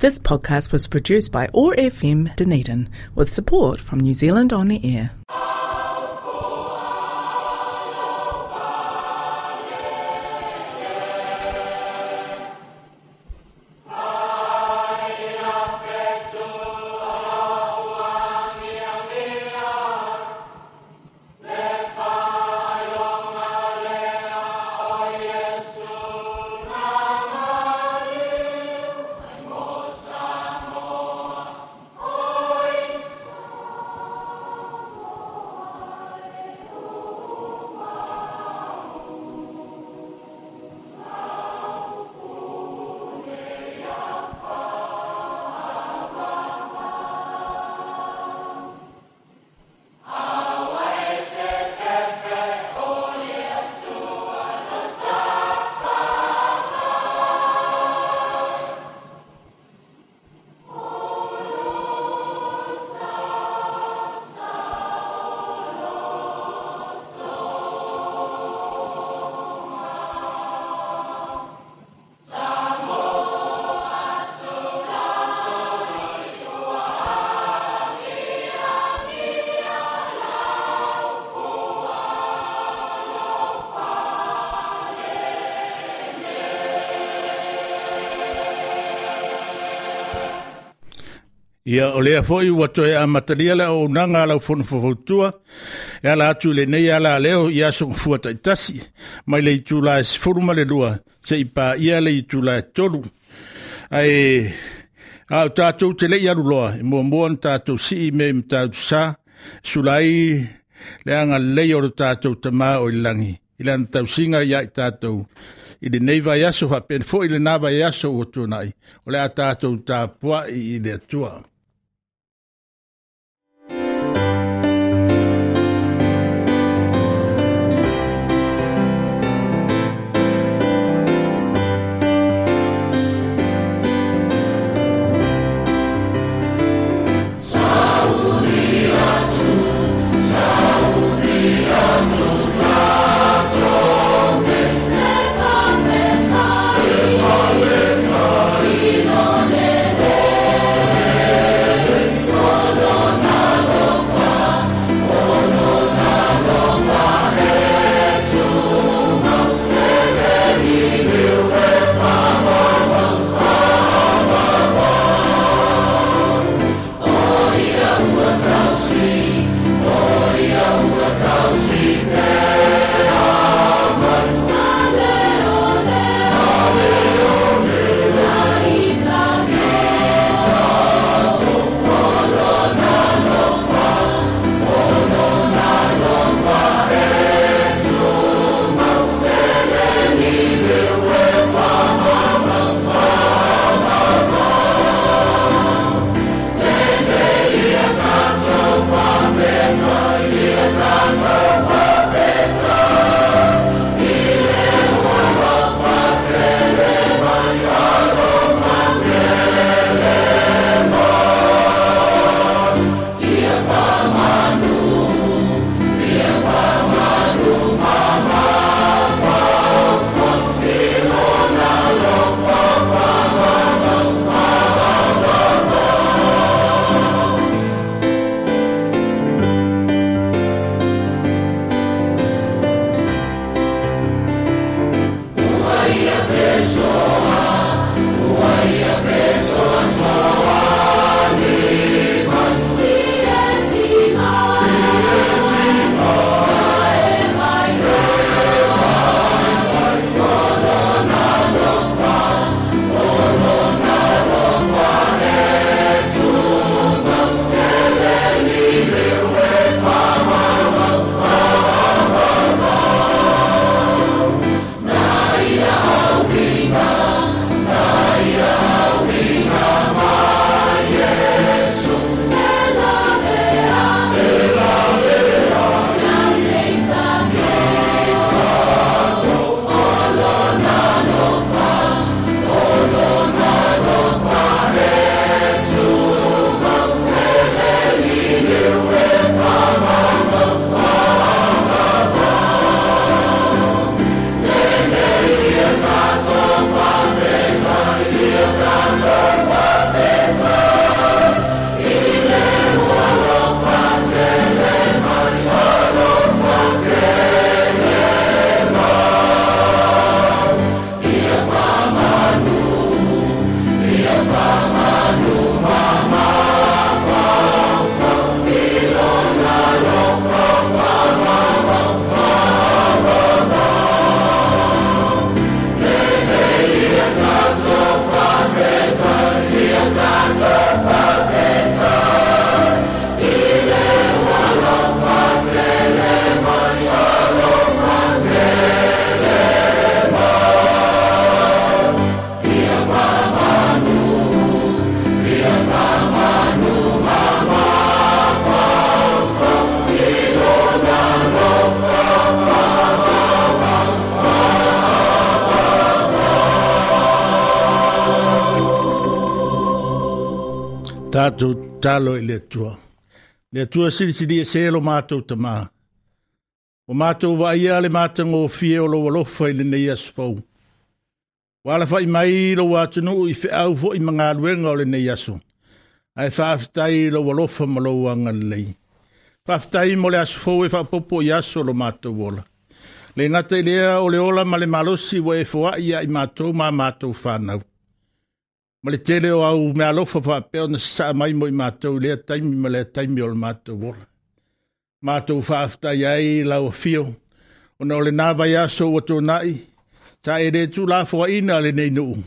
This podcast was produced by OAR FM Dunedin with support from New Zealand On the Air. Ia, o lea foi ua toe amatalia le auaunaga a lau Fono Faufautua e ala atu i lenei alaleo i aso gafua taitasi mai le itula e 12 seia paia le itula e 3. Ae a o tatou te le i aluloa, e muamua ona tatou sii mea i Matautu Sa, sula ai le agalelei o le tatou Tama o i lagi i lana tausiga ia i tatou i lenei vaiaso faapea foi lena vaiaso ua tuanai, o le a tatou tapuai i le Atua. Tātou talo i le Atua. Le Atua silisili ese lo mātou tamā. O mātou vaia le mātagofie o lou alofa i lenei aso fou. Ua alafai mai lou atunuu i feau foi ma galuega o lenei aso. Ae faafetai i lou alofa ma lou agalelei. Faafetai mo le aso fou e faaopoopo i aso o lo matou ola. Le gata i lea o le ola ma le malosi ua e foai ia i matou ma matou whanau. Ma le tele o au meaalofa faapea ona sasaa mai mo i matou i lea taimi ma lea taimi o le matou ola. Matou faafetai ai lau afio, ona o lena vaiaso ua tuanai, sa e le tuulafoaiina lenei nuu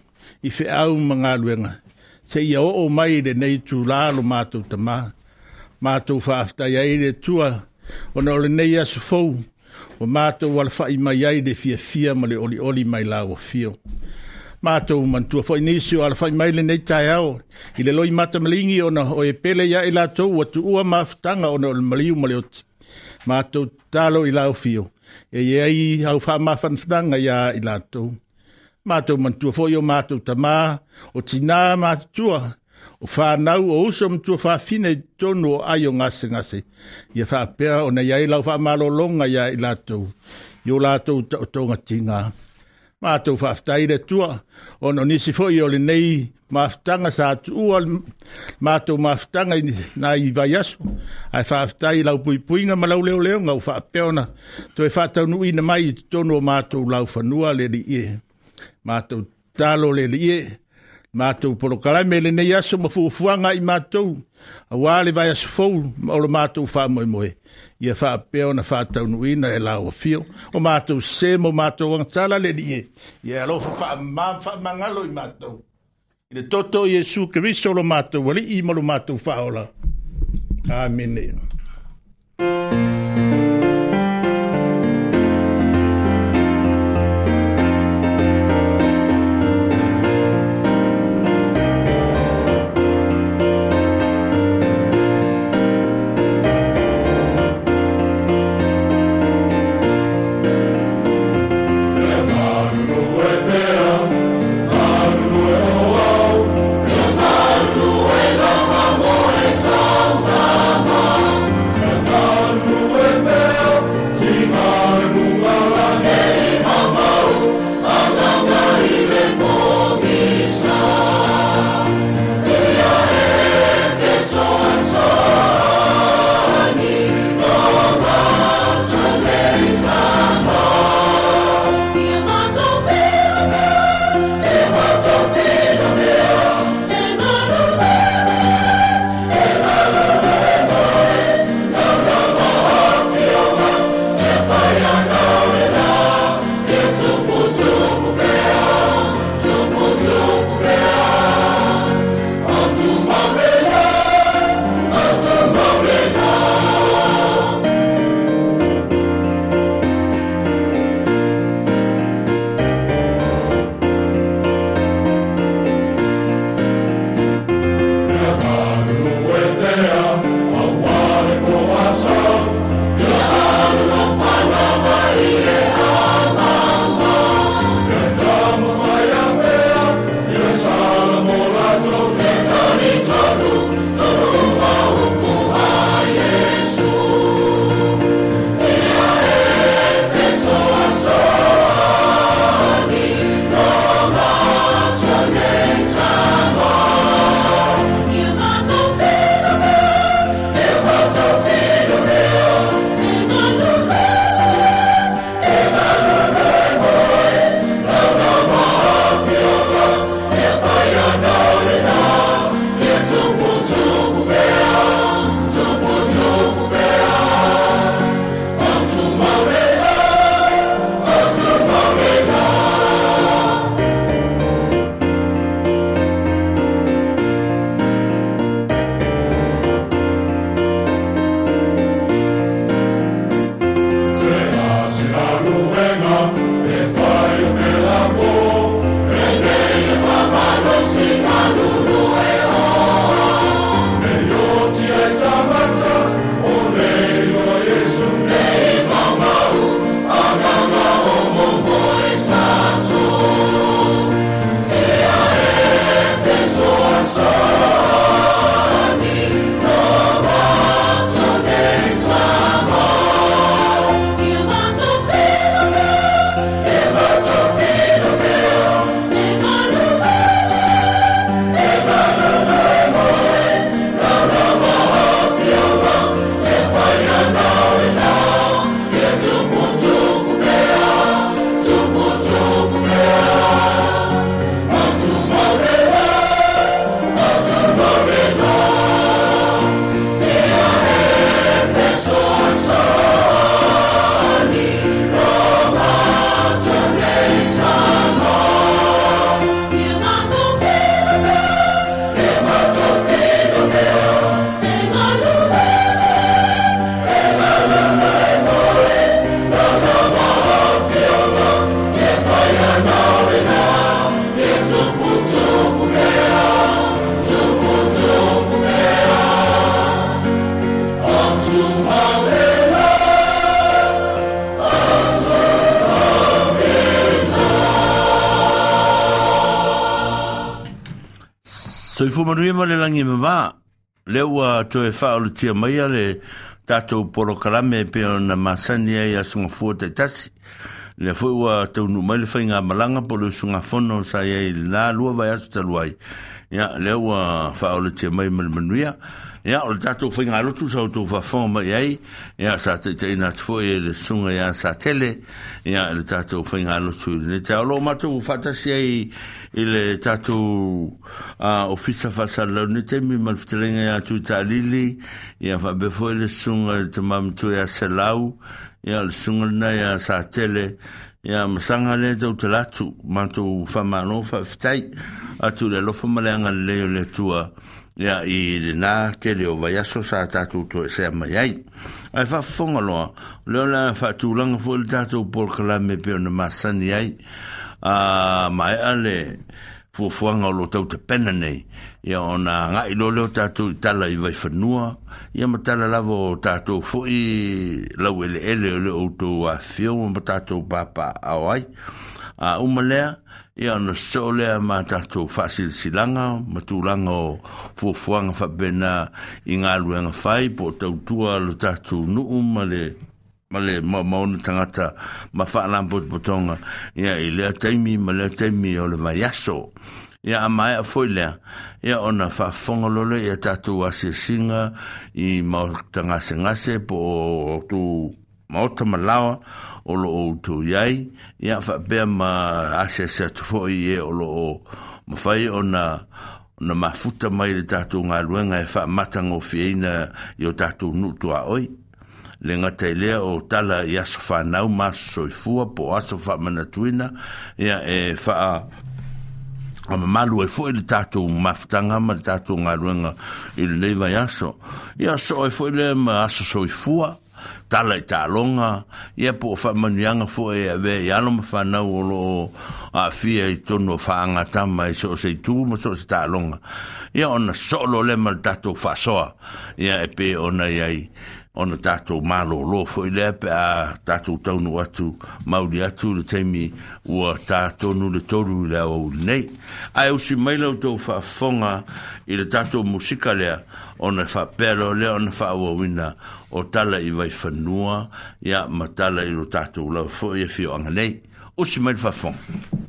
i feau ma galuega, seia oo mai i lenei itulā lo matou tamā. Matou faafetai ai le Atua, ona o lenei aso fou, ua matou alafai mai ai le fiafia ma le olioli mai lau afio. Matou manatua foi nisi o alafai mai lenei taeao i le loimata maligi ona o e pele ia i latou ua tuua mafutaga ona o le maliu ma le oti. Matou tatalo i lau afio, e i ai au faamafanafanaga ia i latou. Matou manatua foi o matou tamā, o tinā matutua, o whanau, o uso ma tuafafine i totonu o ai o gasegase. Ia faapea ona i ai lau faamalologa ia i latou, i o latou taotoga tiga. Matou faafetai i le Atua, ona o nisi foi o lenei mafutaga sa tuua matou mafutaga i nai vaiaso, ae faafetai i lau puipuiga ma lau leoleoga ua faapea ona toe faataunuuina mai i totonu o matou laufanua le Alii e. Matou tatalo le Alii e, matou polokalame lenei aso ma fuafuaga i matou, aua le vaiaso fou o lo matou faamoemoe, ia faapea ona faataunuuina e lau afio. O matou sese ma o matou agatala le Alii e, ia alofa faamama faamagalo i matou. I le toto o Iesu Keriso lo matou Alii ma lo matou Faaola. Amene. Malulu. Soifua manuia ma le lagi e mamā. Lea ua toe faaolatia maia le tatou polokalame e pei ona masani ai i aso gafua taitasi. Lea foi ua taunuu mai le faigamalaga po o le usugafono sa i ai i lena 2 vaiaso talu ai. Ia, lea ua faaolatia mai ma le manuia. Ia, o le tatou faigalotu sa outou faafofoga mai i ai, ia, sa taitaiina atu foi e le Susuga ia Satele, ia, i le tatou faigalotu i lenei taeao. O lo o matou faatasi ai i le tatou Ofisa Faasalalau i lenei taimi ma le fetalaiga ia Tuitaalili, ia, faapea foi le Susuga i le Tama Matua ia Selau, ia, o le Susuga lena ia Satele, ia, ma saga lea tautala atu, matou faamalo faafetai atu i le alofa ma le agalelei o le Atua. Ia, i lena tele o vaiaso sa tatou toesea mai ai. Ae faafofoga loa, o lea o le a faatulaga foi le tatou polokalame e pei ona masani ai. A maea le fuafuaga o lo o tau tapena nei, ia ona agai loa lea o tatou i tala i Vaifanua, ia ma tala lava o tatou foi laueleele o le outou afifio ma tatou papaaao ai. A uma lea, Ia ona sosoo lea ma tatou faasilasilaga ma tulaga o fuafuaga faapena i galuega fai po o tautua lo tatou nuu ma le ma le maona tagata ma faalapotopotoga ia i lea taimi ma lea taimi o le vaiaso. Ia a maea foi lea, ia ona faafofoga loa lea i a tatou asiasiga i maota gasegase po o outou maota ma laoa o lo o outou i ai, ia faapea ma asiasi atu foi i e o lo o mafai ona ona mafuta mai le tatou galuega e faamatagofieina i o tatou nuu tuaoi. Le gata i lea o tala i aso fanau ma aso soifua po o aso faamanatuina, ia e faa mamalu ai foi le tatou mafutaga ma le tatou galuega i lenei vaiaso. Ia soo ai foi lea ma aso soifua, tala i taaloga, ia po o faamanuiaga foi e avea i alo ma fanau o lo o aafia i totonu o faagatama i so o se itu ma so o se taaloga. Ia ona soo loa lea ma le tatou faasoa, ia e pei ona i ai ona tatou malōlō foi lea pe a tatou taunuu atu mauli atu i le taimi ua tā tonu le 3 i le aoauli nei. Ae usi mai la outou faafofoga i le tatou musika lea, ona faapea loa lea ona faaauauina o tala i Vaifanua, ia, ma tala i lo tatou lava foi afioaga nei. Usi mai le faafofoga.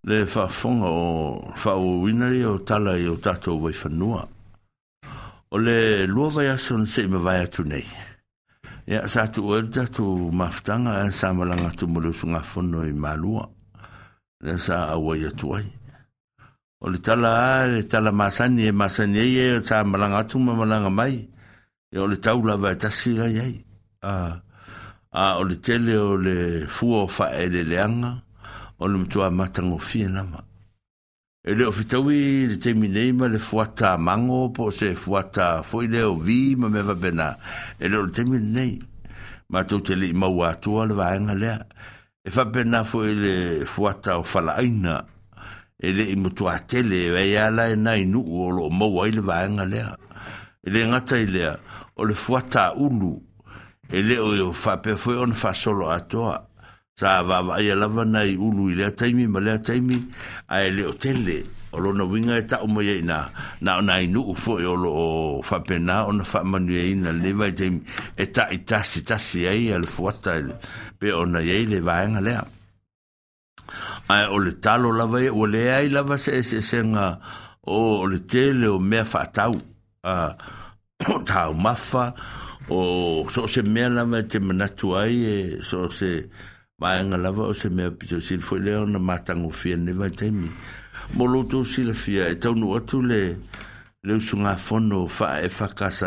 Le faafofoga o faaauauina ia o tala i o tatou vaifanua. O le 2 vaiaso na se i mavae atu nei, ia, sa tuua ai le tatou mafutaga ae sa malaga atu ma le usugafono i Malua, lea sa auai atu ai. O le tala lava, le tala masani e masani ai e sa malaga atu ma malaga mai, ia o le tau lava e tasi la i ai. A o le tele o le fua o faaeleeleaga, o le matua matagofie lava. E le o fetaui le taimi nei ma le fuata mango po o se fuata foi lea o vi ma mea faapena. E le o le taimi lenei. Matou te le i maua atua le vaega lea. E faapena foi le fuata o falaaina. E le i matua tele, e ai lava la e nai nuu o lo o maua ai le vaega lea. E le gata i lea, o le fuata ulu, e le o faapea foi ona faasolo atoa. Sa vaavaaia lava nai ulu i lea taimi ma lea taimi, ae le o tele. O lona uiga e tau mai ai i ina, na o nai nuu foi o lo o faapena ona faamanuiaina i lenei vaitaimi e taitasitasi ai le fuata pei ona i ai le vaega lea. Ae o le talo lava ia, ua leai lava se eseesega o le tele o mea faatau, o taumafa, o so o se mea lava e te manatu ai, e so o se vaega lava o se mea pito sili foi lea ona matagofie i lenei vaitaimi. Mo lo outou silafia, e taunuu atu le usugafono faa-EFKS,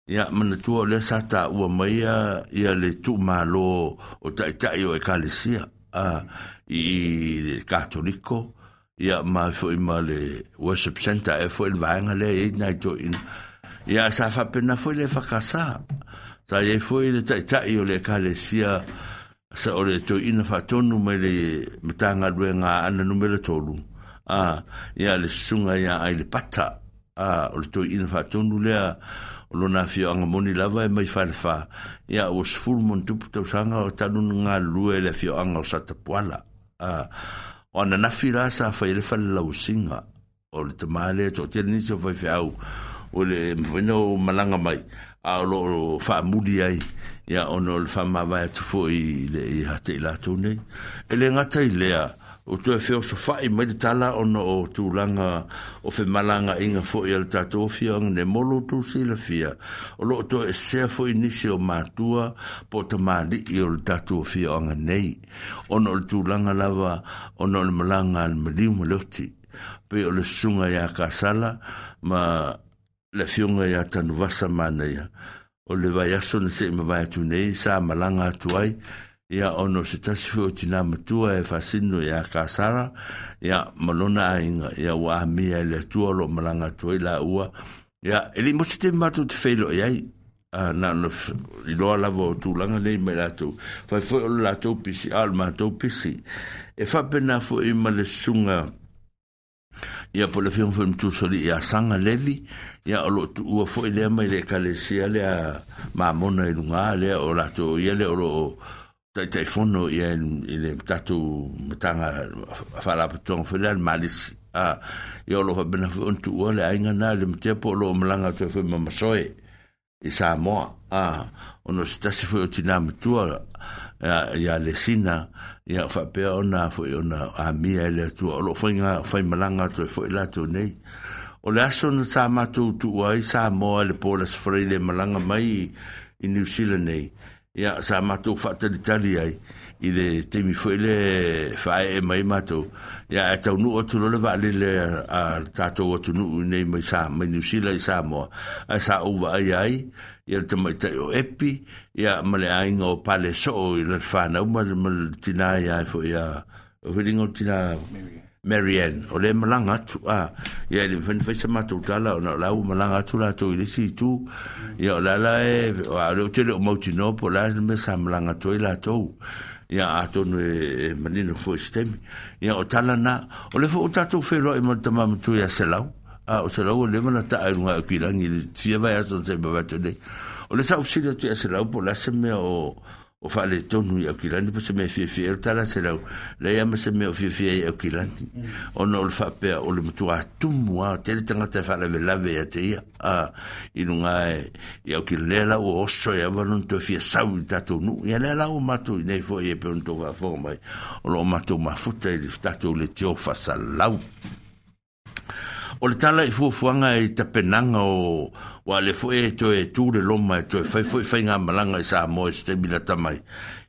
ia manatua o lea sa taua mai ia le tuumalo o taitai o ekalesia, i le Katoliko, ia ma foi ma le worship center e foi le vaega lea e i ai nai toeaiina. Ia sa faapena foi le EFKS. Sa i ai foi le taitai o le ekalesia sa o le toeaina faatonu mai le Matagaluega a Aana Numera 3, ia le susuga ia Ailepata, o le toeaina faatonu lea o lona afioaga moni lava e mai Falefa, ia ua 10+ tausaga o talu ona galulue i le afioaga o Satapuala. O ananafi la sa fai ai le fale lauasiga o le tama lea, toatele nisi o faifeau o le mafai ona malaga mai, a o lo o faamuli ai, ia ona o le faamavae atu foi i le ia te i latou nei. E le gata i lea, o toe feosofai mai le tala ona o tulaga o femalagaaiga foi a le tatou afioaga nei. Mo lo outou silafia, o lo o toesea foi nisi o matua po o tamalii o le tatou afioaga nei, ona o le tulaga lava ona o le malaga a le maliu ma le oti. Pei o le susuga ia Kasala ma le afioga ia Tanuvasa Manaia, o le vaiaso na se i mavae atu nei sa malaga atu ai, ia ona o se tasi foi o tinā matua e faasino ia Kasara, ia ma lona aiga, ia ua amia e le Atua o lo o malaga atu ai laua. Ia, e le i motu te matou te feiloai ai, na ona iloa lava o tulaga nei mai latou. Fai foi o le latou pisi, a o le matou pisi. E faapena foi ma le susuga ia po o le afioga foi i le Matuasolii ia Saga Levi, ia o lo o tuua foi lea mai le ekalesia lea Mamona i luga lea o latou ia lea o lo o taitaifono ia i le tatou matanga faalapotopotoga foi lea le Malisi. Ia o lo o faapena foi ona tuua le aiga na le matea po o lo o malaga atu ai foi ma Masoe i Samoa, ona o se tasi foi o tinā matua ia Lesina, ia faapea ona foi ona amia e le Atua, o lo o faimalaga atu ai foi latou nei. O le aso na sa matou tuua ai Samoa i le po o le Aso Faraile e malaga mai i Niu Sila nei, ia sa matou faatalitali ai i le taimi foi le faaee mai matou, ia ae taunuu atu loa le vaalele a le tatou atunuu nei mai sa mai Niu Sila i Samoa, ae sa ou vaaia ai ia le tamaitai o Epi, ia ma le aiga o Palesoo i le whanau ma le tinā ia foi ia o whiringa o tinā Mary Ann, o le malaga atu, ia e le mafai ona fai sa matou tala ona o la ua malaga atu latou i le isi itu. Ia o le ala e, o lea ou te le o mautinoa po o le a le mea sa malaga atu ai latou. Ia atonu e manino foi i se taimi. Ia o tala na, o lea foi ua tatou feiloai ma le tama matua ia Selau. O Selau ua leva ona taa i luga o Kilangi i le fia vaiaso na se i mavae atu nei. O lea sa ou fesili atu ia Selau po o le a se mea o o faaletonu i Aukilani po o se mea e fiafia ai. O le tala a Selau, leai lava ma se mea o fiafia ai i Aukilani, ona o le faapea o le matua tumu lava, tele tagata e faalavelave ia te ia, a, i luga e, i Aukilani. Lea la ua oso ai lava lona toe fia sau i le tatou nuu. Ia lea la ua matou i inei foi e pei ona outou faafofoga mai, o lo o matou mafuta i le tatou leitio faasalau. O le tala i fuafuaga i tapenaga o aua o lea foi e toe tu le loma e toe fai foi faigamalaga i Samoa i se taimi lata mai.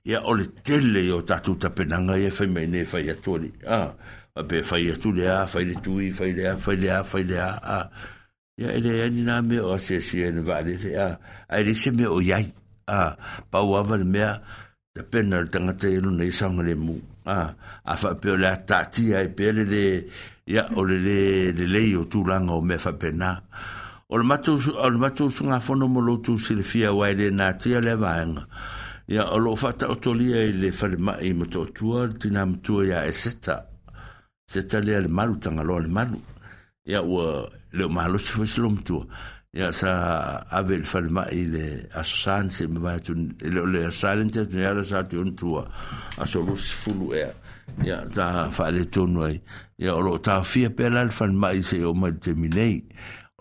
Ia o le tele o tatou tapenaga ia e fai mai nei e fai atu alii. A, faapea e fai atu le a, fai le tui, fai le a, fai le a, fai le a, a. Ia e leai ni na mea o asiasia i le vaalele, a, ae leai se mea o i ai. A, pau lava le mea, tapena le tagata ia lona ia saogalemu. A, a faapea o le a taatia ai pea le lē, ia, o le lē lelei o tulaga o mea faapena. O le matou, o le matou usugafono mo lo outou silafia aua e le natia lea vaega, ia, o lo o faataotolia i le falemai i Motootua le tina matua ia Eseta. Seta lea le malu, Tagaloa le malu. Ia ua le o malosi foi se lomatua. Ia sa ave i le falemai i le Aso Sa na se i mavae atu, e le o le Aso Sa lea na tea atu nei, a o le Aso Sa atu i ona tua, aso 20 ea. Ia sa faaletonu ai. Ia o lo o taofia pea la le falemai seia oo mai i le taimi nei.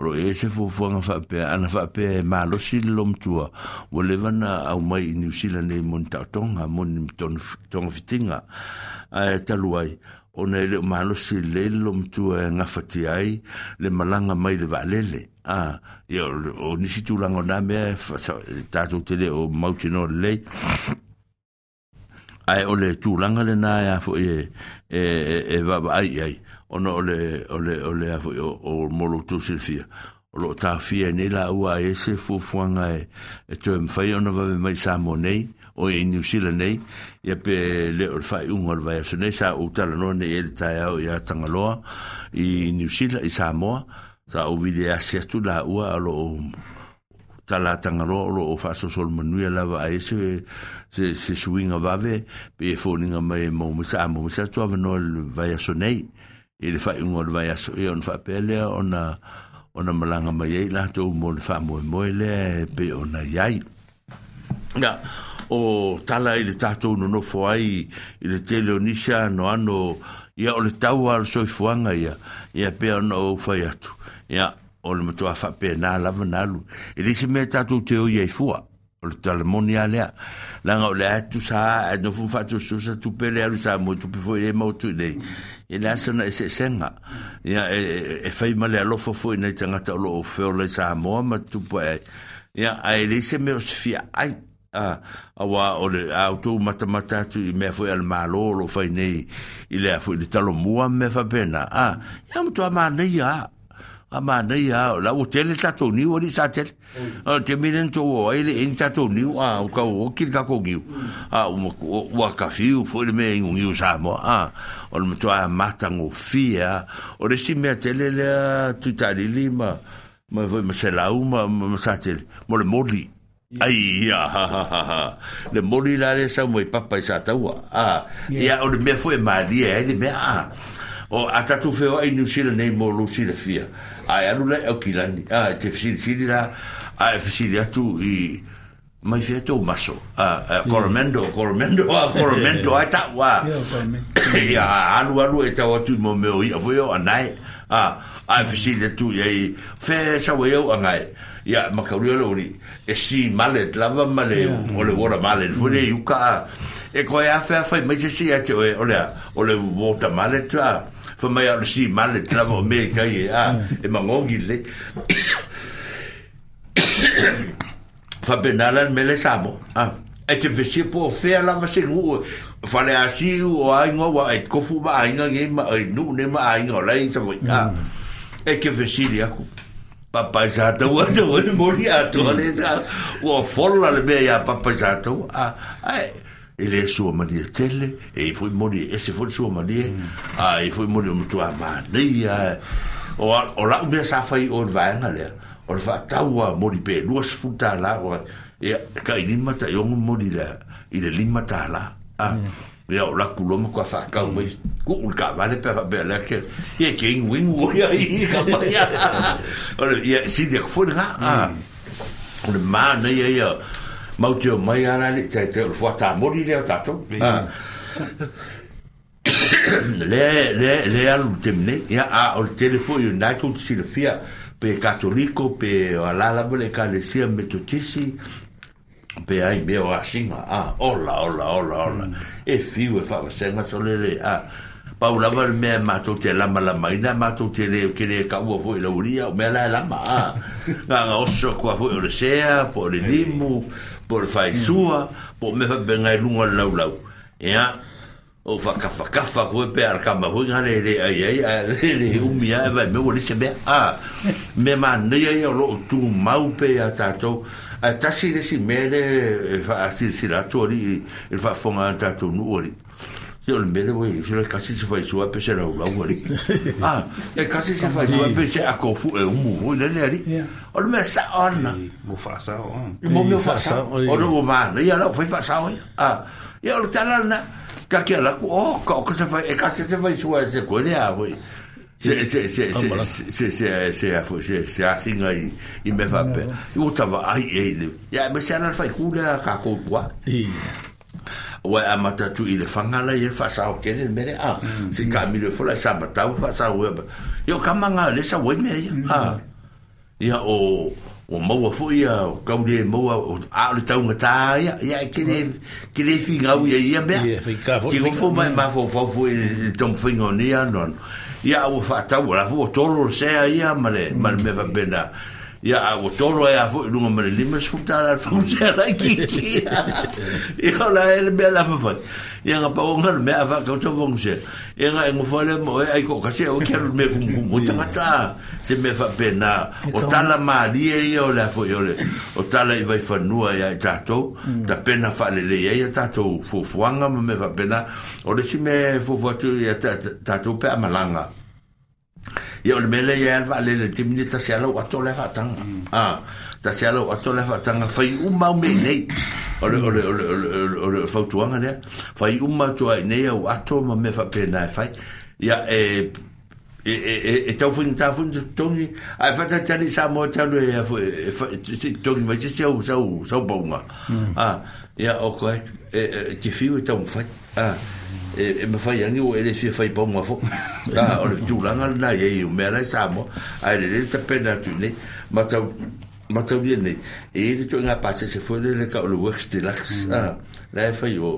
O lo o i ai se fuafuaga faapea, ana faapea e malosi le lomatua, ua leva na aumai i Niu Sila nei mo ni taotoga, mo ni togafitiga. Ae talu ai, ona e le o malosi lelei le lomatua e gafatia ai le malaga mai le vaalele. A, ia, o nisi tulaga o na mea e tatou te le o mautinoa lelei. Ae o le tulaga lena e a foi e, e, e, e vaavaai i ai, ona o le, o le, o le a foi, o, o mo lo outou silafia, o lo o taofia ai nei laua a i ai se fuafuaga e, e toe mafai ona vave mai i Samoa nei, o i Niu Sila nei, ia pe le o le faaiuga o le vaiaso nei, sa ou talanoa nei i ai i le taeao ia Tagaloa i Niu Sila, i Samoa, sa ou vili asi atu laua o lo o tala Tagaloa o lo o faasolosolo manuia lava a i ai se, se, se suiga vave, pei e foliga mai e maua mai se, a maua mai se latou avanoa i le vaiaso nei, i le faaiuga o le vaiaso, ia ona faapea lea ona, ona malaga mai ai latou mo le faamoemoe lea e pei ona i ai. Ia, o tala i le tatou nonofo ai i le tele o nisi anoano, ia o le tau lava o le soifuaga ia, ia pei ona ou fai atu, ia, o le matua faapena lava na alu. E leai se mea tatou te oi ai fua, o le tala moni lava lea. Leaga o lea e tusa lava, ae nofo ma faatusatusa tupe lea alu i Samoa i tupe foi lea e maua atu i inei. E leai sona eseesega. Ia, e, e fai ma le alofa foi i nai tagata o lo o feola i Samoa ma tupu ae ai. Ia, ae leai se mea o se fia ai. A, aua o le a outou matamata atu i mea foi a le Malo o lo o fai nei i le a foi le Talomua ma mea faapena, a, ia matua manaia lava. A manaia lava, o la ua tele tatou niu alii sa tele. O le taimi lea na tou o ai e le i ai ni tatou niu, a, ua tau oti le tatou niu. A, ua, ua tafiu foi le mea inu niu Samoa, a, o le matua matagofie lava. O le isi mea tele lea Tuitalili ma, ma foi ma Selau ma, ma Satele, mo le moli. Ai, ia, ha, ha, ha, ha. Le moli la lea sau mai papa i Sataua. A, ia, o le mea foi e malie ai le mea, a. O, a tatou feoai i Niu Sila nei mo lou silafia, a e alu la i Aukilani, a, e te fesilisili la, a e fesili atu i, mai fea tou maso, a, a, Coromandel, Coromandel, a, Coromandel, ai tau, a. Ia, a alu alu e tau atu i mo mea o i'a foi o anae, a, a e fesili atu i ai, fea e sau ai au anae, Ia, makauri o le uri, e sea mallet lava ma le, o le water mallet foi le i uka a. E koe a whea whai mai se si a te oe, o le a, o le water mallet a, whai mai a o le sea mallet lava o me kai e, a, e mangongi le. Whapena la le mele Samoa, a. E te fesia po o whea lava se nuu, whale a siu o ainga wa e kofu ma ainga nei ma, e nuu nei ma ainga o lai sa foi, a. E ke fesili aku. Papa i Sataua te wai mori atoa le sa ua fola le mea iā Papa i Sataua a ae e le sua malie tele e i foi moli e ese foi le sua malie a e i foi moli o matua manaia o o lau mea sa fai i o le vaega lea o le faatau a moli pe $20 ua ia tai 5 tai 6 moli lea i le $5 a Ia o laku loa matua whaakau mai kuu le taavale pe a faapea lea ke ia ke inu inu o ia i ka mai o le ia sili atu foi lena a o le manaia ia Matou te omai lava la e le i taitai o le fuatamoli lea o tatou. Lea, lea, lea alu i le taimi nei. Ia, a o le tele foi o lena tou te silafia, pe Katoliko, pe o a la lava le Ekalesia Metotisi, pe ai mea o asiga, a, ola, ola, ola, ola. E fiu e faavasega sole le, a, pau lava le mea matou te lamalamaina, matou te le, ke le taua foi i le aualii, a o mea la e lama, a. Na ona oso atu lava foi o le sea, po o le limu, po o le faisua, po o mea faapena i luga o le laulau, ia, Ou whakawhakawha koe pe ara kama foi ngā le le ai ai a le le umi a e vai me ua lise mea a mea manaia ia o loo tumau pe ia tātou ae tasi le isi mea le e faasilasila atu alii i le faafofoga a tātou nuu alii se o le mea le ua i se kasi se faisua pe se laulau alii a e kasi se faisua pe se ako fu e umu foi lele alii o le mea sao ana mo faasao mo mea faasao o le ua manaia la o fai faasao ai a Ia o le tala lena, ka ke ala atu, oh, ka o ka se fai, e ka se se fai sua e se koe le a foi. Se, se, se, se, se, se, se, a foi, se, se asinga i, i mea faapea. I ua tava ai e i le, ia e me se ala le faiku lea a kākou tua. Ua e amata atu i le whanga la i le whaasao kere le mere, a, se ka milo fola e sa matau whaasao ea. Ia o kama ngā le sa wai mea ia, a. Ia, o, ua maua foi ia, o kau le maua, o, a o le taugatā ia, ia, e ke le, ke le figau ia i ia mea. Ia, faigata foi. Ke nofo mai mafaufau foi i le taumafaiga o nei anoano. Ia, a ua faatau, o la foi ua tolo le sea ia ma le, ma le mea faapena. Ia, a ua tolo ai lava foi i luga ma le $50 le fagu sea laitiiti. Ia, o la e le mea la mafai. Ia, na pau ona le mea a faatau sau fagu sea. Ia, na e nofo lava lea ma oe, ai toatasi ae aua e te alu i le mea e kumukumu ai tagata. Se mea faapena, o tala malie ia o le a foi o le o tala i Vaifanua ia i tatou, tapena faalelei ai a tatou fuafuaga ma mea faapena. O le isi mea e fuafua atu ia tatou pe a malaga, ia o le mea lea e i ai lava le vaalele i le taimi lenei, tasi lava lau ato la e faataga. A, tasi lava lau ato la e faataga, fai uma au mea i inei. O le, o le, o le, o le, o le fautuaga lea, fai uma atu lava i inei au ato ma mea faapena e fai. Ia, e E, e, e, e tau faigata foi ona totogi, ae faatalitali i Samoa e te alu e, a foi, e, e, se i totogi mai se isi au, sau, sau pauga. A, ia, o koe, e, e, e te fiu e taumafai. A, e, e mafai agi ua e le fia fai pauga foi. A, o le tulaga lena i ai o mea la i Samoa, ae lelei le tapena atu i inei. Matau, mataulia nei, e i ai le ituaiga pasese foi lele tau o le Works Deluxe, a, la e fai o,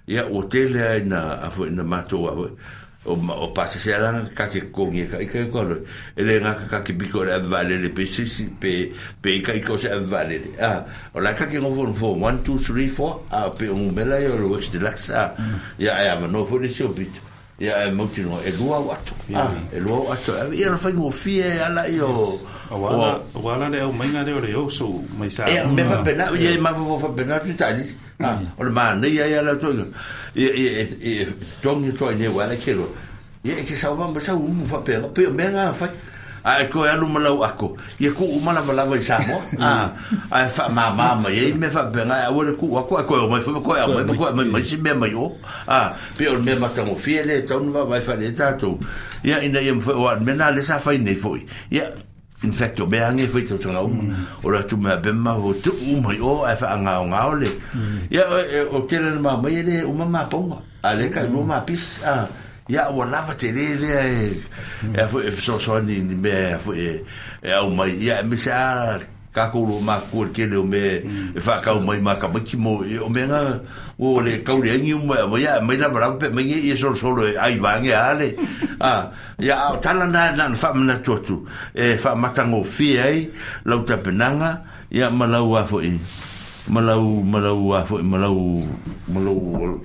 ia, ua tele lava ina, a foi, ina matou a foi, O, o pasese ala ka ke totogi e ka ika i koa e le ngaka ka ke piko le ave vaalele pe se isi pe pe ika ika o se ave vaalele a o la ka ke ngofo ngofo 1 2 3 4 a pe o ngumela ia o le Works Deluxe a ia e avanoa foi le isi o pito ia e mautinoa e lua au ato a e lua au ato ia na faigofie e ala ia o Aua la le aumaiga lea o le oso mai Samoa. Ia, mea faapena, ia e mafaufau faapena atu tailili. Ah, o le manaia ia le atoiga. Ia, ia, e, e, e totogi atu ai nei ua ala ke loa. Ia, e te sau ma sau umu faapea, pei o mea ngā whai. A e koe alu ma lau ako, ia ku uma lava lava i Samoa. Ah, a e whaamāmā mai ai mea faapea ngā, aua le ku ako, e koe o mai foi, ma koe au mai, ma koe au mai mai si mea mai o. Ah, pei o le mea matagofie le e tau na vaavaai whaare e tātou. Ia, ina ia mawhai, o a le mea nā le sa whai nei foi. Ia, In fact, o mea ange e whai tausanga uma. O le atu mea pe ma o tu uma i o ae whaangaongao le. Ia, o tele na mau mai e le uma mā paunga. A le kai lua mā pis. A, ia, ua lava te le lea e, e a foi e fesoasoani ni mea e a foi e, e au mai. Ia, e mese a kākou lo mākua le tele o mea e whaakau mai mā tamaiti mo, o mea ngā, o le kau le aingi uma, ia, mai lava lava pe mai nge ia solosolo e ai vānge a le. A, Ia, a o tala na na na faamanatu atu e faamatagofie ai lau tapenaga, ia, ma lau a foi, ma lau, ma lau a foi, ma lau, ma lau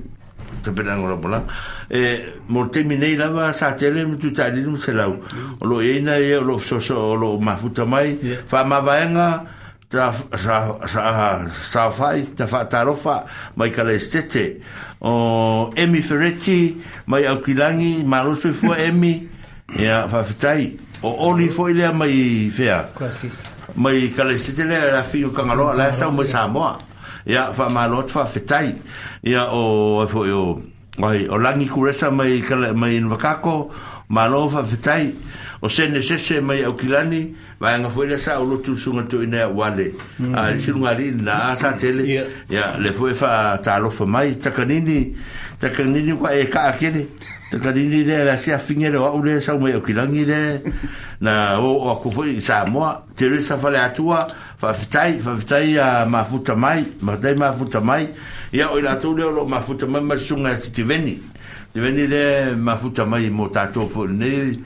tapenaga o lau malaga. E, mo le taimi nei lava sa tele ma Tuitaalili ma Selau, o lo o i ai nai e o lo o fesoasoa, o lo o mafuta mai, faamavaega, Ta, sa, sa, saofai, ta faatalofa mai Kalaesetete. O Emi Ferretti mai Aukilangi, malo soifua Emi. Ia, faafetai. O Oli foi lea mai whea? Mai Kalaesetete lea, la whio Kangaloa, la sau mai Samoa. Ia, faamalo atu faafetai. Ia, o, ai foi o, ai, o Langi Kuresa mai, mai Nvakako, Malo faafetai. O sene sese mai Aukilani, vaega foi lea sa ou lotu le susuga toeaina ia Uale, a le isi lugalii lena a sa tele. Ia, lea foi e faatalofa mai. Takanini, Takanini ua e kaa tele. Takanini lea le asiafiga lea o au lea e sau mai Aukilani lea na oo atu foi i Samoa. Teresa Faleatua, faafetai, faafetai ia mafuta mai, faafetai mafuta mai. Ia, o i latou lea o lo o mafuta mai ma le susuga ia Sitiveni. Sitiveni lea e mafuta mai mo tatou foi i lenei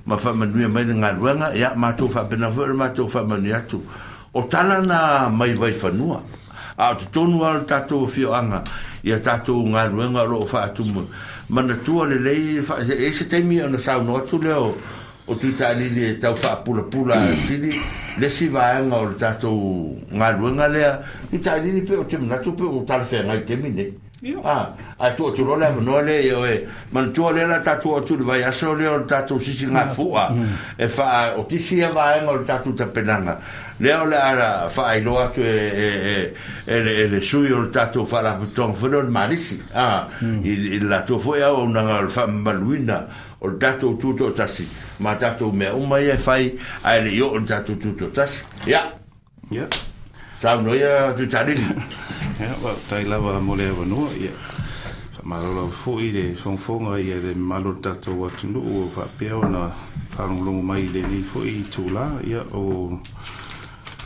ma faamanuia mai le galuega. Ia, matou faapena foi ona matou faamanuia atu. O tala na mai Vaifanua, a o totonu lava o le tatou afioaga i a tatou galuega o lo o faatumu. Manatua lelei, e i ai se taimi ona saunoa atu lea o o Tuitaalili e tau faapulapula atili le isi vaega o le tatou galuega lea. Tuitaalili pe ou te manatu pe ua talafeagai i le taimi lenei. A, ae tuu atu loa le avanoa lea i oe. Manatua lea o le a tatou oo atu i le vaiaso lea o le tatou sisigafua e faaotisi ia vaega o le tatou tapenaga. Lea o le a faailoa atu e le sui o le tatou Faalapotopotoga foi lea o le Malisi, a, i le latou foi auaunaga o le faamamaluina o le tatou tutoatasi ma tatou mea uma ia e fai ae le i oo i le tatou tutoatasi. Ia. Ia. Saunoa ia Tuitalili. Ia, faafetai lava mo le avanoa. Ia, faamalo lava foi le fogafoga ia le mamalu o le tatou atunuu ua faapea ona faalogologo mai i lenei foi itula. Ia, o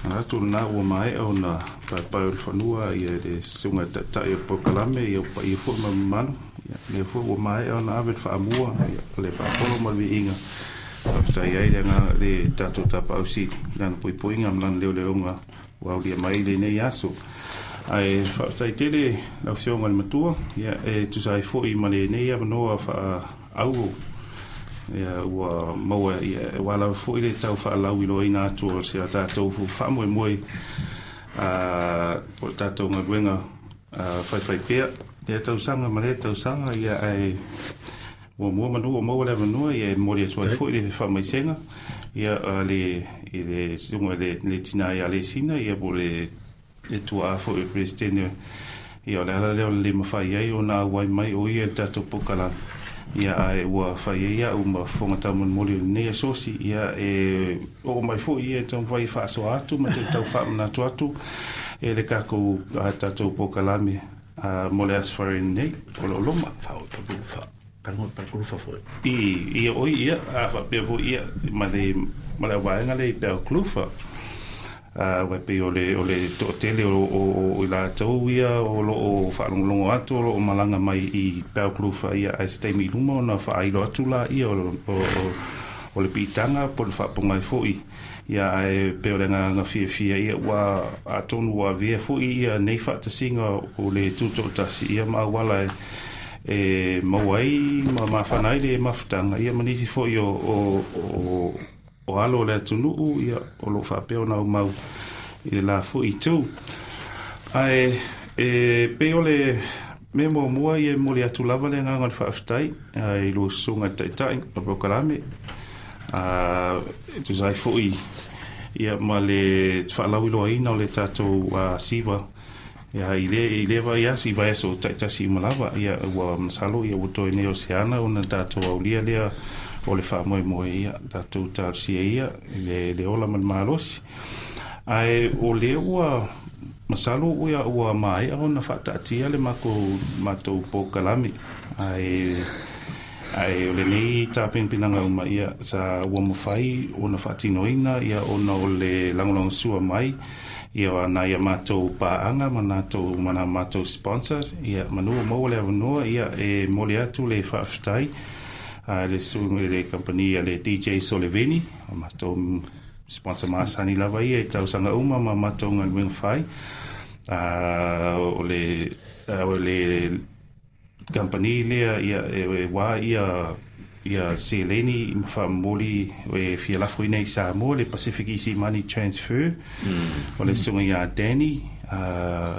manatu lena ua maea ona paepae o le fanua ia le susuga i le Taitai o le polokalame, ia o paia foi ma mamalu. Ia, lea foi ua maea ona ave le faamua, ia, o le faapolo ma le viiga. Faafetai ai le agaga le tatou Tapaau Sili i lana puipuiga ma lana leoleoga ua aulia mai i lenei aso. Ae faafetai tele lau Afioga i le Matua, ia, e tusa ai foi ma lenei avanoa faaauau ia, ua maua, ia, ua lava foi le tau faalauiloaina atu o si a tatou faamoemoe o le tatou galuega faifaipea lea tausaga ma lea tausaga, ia, ae muamua manu ua maua le avanoa, ia, e momoli atu ai foi le faamaisega, ia, le i le susuga i le tina ia Alesina, ia, po o le tuaa foi o le Peresetene. Ia, o le ala lea o le le mafai ai ona auai mai o ia i le tatou polokalame, ia, ae ua fai ai au ma fofoga taumolimoli o lenei asosi, ia, e oo mai foi ia e taumafai e faasoa atu ma toe tau faamanatu atu e le kakou tatou polokalame mo le Aso Faraile nei o lo o loma. I, ia oi ia, a faapea foi ia ma le ma le auvaega lea i Balclutha. Aua e pei o le o le toatele o o o i latou ia o lo o faalogologo atu o lo o malaga mai i Balclutha ia ae se taimi i luma ona faailo atu laia o o o le piitaga po o le faapogai foi. Ia ae pei o le agaga fiafia ia ua atonu ua avea foi ia nei faatasiga o le tutoatasi ia ma auala e e maua ai ma mafana ai le mafutaga ia ma nisi foi o o o o alo o le atunuu ia o lo o faapea ona aumau i le la foi itu. Ae e pei o le mea muamua ia e momoli atu lava le agaga o le faafetai i lou susuga i le Taitai o le polokalame e tusa ai foi ia ma le faalauiloaina o le tatou siva ia i le i lea vaiaso i vaiaso taitasi uma lava ia ua masalo ia ua toe nei o se ana ona tatou aulia lea o le faamoemoe ia tatou talosia ia i le ola ma le malosi. Ae o lea ua masalo ua ua maea ona faataatia le makou matou polokalame ae ae o lenei tapenapenaga uma ia sa ua mafai ona faatinoina ia ona o le lagolagosua mai ia o nai a matou paaga ma natou ma na matou sponsors ia manu ua maua le avanoa ia e momoli atu le faafetai a le susuga i le kamupani a le DJ Soleveni o matou sponsor masani lava ia i tausaga uma ma matou galuega fai. O le o le kamupani lea ia e wā ia ia seleni ma faamomoli e fia lafoina i Samoa le Pacific Easy Money Transfer. O le susuga ia Danny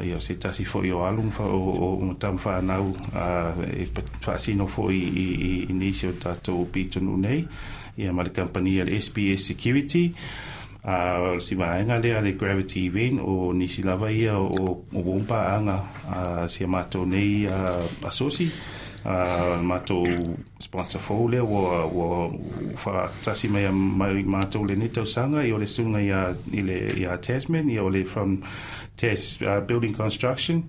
ia o se tasi foi o alu ma o tama fanau e faasino foi i nisi o tatou pitonuu nei ia ma le kamupani a le SBS Security. O le si vaega lea le Gravity Event o nisi lava ia o o paaga a si a matou nei asosi. Matou sponsor fou lea ua ua faatasi mai mai matou lenei tausaga, ia o le susuga ia i le ia Tasman, ia o le from Tas Building Construction,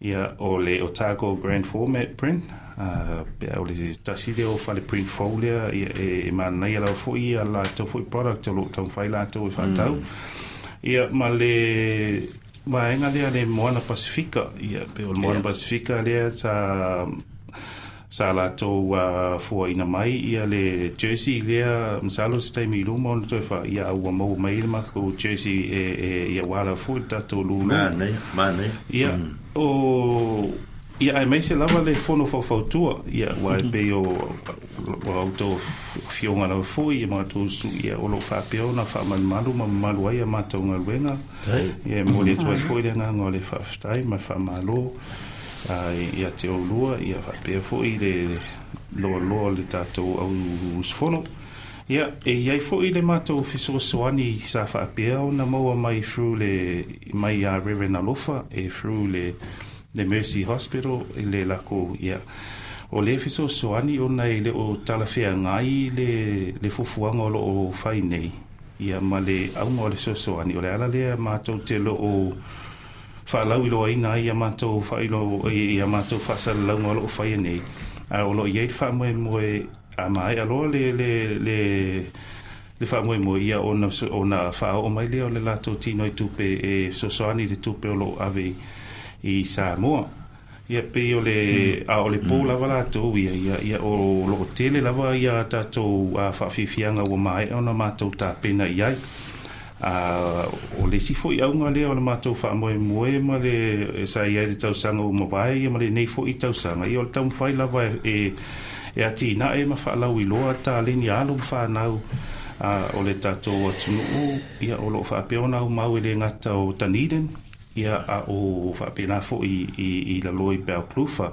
ia o le Otago Grand Format Print, pe o le tasi lea o fale print fou lea, ia e manaia lava foi ia latou foi product o lo o taumafai latou e faatau. Ia ma le vaega lea le Moana Pasifika, ia pe o le Moana Pasifika lea sa latou fuaina mai ia le jersey lea, masalo se taimi i luma ona toe fa ia ua maua mai le matou jersey e ia ua foi le tatou lulu. Manaia, manaia. Ia o ia aemaise lava le fono faufautua, ia ua e pei o ua outou afioga lava foi ia matou ia o lo o faapea ona faamalumalu ma mamalu ai a matou galuega. Ia e momoli atu ai foi le agaga o le faafetai ma le faamalo ia te oulua, ia faapea foi le loaloa o le tatou au usufono. Ia e i ai foi le matou fesoasoani sa faapea ona maua mai through le mai ia Reverend Alofa e through le Mercy Hospital i le lakou, ia o le fesoasoani ona e le o talafeagai le fuafuaga o lo o fai nei ia ma le auga o le fesoasoani. O le ala lea matou te lo o faalauiloaina ai ia matou faailoa ia matou faasalalauga o lo o faia nei, a o lo o i ai le faamoemoe a maea loa le faamoemoe ia ona faaoo mai lea o le latou tino i tupe e fesoasoani i le tupe o lo o ave i Samoa. Ia pei o le a o le po lava latou ia ia o lo o tele lava ia tatou faafiafiaga ua maea ona matou tapena i ai. O le isi foi auga lea o le matou faamoemoe ma le sa i ai le tausaga ua mavae ia ma lenei foi tausaga, ia o le taumafai lava e atinae ma faalauiloa taleni a alo ma fanau o le tatou atunuu, ia o lo o faapea ona aumau e le gata o Dunedin, ia a o faapena foi i lalo i Balclutha.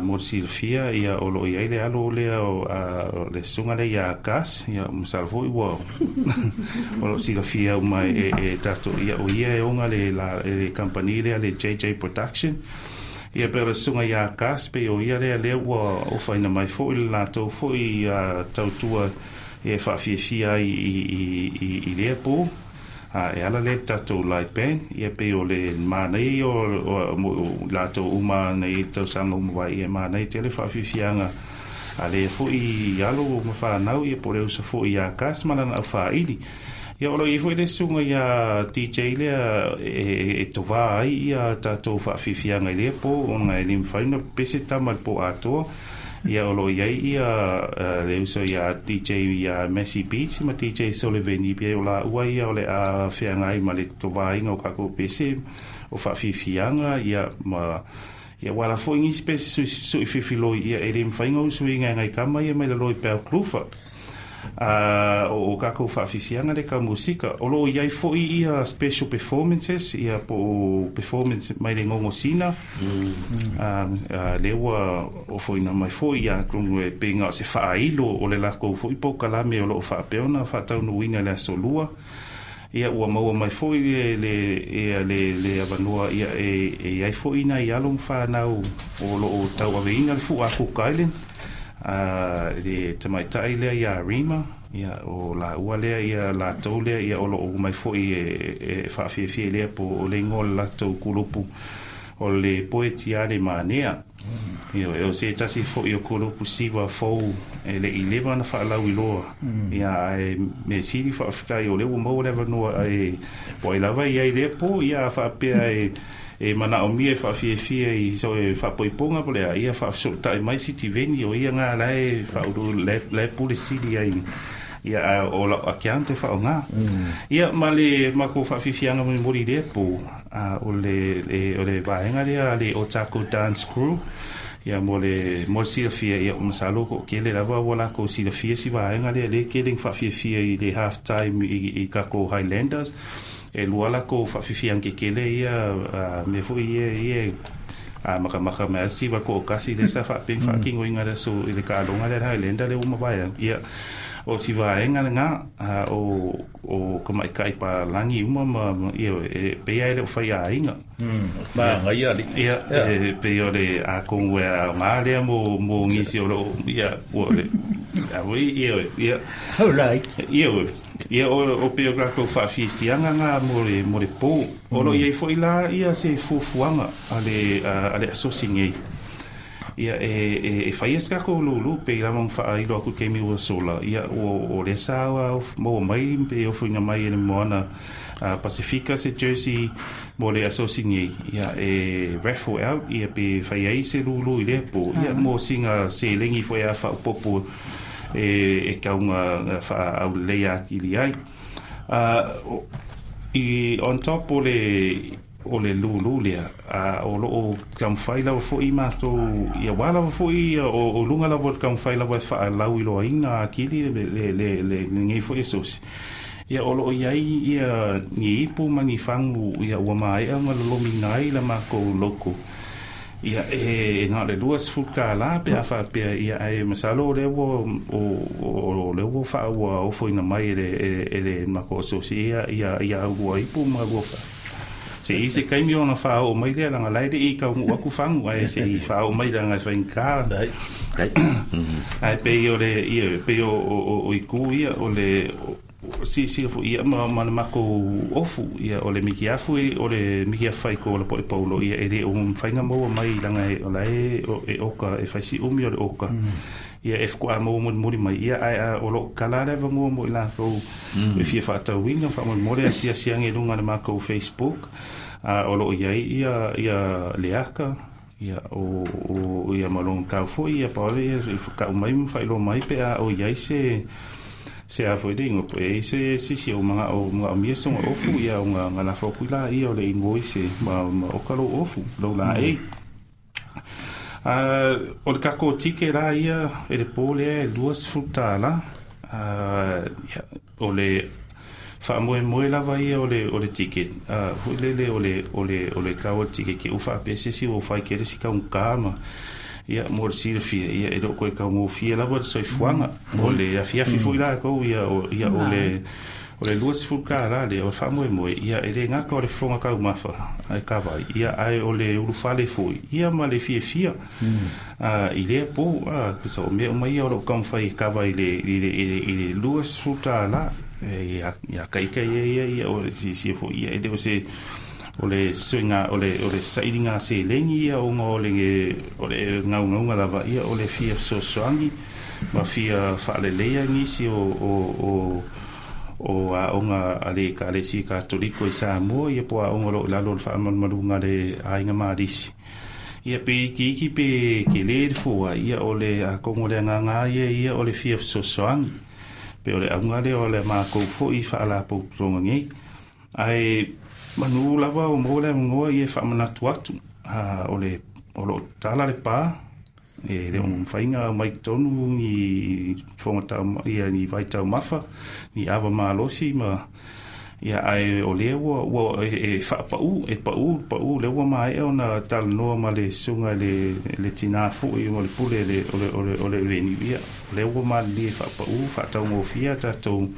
Mo le silafia, ia o lo o i ai le alo lea o le susuga lea ia Gus, ia masalo foi ua o lo o silafia uma e tatou, ia o ia e ona le kamupani lea le JJ Production. Ia pe o le susuga ia Gus pe o ia lea lea ua ofaina mai foi le latou foi tautua e faafiafia ai i lea po. E ala lea le tatou live band, ia pei o le manaia o latou uma nei le tausaga uma vai, ia manaia tele faafiafiaga a lea foi alo ma fanau, ia po o le uso foi ia Gus ma lana aufaili. Ia o lo o i ai foi le susuga ia DJ lea e tovā ai ia tatou faafiafiaga i lea po ona e le mafai ona pese tama i le po atoa. Ia o lo o i ai ia le uso ia DJ ia Messi Beats ma DJ Sullivan, i pei o laua ia o le a feagai ma le tovāina o kākou pese o faafiafiaga, ia ma ia ua ala foi nisi pese suififiloi, ia e le mafai ona usuiga e nai kama ia mai lalo i Balclutha. O kākou faafiafiaga le ka musika o lo o i ai foi ia special performances, ia po o performance mai le gogosina, lea ua ofoina mai foi ia atonu e pei na o se faailo o le lakou foi polokalame o lo o faapea ona faataunuuina i le aso lua. Ia ua maua mai foi le avanoa ia e i ai foi nai alo ma fanau o lo o tauaveina le fua a Cook Island, le tamaitai lea ia Rima, ia o laua lea ia latou lea ia o lo o mai foi e faafiafia i lea po o le igoa o le latou kulupu o le Poetia le Manea. Ia o se tasi foi o kulupu siva fou e le i leva ona faalauiloa, ia ae mea sili faafetai o lea ua maua le avanoa e po ai lava i ai lea po ia faapea e manaomia e faafiafia i so e faapoipoga po o le a ia faafesootai mai Sitiveni o ia ga lae faaulu lae pule sili ai ia a o lau account e faaaoga. Ia ma le matou faafiafiaga molimoli i lea po o le vaega lea le Otago Dance Crew, ia mo le silafia, ia masalo ko kele lava ua lakou silafia si vaega lea le kele ina faafiafia i le half time i kākou Highlanders e lua lakou faafiafiaga kekele ia mea foi ia ia makamaka mai siva ko kasi le sa faapea faatinoina le aso i le taaloga lea le Highlander le ua mavae ia. O si vaega lena o tamaita'i palagi uma ma ia e pei e le o faiaiga. Magaia alii. Ia e pei o le atonu e aogā lea mo nisi o loo ia ua le a oi ia ia ia ia o pei o latou faafiafiaga na mo le pō o loo iai fo'i la ia se fuafuaga a le asosi nei ia e faia se tatou lūlū pei lava ona faailo atu i taimi ua sola ia o lea sa maua mai pe ofoina mai e le Moana Pasifika se jersey mo le asosi nei ia e raffle out ia pe fai ai se lūlū i lea pō ia mo sina seleni foi a faaopopo e kauga faauleleia atili ai. I on top o le lūlū lea o loo taumafai lava fo'i matou ia uā lava fo'i o luga lava o le taumafai lava e faalauiloaina akili le lenei fo'i asosi ia o loo iai ia ni ipu ma ni fagu ia ua maea ona lolomiina ai la makou logo ia e na o le $20 pe a faapea ia ae masalo o lea ua o lea ua faaua ofoina mai e le makou asosi ia aulua ipu ma lua fa se i se kaimi ona faaoo mai lea laga lae le'i taunuu atu fagu ae se'i faaoo mai laga e faigata ae pei o le ia pei o itu ia o le silasila fo'i ia ma le makou ofu ia o le mikiafu o le mikiafu faiko o le po'e paulo ia e lē o mafaiga maua mai laga o la e oka e fai si'umi o le oka ia e faatoa maua mulimuli mai ia ae o loo kala le avanoa mo i latou e fia faatauina faamolemole asiasi age i luga le makou Facebook o loo iai ia le aka ia o ia ma lona tau fo'i ia paole ia ka'u mai ma faailoa mai pe a o iai se a foi le igoa po ai se sisi o maga'o maga'omia soga ofu ia o ga lafo atu i la ia o le invoice ma oka lou ofu lou laei. O le takou tike la ia e le pō lea e $20. Ia, o le faamoemoe lava ia o le ticket foi lele o le tau o le ticket ke u faapea se isi ua fai kele si taugata ma ia mo le silafia ia e leo toe taugofie lava le soifuaga o le afiafi foi lakou ia o ia o le $20 lea o le faamoemoe ia e lē gata o le fofoga taumafa ae kavai ia ae o le ulufale foi ia ma le fiafia i lea pō sa o mea uma ia o loo taumafai e kava i le $20 ia ia kaika ia ia ia o le sisia foi ia e le o se o le suiga o le sailiga seleni ia ona o le gaugauga lava ia o le fia fesoasoani ma fia faaleleia nisi o aoga a le Ekalesia Katoliko i Samoa ia po aoga o loo i lalo o le faamalumaluga a le aiga Malisi ia pe ikiiki pe kelē le fua ia o le atonu o le agaga ia ia o le fia fesoasoani pe o le auga lea o le makou fo'i faalapotopotoga nei ae manu lava o maua le avanoa ia e faamanatu atu o le o loo tala le pā e le o mafaiga mai totonu ni fofoga tau ia ni vaitaumafa ni ava malosi ma ia ae o lea ua e faapau e pau pau lea ua maea ona talanoa ma le susuga le tinā fo'i o le pule le o le venue ia o lea ua malilie faapau faataugofia tatou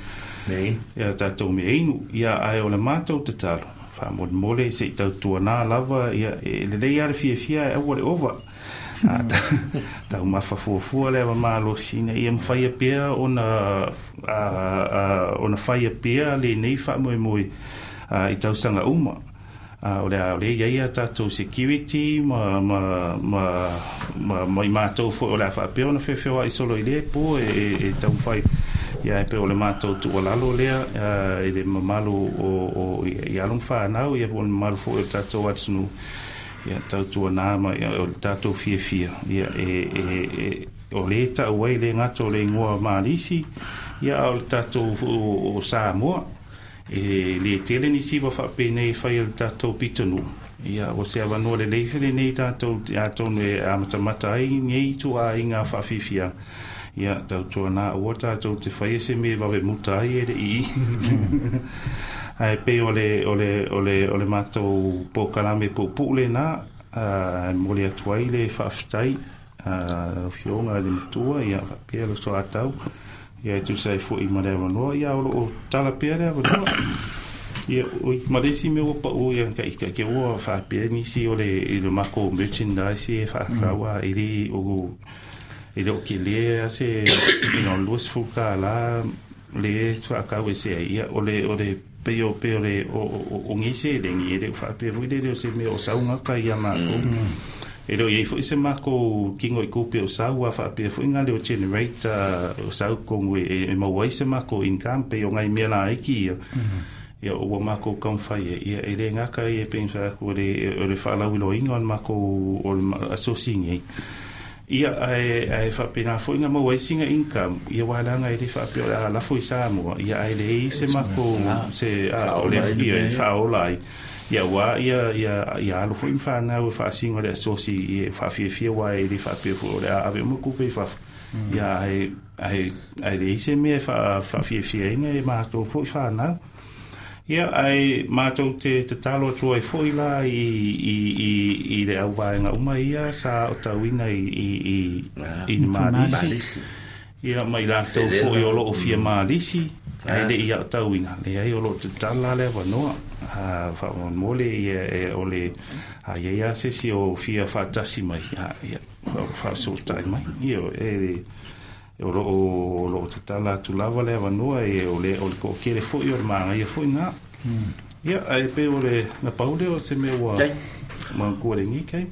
ia tatou meainu ia ae o le matou tatalo faamolemole se'i tautuanā lava ia e lelei a le fiafia e aua le ova taumafa fuafua le ava malosi ina ia mafaia pea ona faia pea lenei faamoemoe i tausaga uma o le a o le iai a tatou security ma i matou foi o le a faapea ona feofeoa'i solo i lea pō e taumafai ia e pe o le matou tuualalo lea i le mamalu o i alo ma fanau ia po o le mamalu foi o le tatou atunuu ia tautuanā ma ia, o le tatou fiafia ia e o lē ta'u ai le gata o le igoa Malisi ia a o le tatou o Samoa e lē tele nisi ua faapenei e fai le tatou pitonuu ia o se avanoa lelei felenei tatou atonu e amatamata ai nei tuaiga faafiafia ia tautuanā ua tatou te faia se mea vave muta ai e le'i ae pei o le matou polokalame puupuu lenā momoli atu ai le faafetai afioga i le matua ia faapea le soatau Ia e tusa ai fo'i ma le avanoa, ia o lo'o tala pea le avanoa. Ia oi ma le isi mea ua pa'u ia ka ke ua faapea nisi o le i le makou merchandise e faatau a e le o e le o kelē a se you know $20 le faatau ese ai. Ia o le o le pei o pei o le o o o nei seleni e le o faapea foi lele o se mea o sau gata ia makou. E le o iai foi se makou kino i kupe o sau a faapea foi na leo generator o sau tonu e maua ai se makou income pei o nai mea laiti ia. Ia ua makou taumafai ai ia e le gata ia pei ona fai atu o le o le faalauiloaina o le makou o le asosi nei. Ia ae ae faapena foi na maua ai sina income ia aua leaga e le faapea o le a lafo i Samoa ia ae leai se makou se a o le ia e faaola ai. Ia aua ia ia ia alo foi ma fanau e faasino i le asosi e faafiafia aua e le faapea foi o le a ave uma tupe i fafo. Ia ae ae ae leai se mea e faafiafiaina e matou foi fanau. Ia ae matou te tatalo atu ai foi la i i i i le auvaega uma ia sa aotauina i i i i le Malisi. Ia ma i latou foi o loo fia malisi ae le i aotauina, leai o loo tatala le avanoa. Faamolemole ia e o le a iai a se isi o fia faatasi mai, ia faafesootai mai. Ia e o loo o loo tatala atu lava le avanoa e o le o le toatele foi o le manaia foi na. Ia ae pei o le na pau lea o se mea ua manatua i lenei taimi.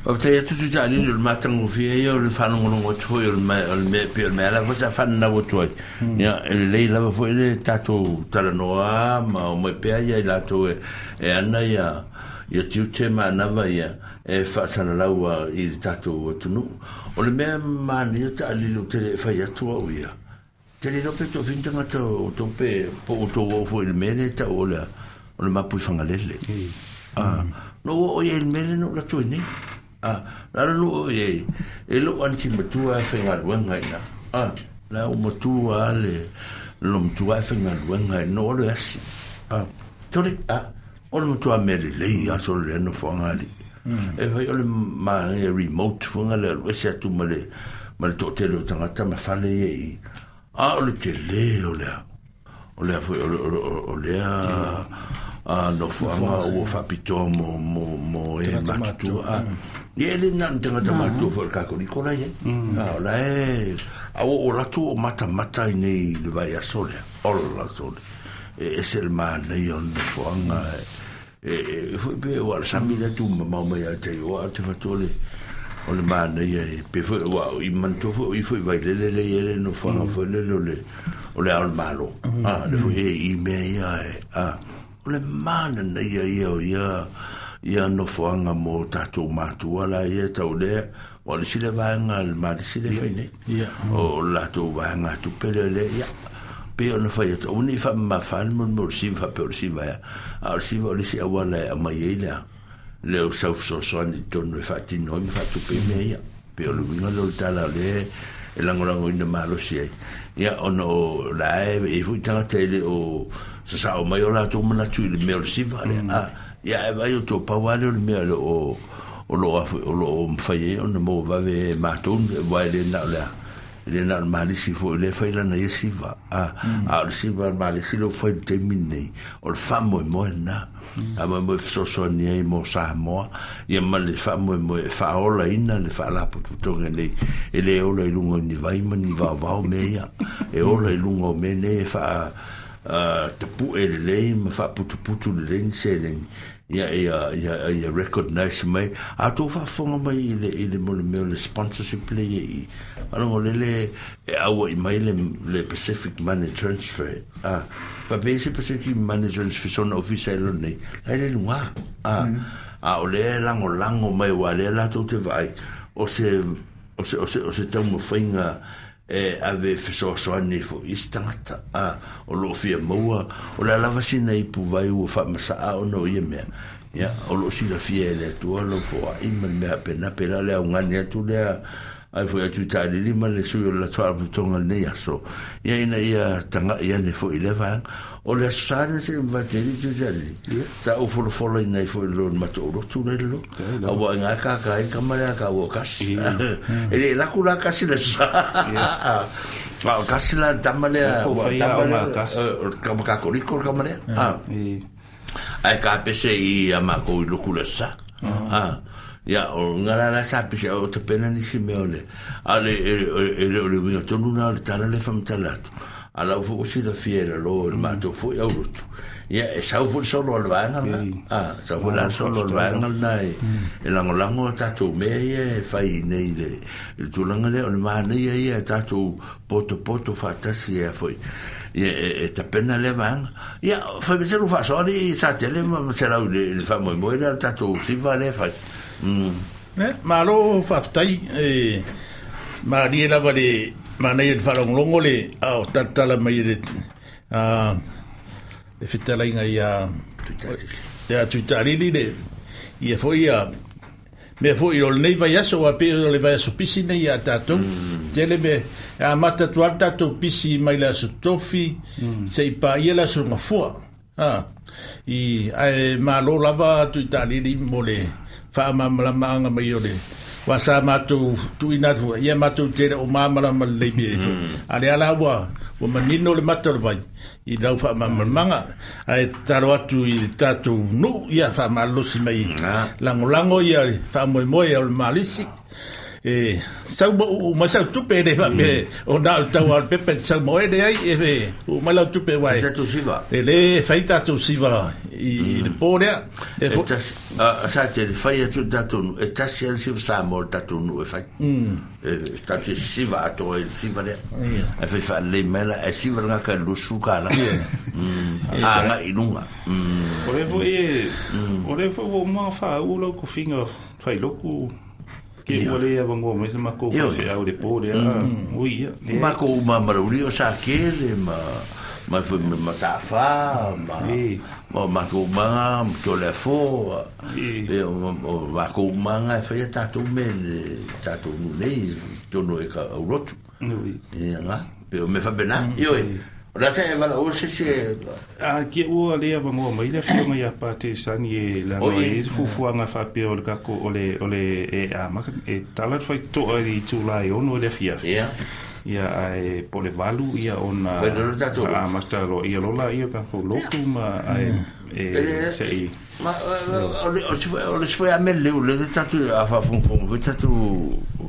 Faafetai atu Tui Taalili o le matagofie ia o le faalogologo atu foi o le mea o le mea pei o le mea lava foi sa fananau atu ai. Ia e lelei lava foi le tatou talanoa ma omai pea ia i latou e e ana ia ia tiute ma anava ia e faasalalau i le tatou atunuu. O le mea manaia Taalili ou te le fai atu au ia. Te le iloa pe toafia ni tagata o outou pe po o outou oo foi i le mea lea e tau o le o le mapu i Fagalele. Ah, na ou oo i ai i le mea lea na ou alu atu ai nei. Ah, na ala na ou oo i ai, e lou aunty matua e faigaluega i ina. Ah, la ua matua lava le lou matua e faigaluega na ou alu e asi. Ah, tole, ah, o le matua mea lelei lava solo lea nofoaga alii. E fai o le manaia remote foi le alu ese atu ma le ma le toatele o tagata ma fale ia i a o le tele o le o lea foi o lea nofoaga ua faapitoa mo mo mo e matutua a ia e le na o ni tagata matutua foi o le Katoliko la i ai a o la e a ua ou alu atu ua ou matamata ai nei i le vaiaso lea ola sole e ese le manaia o le nofoaga e foi pe ua le sami lea tumamao mai ia te au a te fatu o le o le manaia e pe foi ua i manatua foi o i foi Vailele lea i ai le nofoaga foi lele o le o le Ao o le Malo a le foi e i mea ia e a o le mananaia ia o ia ia nofoaga mo tatou matua la ia tau lea ua le isi lea vaega le malisi lea fai nei o le latou vaega tupe lea lea ia pei ona fai atu aua ne i faamamafa le mea o le siva faapea o le siva ea a o le siva o le isi auala e aumai ai lea lea o sau fesoasoani i totonu e faatino ai ma faatupe ai mea ia pei o le uiga lea o le tala o lea e lagolagoina malosi ai ia ona o la e i ai foi tagata e le o sasao mai o latou manatu i le mea o le siva lea a ia ae vaai outou pau lava lea o le mea o le o o lo o o lo o mafai ai ona maua vave e matou aua e le na o le a e le na o le malisi foi lea e fai lana ia siva a a o le siva a le malisi lea ua fai i le taimi lenei o le faamoemoe lena faamoemoe e fesoasoani ai mo Samoa ia ma le faamoemoe e faaolaina le faalapotopotoga nei e le ola i luga o ni vai ma ni vaovao mea ia e ola i luga o mea nei e faa tapue lelei ma faaputuputu lelei ni seleni ia ia ia ia recognize mai a tou faafofoga mai i le i le mo le mea o le sponsorship le ia i faalogo lele e auai mai le le Pacific Money Transfer a faapea se Pacific Money Transfer sona ofisa e lona nei la e le luga a a o lea e lagolago mai aua lea latou te vaai o se o se o se o se taumafaiga e ave fesoasoani ai foi i isi tagata, a, o lo o fia maua, o le a lava sina ipu vai ua faamasaa ona o ia mea, ia, o lo o silafia e le Atua lou foai ma le mea faapena, pēlā le augani atu lea, ai foi atu i Taalili ma le sui o le latou Faalapotopotoga i lenei aso, ia, ina ia taga'i ane foi i lea vaega. O le Aso Sa lea seʻi mavae alii te alii. Sa ou folafolaina ai foi i lona matou lotu la i lalo. Aua i gā kākā ai le tama lea a kāua o Kasi. E le laku la Kasi i le Aso Sa. A o kasi la tama lea, Po ua whai tama a o lea, ngā kasi. o le kama kakoriko le kama lea. Ah. E, Ai ka pese i a mākou i luku le sa. Ah. Ia, o ngā la la sa pese o te pena nisi mea o le. A le, e, e, e le o le winga tonu na o le tala le whamtala atu. A lau fo usi la fia la lo le mātou fo i au rotu. Ia, e sau fo solo o le vaenga la. Ah, sau fo la solo o le vaenga la e, e lango lango a tātou mea ia e whai nei le, le tūlanga lea o le māneia ia e tātou poto poto whaatasi e a foi. Ia, e, e tapena le vaenga. Ia, whai me teru whaasoari i sa tele ma ma se rau le, le whamoemoe lea le tātou siva le whai. Ne, malo faafetai e malie lava le manaia le faalogologo le ao talatala mai le a le fetalaiga ia ia Tuitalili le ia foi ia mea foi o lenei vaiaso ua pei o le vaiaso pisi nei ia tatou tele me e amata atu lava le tatou pisi mai le aso tofi se'i paia le aso gafua a i ae malo lava Tuitalili mo le faamamalamaaga mai o le ua sa matou tuuina atu ia matou tele o mamalama lelei mea ai foi a lea la ua ua manino le mata o le vai i lau faamamalamaaga ae tatalo atu i le tatou nuu ia faamalolosi mai lagolago ia le faamoemoe o le malisi e sau ma uu mai sau tupe e le faapea o na o le tau a o le pepa e te sau ma oe leai e uu mai lau tupe uae Tātou siva. e lē fai tatou siva i le pō lea e E fo tasi, a sa te le whai atu tātou nu, e tasi ale siva sa mo le tātou nu e whai. E tātou siva ato e le siva lea. E whai wha le mela, e siva ngā ka lusu ka la. A ngā inunga. O le foi e, o le foi o mga wha u lau kofinga whai loku ke ua le awangoa mai se mako Io. whai au le pō le a ui ia. Le, Ma ko uma marauri o sa kele, ma ma foi ma ma tāwha, ma E. ma ma ko manga, ma tō le fō, E. e o o ma ko manga e whai a tātou me le tātou nu nei, tōno e ka aurotu. Ui. E ngā, pe o me whapena, io e. O la se e wala o se se, A kia ua le awangoa mai le whionga ia pā te sani e langa Oi. e fufuanga whapea o le kako o le, o le e a maka, e tala whai toa i tūlai ono le whia. ia, Ia ai po le valu ia ona Whai lolo tātou a masta lo ia lola ia kako loku ma ai e Ele- se i Ma o le o se o le se a mele o le tatu a fa fung fung foi tatu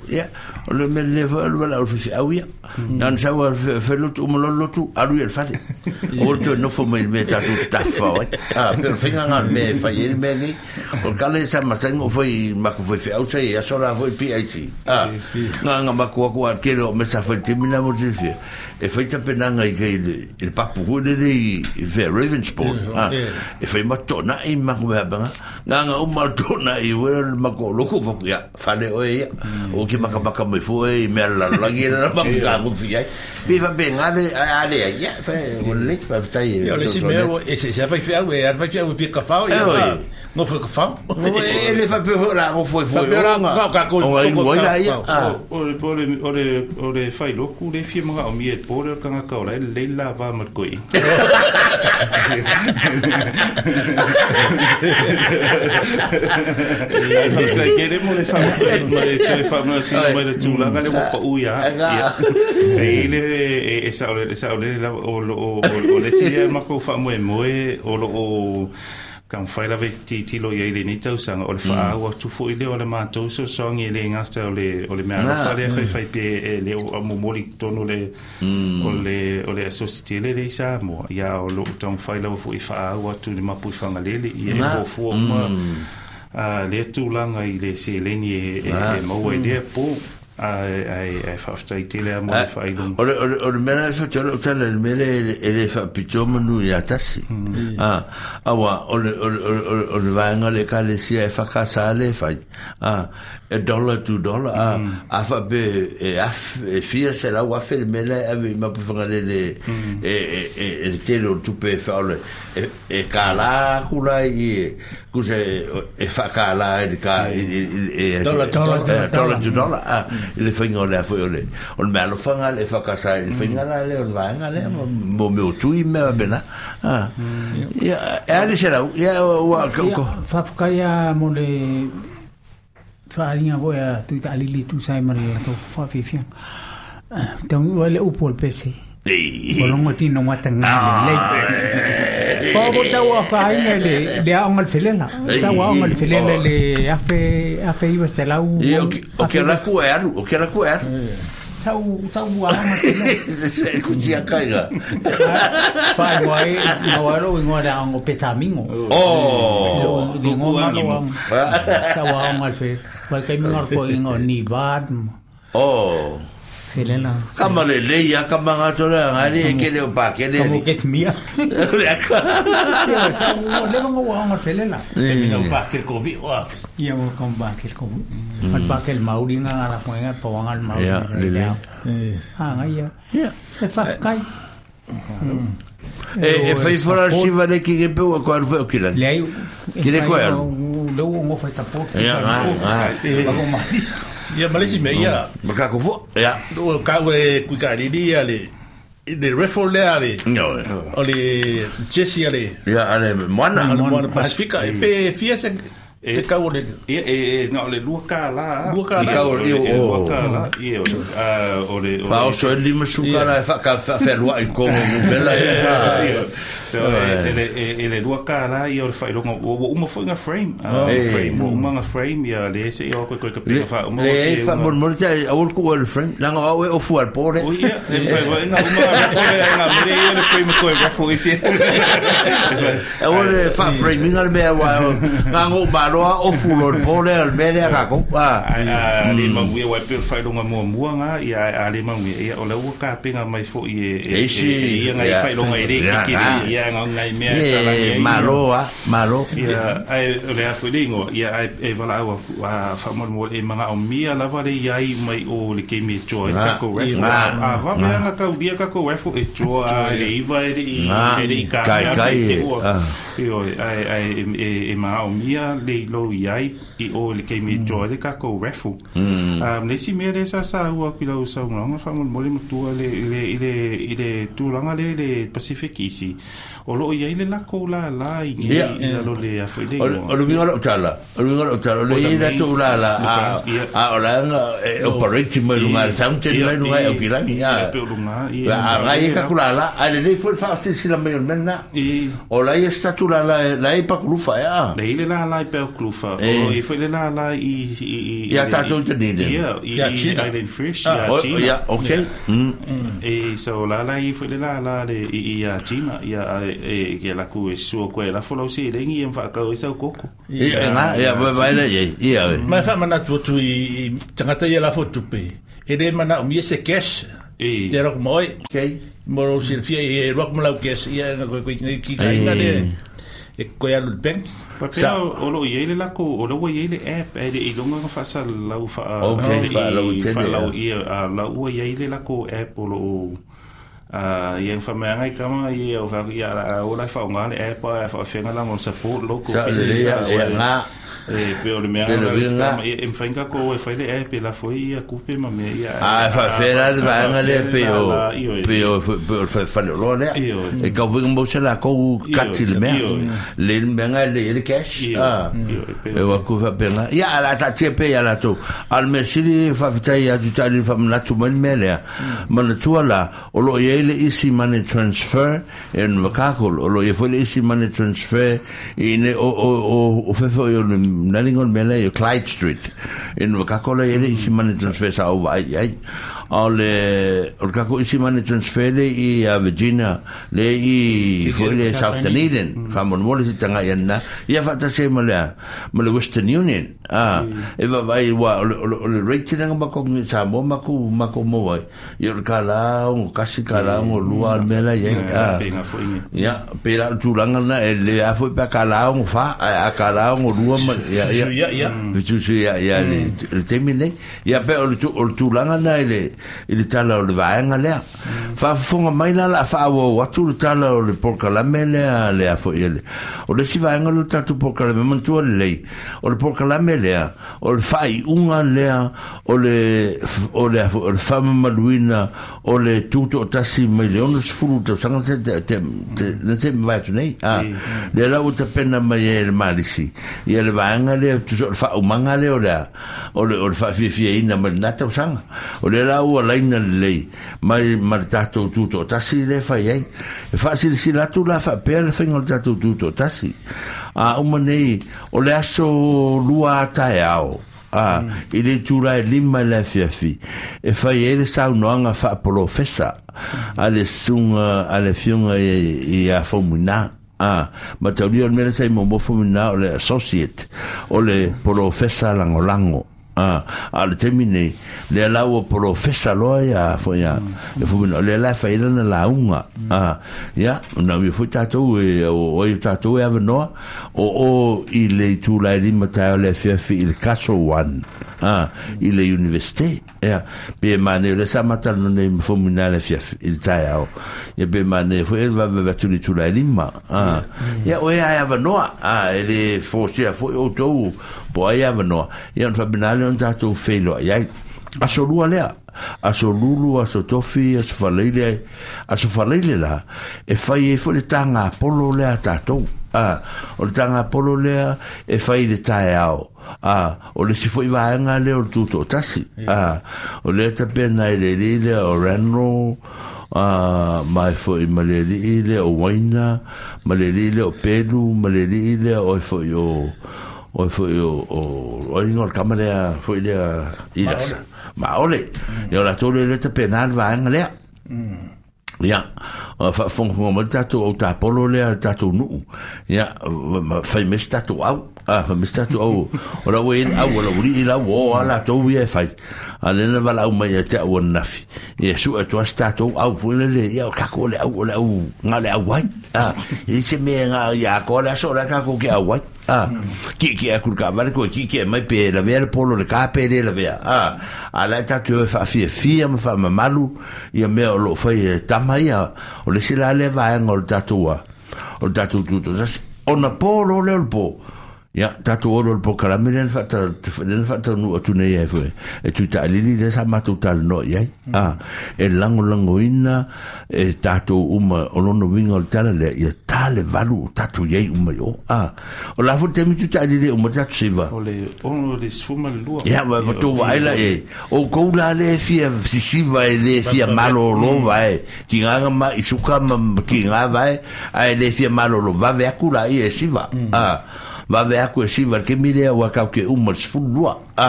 ia o le mele foi o le o se au ia nan sa wa fe lo tu mo lo tu aru el fale o to no fo me me tatu tafa oi a pero finga ngal me fa ye me ni o kale sa ma sa ngo foi ma ko foi fe au sa ia sola foi PIC a nga nga ma ko ko a kero me sa foi timina mo te fe e foi tapenanga i ke i le papu hu le i fe Ravensport a e fai ma tona i ma ko mea banga nga nga o ma tona i we ma ko loko fa ya fale o ia o ki maka maka mai fo e me la la gi la ma ka ko fi ai bi fa be nga le a le ya fa o le fa tai Ia o le isi mea ua e se se fai feau e ala fai feau e fia kafao ia E, oi. ngofo kafao e le fa pe la o fo fo Faapea la, ka- ka- ko- o ai ko- o la ia ka- ah o le o le o le o le whai loku le fia mga o mie pō le kanga ka ora le la va ma koi. Ai whaskai kere mo le wha ma le te wha ma sino mai le tūlanga le wapa ui a. Nga. E le e e sa o le sa o le la o o o le si e mako wha moe moe o lo o ka whai lava i titilo i le nei tausanga o le whaau atu fo i le o le mātou so songi le ngata o le o le mea alofa le whai whai te e le o a momoli tonu le o le o le asositi le le i Samoa ia o lo tau whai lava fo i whaau atu le mapu i whangalele i e fuafua uma a le tūlanga i le seleni e, e, e maua i lea pō ai ai ai whaftai tele a mo le whailunga. O le o le o le mea le fa o tala le mea le e le fa pito manu ia tasi. Ah awa o le o le o le o le vaenga le ka le sia e fa ka sa le fai. Ah e dollar to dollar ah a fa be e af e fia se la wa fe le mea le ave ma pu fanga le le e e e e le tele o tupe fa o le e e ka la kula i ku se e fa ka la e ka e e Dollar to dollar. dollar to dollar ah i le whainga o le a foi o le o le mea alofanga le whakasa i le whainga la le o le vaenga le mo me o tui me wa bena ah ia e ali se rau ia ua ko ko Whawhakai a mo le whaaringa voi a tui ta alili tu sai ma le latou whawhiwhianga. Taunuu ai le upu o le pese. O longo tino matanga le. Po po tau a whainga le le aonga le felela. Sa aonga le felela le afe afe iwa se lau. Ia, o ke ala ku e aru, o ke ala ku e aru. Tau tau aonga felela. Se kutia kaiga. Whai wai, no aro ingoa le aonga pesamingo. Oh. Le ngoa malo aonga. Tau aonga le felela. Wai kai mingar ko ingoa ni vad. Oh. Felela. Ka ma le lei a ka manga tole a ngai e kele o pa kele Ka mo ni. kes mia. Ia, sa ua leva nga ua aonga le felela. E o pa ke ko vi o. Ia mo ka ba ke ko. Al pa ke mauri nga la ko nga pa wanga al mauri. Ia, lele. Ah, nga ia. Ia. E fa kai. E e fai fora siva le ki ke pe o ko aru fe o kilan. Le ai. Kire koe alu. Le u ngo fa support. Ia, nga, nga. Ba ko mali. Ia malesi me ia. Ma ka ko fo. Ia. O ka we kui ka riri ia le le refo le ale. No. O le Jesse ale. Ia ale moana. Ale moana Pasifika e pe fia se te kau o le Ia, e, e, na o le lua kālā. Lua kālā. I kau o- E, o- lua kālā. Ia, o le, o le, o Pa le, o so e lima suka la e fa ka fa fe lua i kongo mu bela Ia, ia. So, e, e, le, e, e le lua kālā, ia o le whailonga, ua ua uma foi ngā frame. Eh. Frame, ua uma ngā frame, ia le ese i o koe koe ka Le peka wha uma. le e fa mon mon te awol ku o frame. Nanga au e o fu al pore. O ia, e whai whai ngā uma ngā raffle, e ngā mere ia le frame koe raffle isi. E o le fa frame inga le mea wa ngā ngō maloa o fu lo pore al mea ka ko. Ah. Ai, a le manuia wai pe whailonga mua mua ngā, ia a le manuia, ia o le ua ka penga mai fo i e, e, Isi, e, e, ia ngai ia. whailonga e re Ia, kikiri, ah. ia ngā ngai mea e salangi E ai. maloa, malo. Ia, ai, o le afu le ingoa, ia, ai, e wala aua, a whamon e manga o mia lava le iai mai o le kemi e choa, e Ngā, kako raffle. ngā, A, va mea ngā kau ria kako raffle e choa, e le iwa, e le i, Ngā, e le i ka kai, mea, kai, e te ua. ah. Io, ai, ai, e, e, e manga o mia le ilo iai i o le kemi e choa, le kako raffle. Le si mea le sa sa ua ki lau sau ngā whamon mole matua le, le, i le, i le tūlanga le, le Pacific isi. O loo iai le lako la la i Ia. i lalo le afu i le O ingoa. o le winga o tala, o le winga o tala, o le O i the la tu la la, a Ia. a o la nga e operate mai lunga le fountain mai lunga e o kilangi Ia a. pe o lunga. Ia, La a ngai e kakula la, a le nei foi fa sila mai o le mena. I O la i statu la la la i pakulufa ia. le ile la la i pe o klufa. Eh. O i foi le la la i i i Ia tātou te ni ne. Ia, i Ia i China. Island Fresh, Ah, ia O China. ia, okay. Mm. E so la la i foi le la la le i i a China ia a e ke la ku e sua koe la folau si lengi e whakau e sau koko. Ia nga, ia vai vai le ia. Ia. Mai wha mana tu i i tangata ia la fo tupe. E le mana o mia se cash. E. Te rok moi. Okay. Moro silfia e rok malau cash ia nga koe koe ngai ki ka inga le. E koe alu le bank. Pa pea o lo i le lako, o lo i le app, e le i longa nga whasa lau wha... Okay, wha lau tele, Wha lau ia. ia, a lau ua i le lako app o lo o... Ia wha mea ngai kama, ia o wha ia la o la wha o ngā le app, a wha whenga la ngo support local Sa le business. ia ia nga. E pe o le mea Pe le nga le winga. scam, ia e mwhainga ko e whai le app, e la foi ia kupe ma mea ia... A fa fera le vaanga le pe o Io, pe o pe o fa fa lo le. Io. E ka vinga mo se la ko kati le mea. Io. Le mea nga le le cash. Io. Ah. Io, e pe- E wa ku fa penga. Ia ala ta te pe ia la tu. Al me sili fa fitai ia tu tali fa mna tu man me le. Mana tua la o lo ia le easy money transfer en vakakol o lo ia foi le easy money transfer i ne o o o o fefe o le nalingon mele i Clyde Street en vakakol ia le easy money transfer sa o vai ai o le o le kako easy money transfer le i a Virginia le i foi le South Dunedin fa mon mole si tanga ia na ia fa ta se ma le ma le Western Union ah e va vai wa o le o le rate nga ma ko ni sa mo ma ku ma ko mo vai ia o ka la o kasi ka la o lua mela ia ah Pe ngā foi nge. ia pera tūranga na e le a foi pa ka la o fa a ka la o lua ma ia ia Suia ia. Tusu ia ia le le temi nei ia pe o le tūlanga na i le i le tala o le vaenga lea Faafofoga mai la o le a faaauau atu le tala o le polokalame lea a le a foi le. O le isi vaega lea o le tatou polokalame, manatua lelei, o le polokalame lea, o le faaiuga lea o le, o le a foi, o le faamamaluina o le tutoatasi mai le 60 tausaga se te, te, te, na se mavae atu nei. A, lea la ua tapena mai ai e le Malisi, ia le vaega lea, tusa o le faaumaga lea o le a, o le, o le faafiafiaina mai lena tausaga. O lea la ua laina lelei mai ma le tatou tutoatasi lea e fai ai. E faasilasila atu la faapea le faiga o le tatou tutoatasi. A uma nei, o le aso lua a taeao, a, i le itula e 5 i le afiafi, e fai ai le saunoaga faapolofesa a le susuga a le afioga i ia Faumuina. A, mataulia o le mea lea sa i muamua Faumuina o le associate, o le polofesa lagolago. A, a o le taimi nei, lea la ua polofesa loa ia foi ia, e Faumuina, o lea la e fai ai lana lauga. A, ia, na uia foi tatou e, o ai o tatou e avanoa, o o i le itula e 5 taeao le afiafi i le Castle One, a, i le Universite. Ia, pe e manaia, o lea sa matalanoa nei ma Faumuina i le afiafi, i le taeao. Ia, pe e manaia foi e vavevave atu i le itula e 5. A, ia, o ea e avanoa, a, e le forcea foi outou po o ai e avanoa. Ia, ona faapena lea ona tatou feiloai ai. Aso lua lea, aso lulu, aso tofi, aso faleile, aso faleile la, e fai ai foi le tāgapolo lea a tatou. A, o le tāgapolo lea e fai i le taeao. A, o le isi foi vaega lea o le tutoatasi. A, o lea tapena e le alii lea o Randall, a, mai foi ma le alii lea o Waina, ma le alii lea o Pelu, ma le alii lea o foi o, o foi o, o, o ingoa o le tama lea foi lea i lasa. Maole. Ia o latou lea lea tapena le vaega lea. Ia, faafogafoga mai le tatou au tapolo lea, le tatou nuu. Ia, fai mai se tatou au. A, fai mai se tatou au. O la ua i ai le au a lau alii la ua o lava latou ia e fai. A o lea na valaau mai ia te au ananafi, ia sue atu lava se tatou au foi lele, ia o tatou o le au, o le au, na o le au ai. A, e leai se mea na ia atoa le aso o la e tatou te au ai. A, kiekie atu i le taavale toe kiekie mai pe lavea le polo i le ka pe le lavea. A, a la e tatou te o e faafiafia ma faamamalu ia mea o lo o fai e tama ia. O le isi la lea vaega o le tatou a, o le tatou tutoatasi. Ona po loa lea o le po, ia, tatou o loa i le polokalame lea na faata, lea na faataunuu atu nei ai foi e Tui Taalili lea sa matou talanoa i ai. A, e lagolagoina e tatou uma, o lona uiga o le tala lea, ia ta le valu o tatou i ai uma i o. A, o la foi le taimi Tui Taalili e uma le tatou siva. O le ono le 12. Ia, ma ma tou vaai la e, outou la lea e fia sisiva e le fia malolo vae, tiga na ma i suka ma tiga vae, ae le fia malolo vave atu la ia e siva. A, vave atu e siva i le taimi lea ua tatou te uma i le 12. A,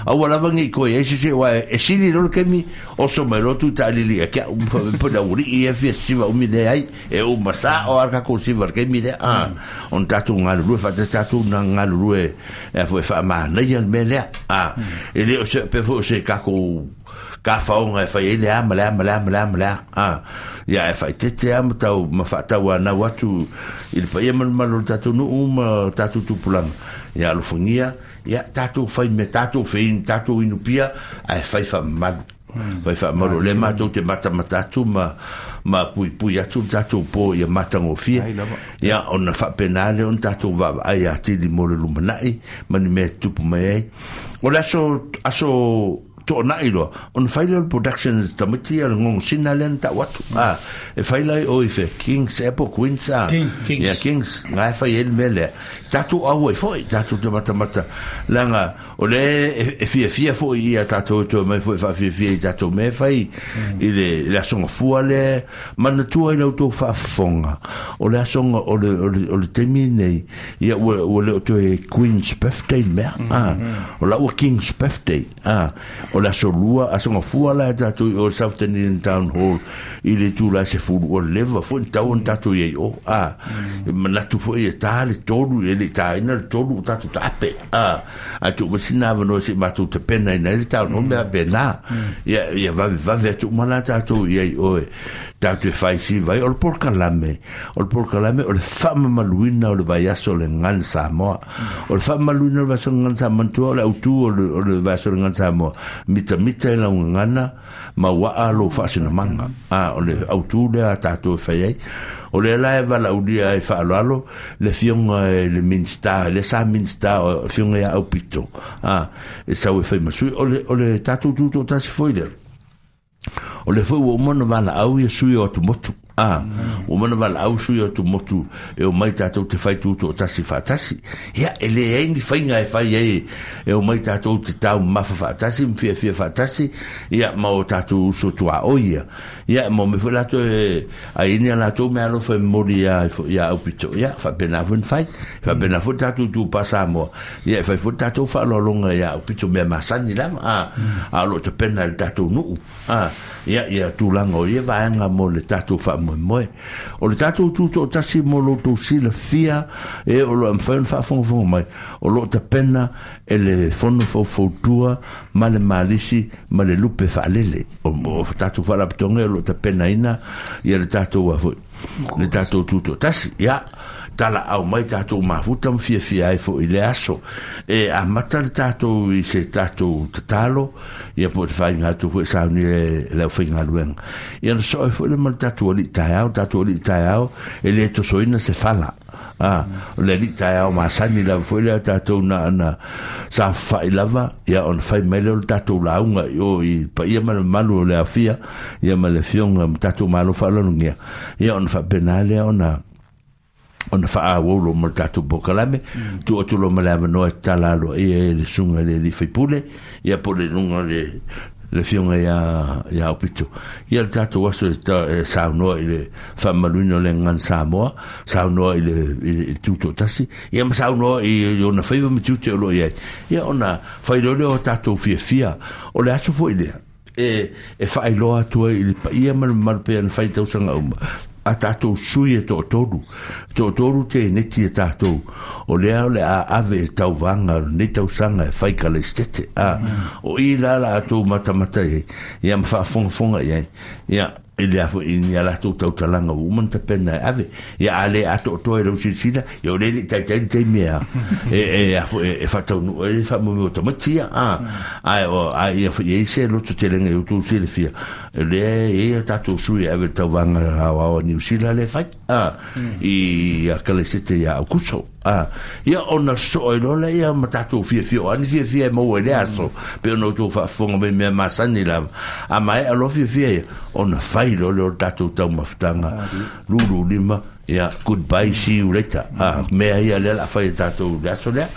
aua lava nei toe i ai se se, aua e sili loa le taimi, oso mai loa Tuitaalili ia te au, po o le aualii ia e fia sisiva umi lea ai, e uma sao lava le tatou siva i le taimi lea, a, ona tatou galulue faatasi tatou na galulue e a foi e faamanaia le mea lea, a, e le o se faapea foi o se tatou tafaoga e fai ai le a ma le a ma le a ma le a ma le a, a, ia ae faaeteete lava ma tau ma faatauanau atu i le paia ma le mamalu o le tatou nuu ma tatou tupulaga, ia alofagia Ia, tatou fai mea, tatou feinu, tatou inu pia, ae fai faamamalu. Fai faamamalu. O lea matou te matamata atu ma, ma puipui atu le tatou po ia matagofie. Ia, ona faapena lea ona tatou vaavaai atili mo le lumanai ma ni mea e tutupu mai ai. O le aso, aso toonai loa, ona fai lea o le production e tamaiti ia le gogosina lea na tau atu. A, e fai la i o i fea, Kings ea po o Queens, a. Kings. Ia, Kings, nga e fai ai le mea lea. Tatou au ai foi, tatou te matamata, leaga o lea e fiafia foi ia tatou e toe mai foi e faafiafia i tatou mea e fai i le, i le aso gafua lea. Manatua i la outou faafofoga, o le aso, o le, o le, o le taimi lenei, ia ua, ua le o toe Queen's Birthday le mea, a, o la ua King's Birthday. A, o le aso lua, aso gafua la e tatou i o le South Dunedin Town Hall i le itula e 10, ua leva foi ona tatau ona tatou i ai i o. A, e manatu foi e ta le 3, e le i taina le 3 o tatou taape. A, ae tuu mai sina avanoa se i matou tapenaina ai le Town Hall mea faapena. Ia, ia vavevave atu uma la tatou i ai i o e tatou te fai siva ai. O le polokalame, o le polokalame o le faamamaluina o le vaiaso o le Gagana Samoa. O le faamamaluina o le vaiaso o le Gagana Samoa, manatua o le autu o le, o le vaiaso o le Gagana Samoa, Mitamita i lau gagana ma uaa lou faasinamaga. A, o le autū lea a tatou e fai ai. O lea la e valaaulia ai faaaloalo le Afioga i le Minisita, lea sa Minisita o le Afioga ia Aupito, a, e sau e fai ma sui. O le, o le tatou tutoatasi foi lea. O lea foi ua uma ona valaau ia sui o atumotu. A, ua uma ona valaau sui o atumotu e omai tatou te fai tutoatasi faatasi. Ia, e leai ni faiga e fai ai e omai tatou te taumamafa faatasi ma fiafia faatasi, ia, ma o tatou uso tuaoi ia. Ia, e maua mai foi latou e ai ni a latou meaalofa e momoli ia, ia Aupito. Ia, faapena foi ona fai. Faapena foi le tatou itupa Samoa. Ia, e fai foi le tatou faaaloaloga ia Aupito mea masani lava, a, a o lo o tapena e le tatou nuu, a, ia, ia tulaga o ia vaega mo le tatou faamoemoe. O le tatou tutoatasi mo lo outou silafia e o lo o mafai ona faafogafoga mai, o lo o tapena e le Fono Faufautua ma le Malisi ma le lupe faalele. O, o tatou faalapotopotoga o lo o tapenaina ia le tatou a foi, le tatou tutoatasi. Ia, talaau mai tatou mafuta ma fiafia ai foi i le aso. E amata le tatou i se tatou tatalo, ia po o te whainga atu foi saunia e le aufaigaluega. Ia na soo ai foi le ma le tatou alii taeao, tatou alii taeao, e le tosoina se fala. A, o le alii taeao masani lava foi lea tatou na ana safafa'i lava, ia ona fai mai lea o le tatou lauga i o i paia ma le mamalu o le aofia, ia ma le afioga ma tatou Malo faaaloalogia, ia ona faapena lea ona ona faaauau loa ma le tatou polokalame, tuu atu loa ma le avanoa e tatala aloaia ai le susuga i le alii faipule, ia po o le luga o le le afioga ia ia Aupito. Ia le tatou aso e, ta, e saunoa i le faamamaluina o le gagana Samoa, saunoa i le, i le, i le tutoatasi, ia ma saunoa i, i ona faiva ma tiute o lo o i ai. Ia ona fai loa lea o tatou fiafia. O le aso foi lea, e, e faailoa atu ai i le paia ma le mamalu pei ona fai i tausaga uma, a tatou sui e toatolu, toatolu teneti a tatou, o lea o le a ave e tauvaga o lenei tausaga e fai Kalaisitete. A, o i la la outou matamata i ai, ia ma faafogafoga i ai, ia, i le a foi i ni a latou tautalaga ua uma ona tapena e ave. Ia a le atoatoa i lau silasila, ia o lea e le i taitai le taimi e, e, e, a foi, e faataunuu ai le faamoemoe o tamaiti ia. A, ae, o, a ia foi i ai se lototelega i outou silafia, o lea e i ai a tatou sui e ave i le tauvaga aoao a Niu Sila lea e fai, a, i Akalesete ia Aukuso. A, ia ona sosoo ai loa lea ma tatou fiafia, o a ni fiafia e maua i lea aso, pei ona outou faafofoga mai i mea masani lava. A maea loa fiafia ia, ona fai loa lea o le tatou taumafataga lulu lima, ia, goodbye, see you later. A, mea ia lea o le a fai e tatou i le aso lea.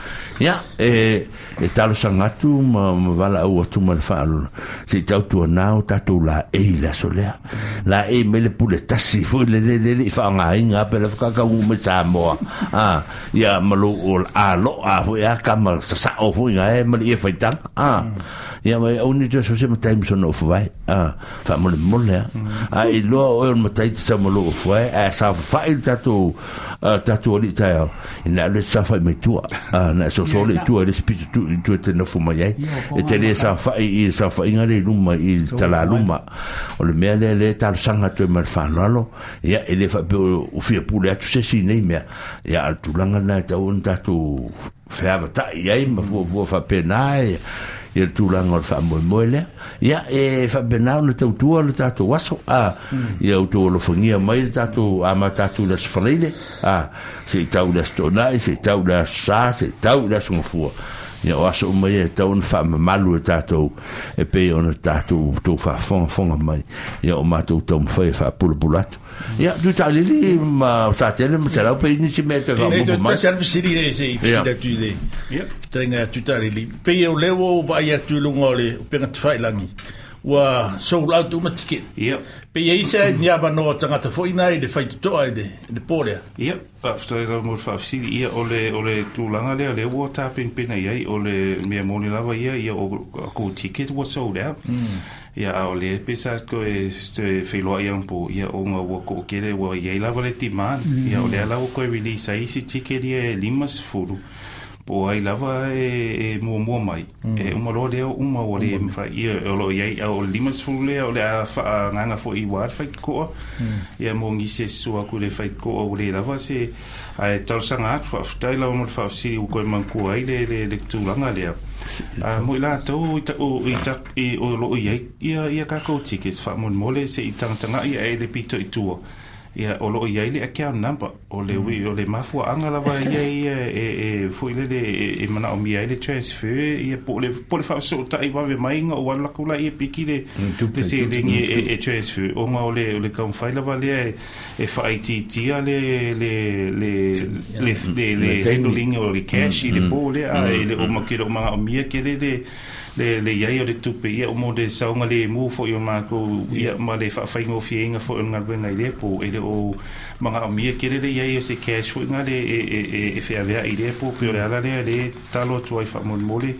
Ia, e, E talosaga atu ma, ma valaau atu ma le faaaloalo, se i tautuanā o tatou laei i le aso lea. Laei mai le pule tasi foi le le le le i faaaogaina pe le whakakaungu mai Samoa. A, ia ma lou o aloa foi a kama sasao foi ngā e ma le ia whaitanga. A, ia mai au ni te so se matai misona o whawai. A, whaamolemole a. A i loa oe o le matai te sau ma lou ofu ai, a sa whawhai le tatou, tatou alii taeao, Ina alu e saofai mai tua, a, na e soso le i tua i le isi pito tu i tua te nofo mai ai. E te le saofai i le saofaiga lea i luma i le talaluma. O le mea lea lea e talosaga atu ai ma le faaaloalo, ia, e le faapea o fia pule atu se isi i nei mea. Ia, a o le tulaga lena e tatau ona tatou feavatai ai ma fuafua faapena ia le tulaga o le faamoemoe lea. Ia, e faapena ona tautua le tatou aso, a, ia outou alofagia mai le tatou amata atu i le Aso Faraile, a, se i tau i le Aso Toonai, se i tau i le Aso Sa, se i tau i le Aso Gafua. Ia, o aso uma ia e tatau ona faamamalu e tatou e pei ona tatou tou faafogafoga mai, ia o matou taumafai e faapulapula atu. Ia, Tuitalili ma Satele ma Selau pe i nisi mea e toe faaopoopo mai. Tasi lava le fesili lea se i fesili atu i le fetalaiga ia Tuitalili. Pei o lea ua ou vaai atu i luga o le upega tafailagi, ua sold out uma ticket. Pe i ai se ni avanoa o tagata foi na i le faitotoa i le, i le po lea. Ia, faafetai lava mo le faafesili. Ia, o le, o le tulaga lea, lea ua tapenapena i ai, o le mea moni lava ia, ia o kou ticket ua sold out. Ia, a o lea pei sa toe, toe feiloai anapo, ia, ona ua toatele, ua i ai lava le demand. Ia, o lea la ua toe release ai isi ticket ia e 50. Po o ai lava e muamua mai, e uma loa lea uma ua le mafai, ia, o lo o i ai, o le 50 lea o le a faaagaga foi aua le faitotoa, ia mo nisi e sua atu i le faitotoa ua le lava se, ae talosaga atu, faafetai lava mo le faafesili ua toe manatua ai le, le, le tulaga lea. Mo i latou i, i, i, o lo o i ai ia, ia tatou tickets, faamolemole se i tagatagai ae le pito i tua. Ia, o lo o i ai le account number, o le ui, o le mafuaaga lava ia ia e, e foi lele e, e manaomia ai le transfer, ia po o le, po o le faafesootai vave mai ona ou alu atu laia e piki le, le seleni e, e, e transfer, ona o le, o le taumafai lava lea e, e faaitiitia le, le, le, le, le, le handling o le cash i le po lea, a e le o, ke le o manaomia tele le, le, le i ai o le tupe, ia, mo le saogalemu foi o matou, ia, ma le faafaigofieina foi o le galuega i lea po, e le o manaomia tele le i ai o se cash foi na le e, e, e, e feaveai i lea po, pei o le ala lea le tatalo atu ai faamolemole,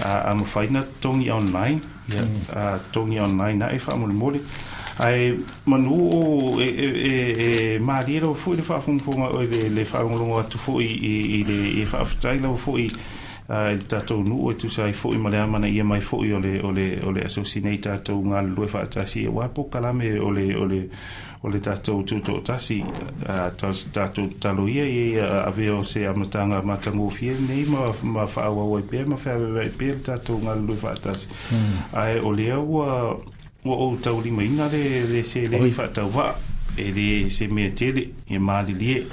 a, a mafai na totogi online, ia, a totogi online ae faamolemole. Ae manu o e, e, e, e malie lava foi le faafogafoga, le, le faalogologo atu foi i, i le i faafetai lava foi i le tatou nuu e tusa ai foi ma le amanaia mai foi o le, o le, o le asosi nei tatou galulue faatasi aua polokalame o le, o le, o le tatou tutoatasi, tatou tatalo ia ia avea o se amataga matagofie lenei ma, ma faaauau ai pea ma feaveaveai pea le tatou galulue faatasi. Ae o lea ua, ua ou taulimaina le, le seleni faatauvaa, e le se mea tele, e malilie.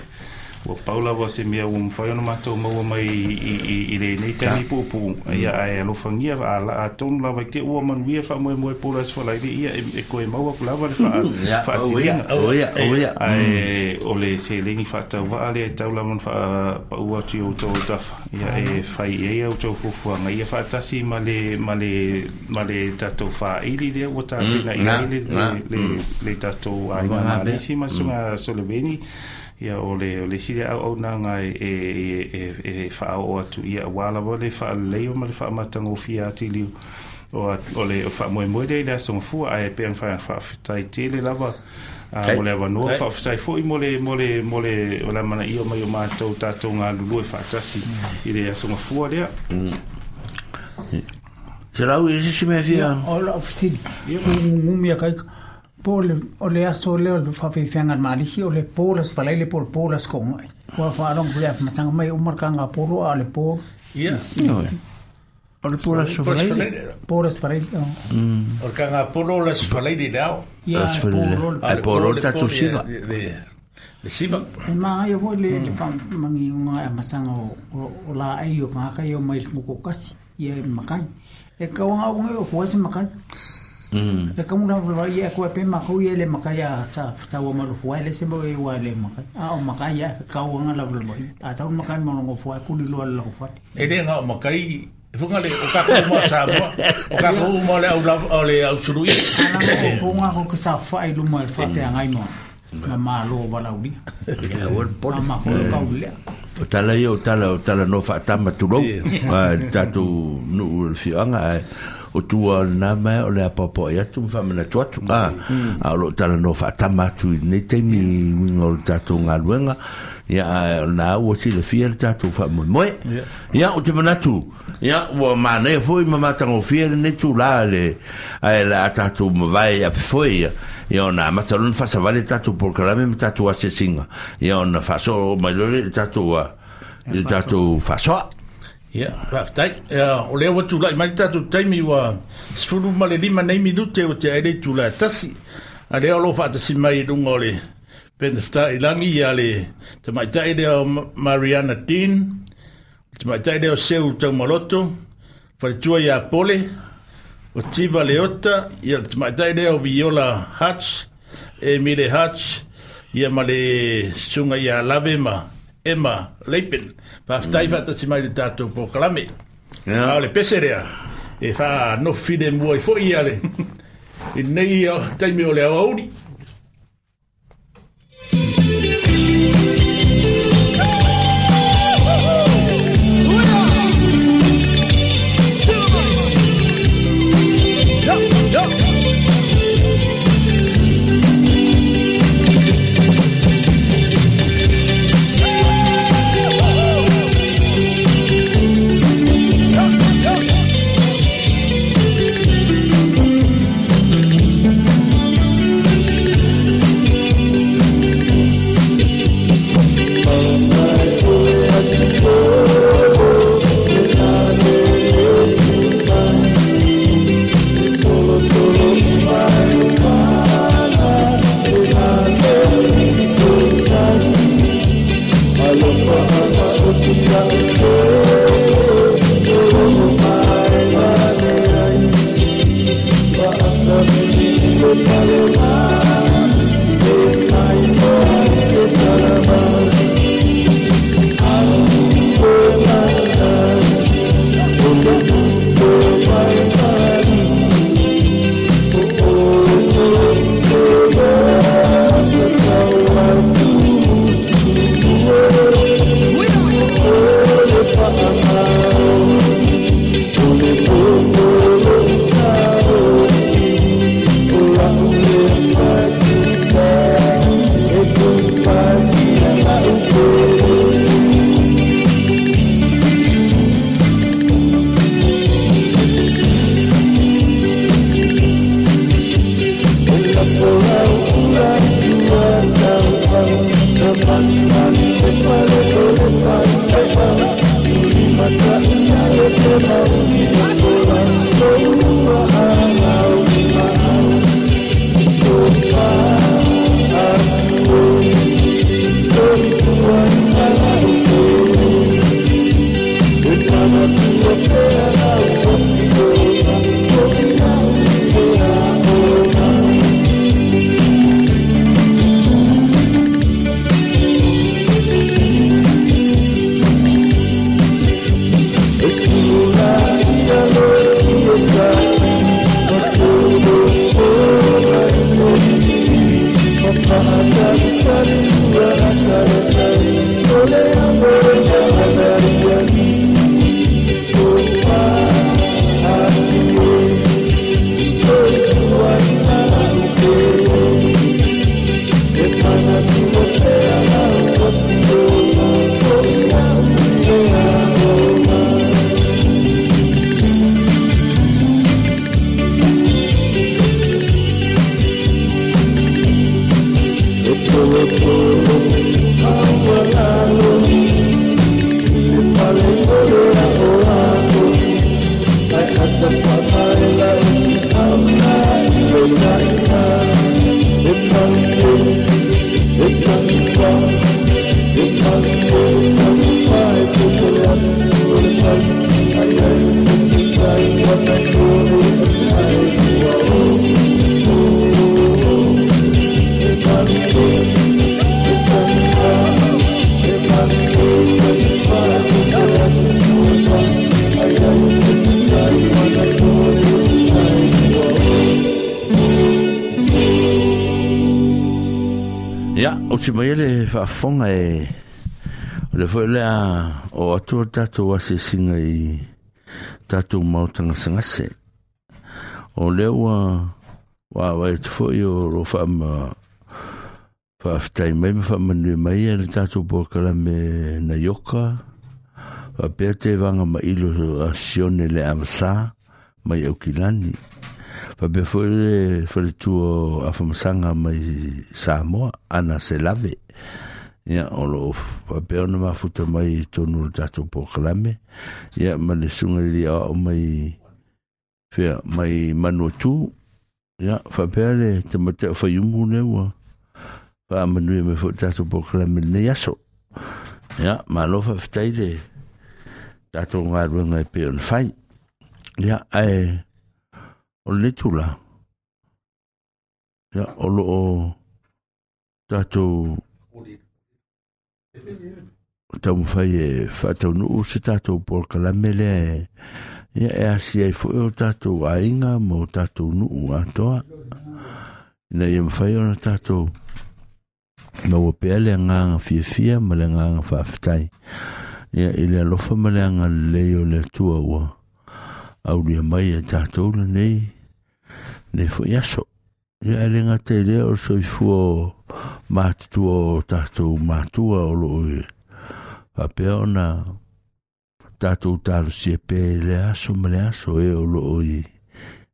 Ua pau lava se mea ua mafai ona matou maua mai i, i, i lenei taimi puupuu, ia, ae alofagia, atonu lava i te ua manuia faamoemoe po o le Aso Faraile, ia, e, e toe maua atu lava le faasiliga. Ae o le seleni faatauvaa lea e tau lava ona faapaua atu i outou autafa, ia, e fai i ai a outou fuafuaga, ia faatasi ma le, ma le, ma le tatou faaili lea ua tapena i ai le, le, le, le tatou aiga Malesi ma susuga Soloveni. Ia, o le, o le isi lea auaunaga e, e, e, e faaoo atu, ia, aua lava le faaleleia ma le faamatagofie atili o, o le faamoemoe lea i le Aso Gafua, ae pei ona faafetai tele lava mo le avanoa, faafetai foi mo le, mo le, mo le, o le amanaia mai o matou tatou galulue faatasi i le Aso Gafua lea. Se lau i se isi mea fia. O lau fesili, ugugumi a kaika, Po o le, o le aso lea o le faafeafeaga a le Malisi, o le po le Aso Faraile po o le po le Aso Toonai. Ua faalogo foi a matanga mai uma le kanga polo a o le po. Ia. O le po le Aso Faraile. Po le Aso Faraile. O le kanga polo o le Aso Faraile le ao. Ia, po lo le Ae po lo le tatou siva. Le siva. E māngaia foi le, le whamangi o ngā amasanga o, o, o la ei o ngā kai o mai le ngoko kasi, ia e makai. E kauanga o ngai o fua se makai. E kamu la fua ia koe pe makou ia le makai a ta ta wa malu fua le se mo e wa le makai. A o makai ia kauanga la fua. A tau makai mo ngo fua kuli lo la fua. E le ngā o makai funga le o kako uma Samoa, o kako uma le au lava o le au sului. Ana ko ponga ko ka sa fa i luma e fa te ngai mo. Ma malo walaulia. Ia, ua le pole. Ma ko kau le. O tala ia, o tala, o tala no faatama tulou. Ai, le tatou nuu o le afioaga, ae o tua o lena mea o le apoapoai atu ma faamanatu atu. A, a o lo o talanoa faatama atu i lenei taimi i uiga o le tatou galuega, ia, ae o lena ua silafia le tatou faamoemoe. Ia, ou te manatu, ia, ua manaia foi ma matagofie lenei tula le, ae o le a tatou mavae i apefoe ia, ia ona amata loa ona faasavali le tatou polokalame ma tatou asiasiga, ia ona faasoo mai loa lea i le tatou, i le tatou faasoa. Ia, faafetai. Ia, o lea ua tulai mai le tatou taimi ua 15 nei minute ua tea ai le itula e tasi. A lea o lo o faatasi mai i luga o le Penefetaʻilagi ia le tamaitai lea o Mariana Dean, le tamaitai lea o Seu Taumaloto, faletua ia Pole, o Tiva Leota, ia le tamaitai lea o Viola Hutch, Emile Hutch, ia ma le susuga ia Lave ma Emma Leipen. Faafetai faatasi mai i le tatou polokalame. A o le pese lea, e faanofo filemu ai foi ia le, i lenei taimi o le aoauli. Ia, o te mai le faafofoga e o le foi lea o atu o tatou asiasiga i tatou maota gasegase. O lea ua vaai atu foi o lo faafetai mai ma faamanuia mai e le tatou polokalame na ioka faapea te vaga mailo a Sione le Avasa mai Aukilani. Faapea foi le faletua o Afamasaga mai Samoa, Ana Selave. Ia, o loo faapea ona mafuta mai i totonu o le tatou polokalame. Ia, ma le susuga i le alii aoao mai fea mai Manuatu. Ia, faapea le tamaitai o Faiumu lea ua faamanuia mai foi i le tatou polokalame i lenei aso. Ia, malo faafetai le tatou galuega e pei ona fai. Ia, ae o lenei tula, ia, o loo tatou taumafai e faataunuu se tatou polokalame lea e, ia, e asia ai foi o tatou aiga ma o tatou nuu atoa, ina ia mafai ona tatou maua pea le agaga fiafia ma le agaga faafetai, ia, i le alofa ma le agalelei o le Atua ua aulia mai e tatou lenei nei foi aso. Ia, e le gata i lea o le soifua o matutua o tatou matua o loo e faapea ona tatou talosia pea i le aso ma le aso e o loo i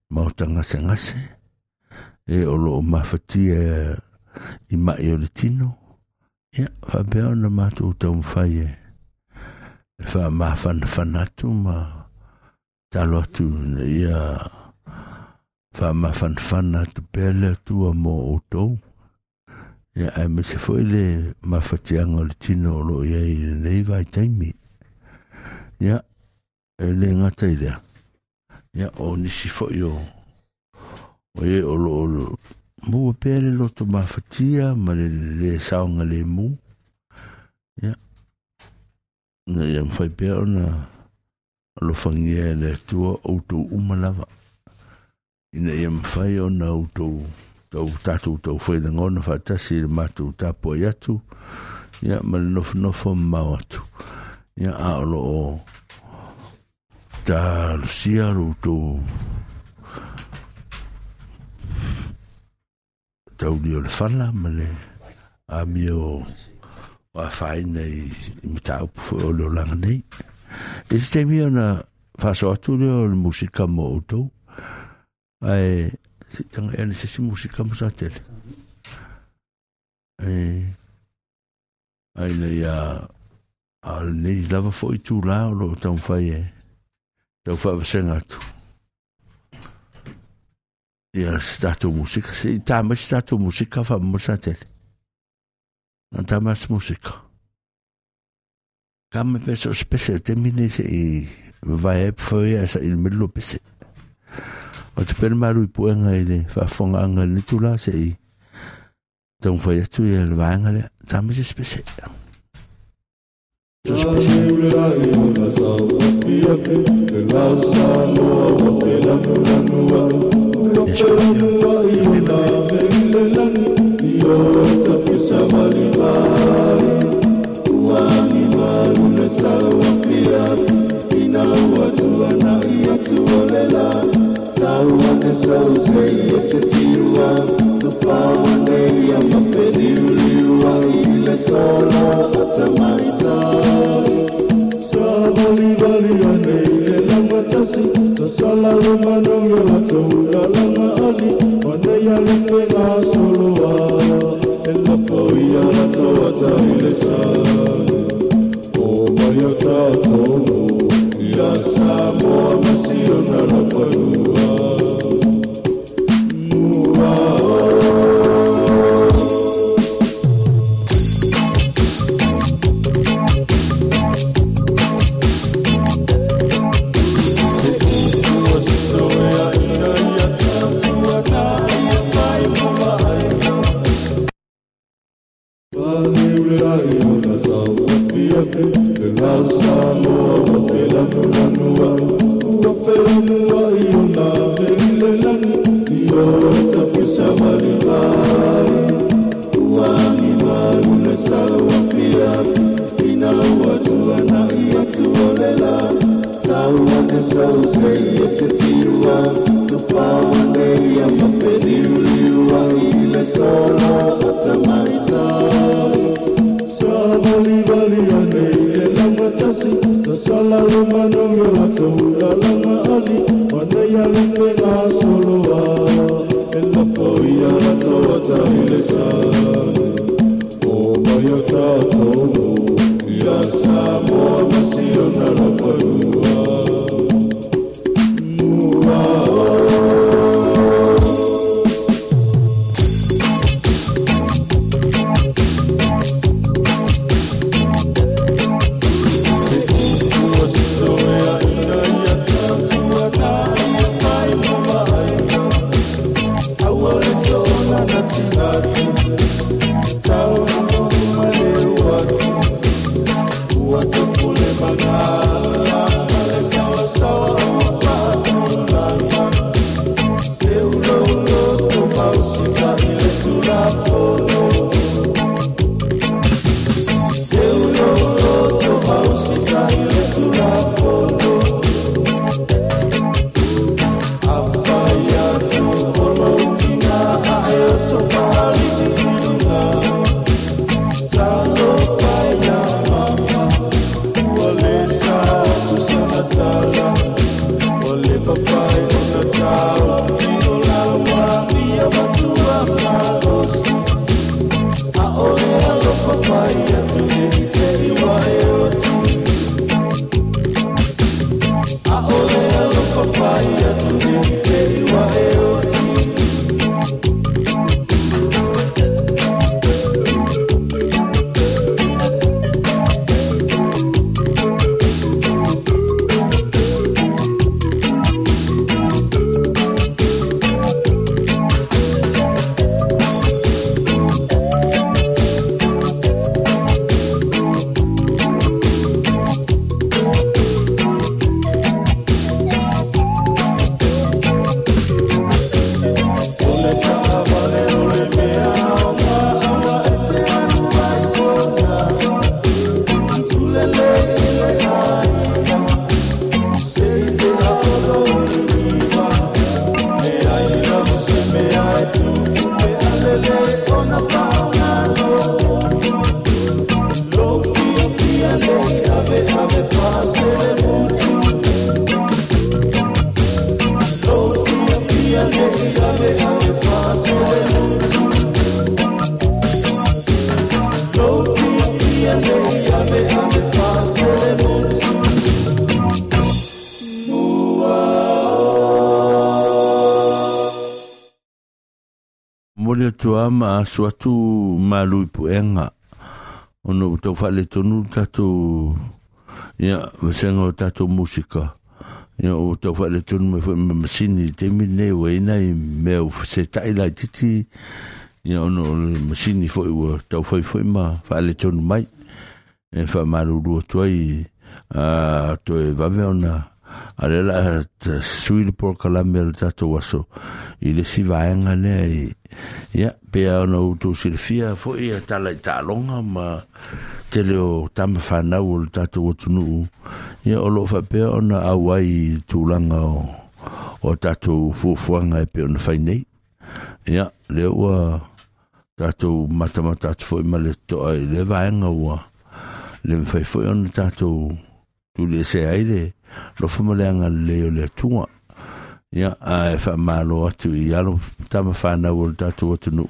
maota gasegase, e o loo mafatia i mai o le tino. Ia, faapea ona matou taumafai e faamafanafana atu ma talo atu ina ia faamafanafana atu pea le Atua mo outou. Ia, aemaise foi le mafatiaga o le tino o loo i ai i lenei vaitaimi. Ia, e le gata i lea, ia, o nisi foi o e o loo maua pea le loto mafatia ma le le saogalemu. Ia, ina ia mafai pea ona alofagia e le Atua outou uma lava, ina ia mafai ona outou tau tatou taufai lagona faatasi i le matou tapuai atu, ia, ma le nofonofo mamao atu. Ia, a o loo talosia lo outou tauli o le fala ma le amio o afaina i mataupu foi o le olaga nei. E se taimi ona faasoa atu lea o le musika mo outou, ae se i tagai ane se isi musika mo sa tele. E, ai ina ia a o lenei lava foi itulā o loo taumafai e tau faavasega atu ia se tatou musika. Se i tā mai se tatou musika faamolemole sa tele. Na tā mai se musika. Ka mai pea so se pese o taimi nei se i vavae ai pofoi ae saili mai le lua pese. O te pea le malu i puega i le faafofogaaga i lenei itulā se i taumafai atu ia le vaega lea. Tā mai se isi pese. So se pese. Ia se pese. Tua ma asu atu malu i puenga ona ua tau faaletonu le tatou ia vasenga o tatou musika ia ua tau faaletonu mai foi ma masini i le taimi lenei ua i ai nai mea ua fesetaʻi laititi ia ona o le masini foi ua taufai foi ma faaletonu mai e faamalulu atu ai toe vave ona a lea la sui le polokalame o le tatou aso i le isi vaega lea i ia pea ona outou silafia foi ia tala i taaloga ma tele o tama fanau o le tatou atunuu ia o loo faapea ona auai i tulaga o tatou fuafuaga e pei ona fai nei. Ia, lea ua tatou matamata atu foi ma le totoa i lea vaega ua le mafai foi ona tatou tuliese ai le lofa ma le agalelei o le Atua. Ia, ae faamalo atu i alo tama fanau o le tatou atunuu,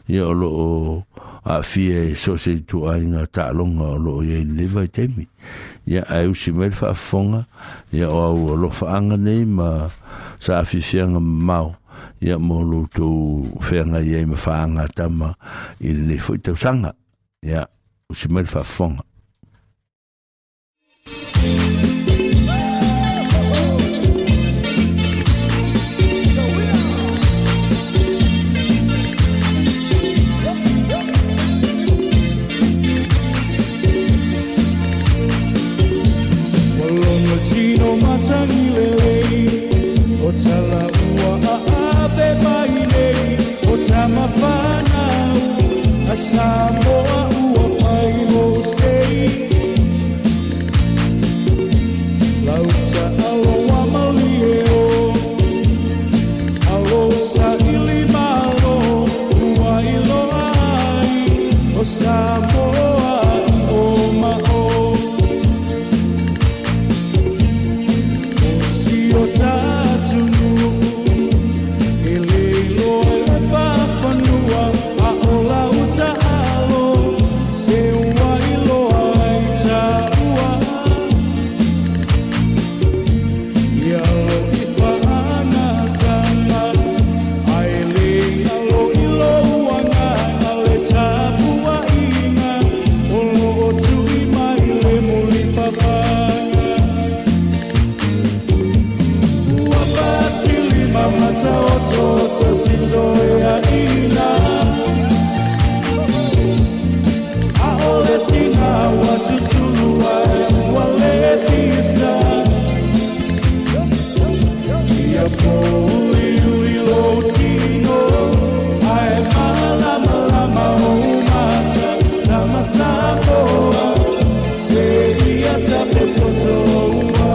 ia o loo aafia i so o se ituaiga taaloga o loo i ai i lenei vaitaimi. Ia, ae usi mai le faafofoga, ia o au alofaaga nei ma saafiafiaga mamao, ia mo lo outou feagai ai ma faagatama i lenei foi tausaga. Ia, usi mai le faafofoga. Samoa ua pai mo sei Lauta aloa malie o Alo sa ili malo Ua iloa ai O Samoa i o ma o O si o tatunu E le iloa e le papanua A o lauta alo Se ua iloa ai taua Ia lo i whaanatanga Ai le alo i lo uangana le tapua inga O lo o tui mai le muli papanga Ua patili mamata o toto sito e a ina A ole tina wa tutulu ai ua le tisa Ia pouli uli lo tino Ae malama lama o mata Tamasamoa Se ia tape toto ua.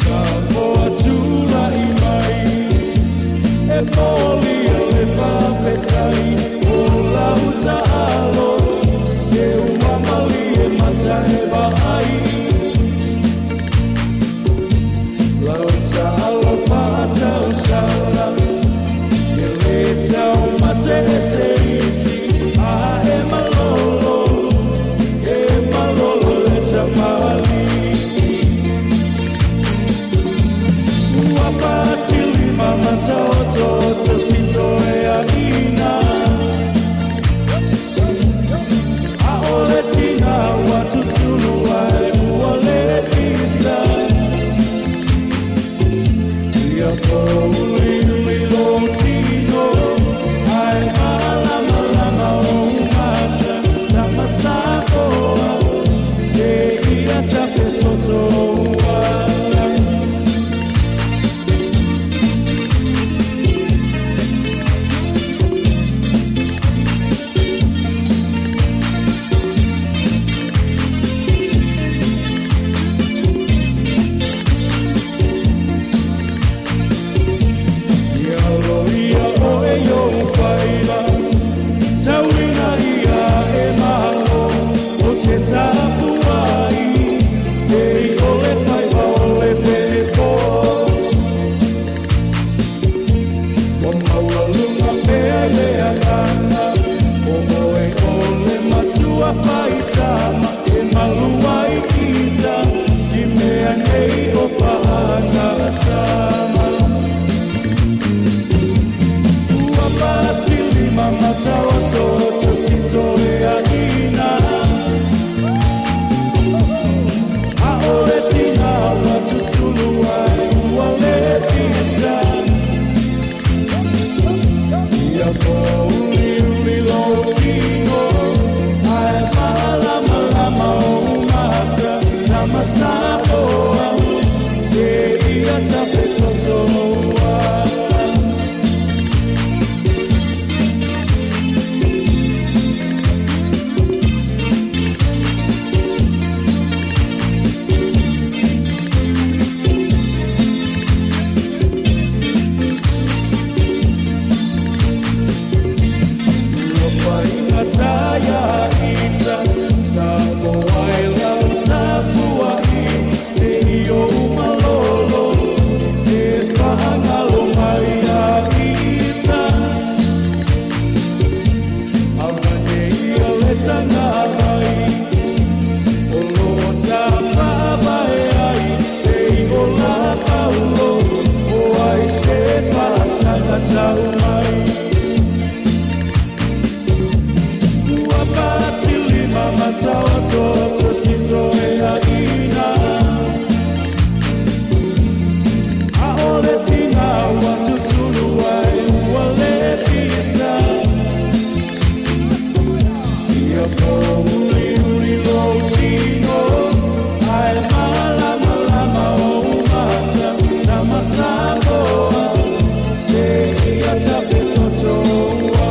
Samoa tula i mai E moli e le papetai O lauta alo Se ua mali e mata e vaai Lauta alo whātau sala E le tau mate e se isi A e malolo E malolo le tamali Ua patili mamata o toto sito e a ina tau mai. Ua patilima mataototo si toe aina. Aole tina ua tutulu ai ua le pisa. Ia pouli uli lo tino ai malama lama o mata tamasamoa. Se ia tapetotoa.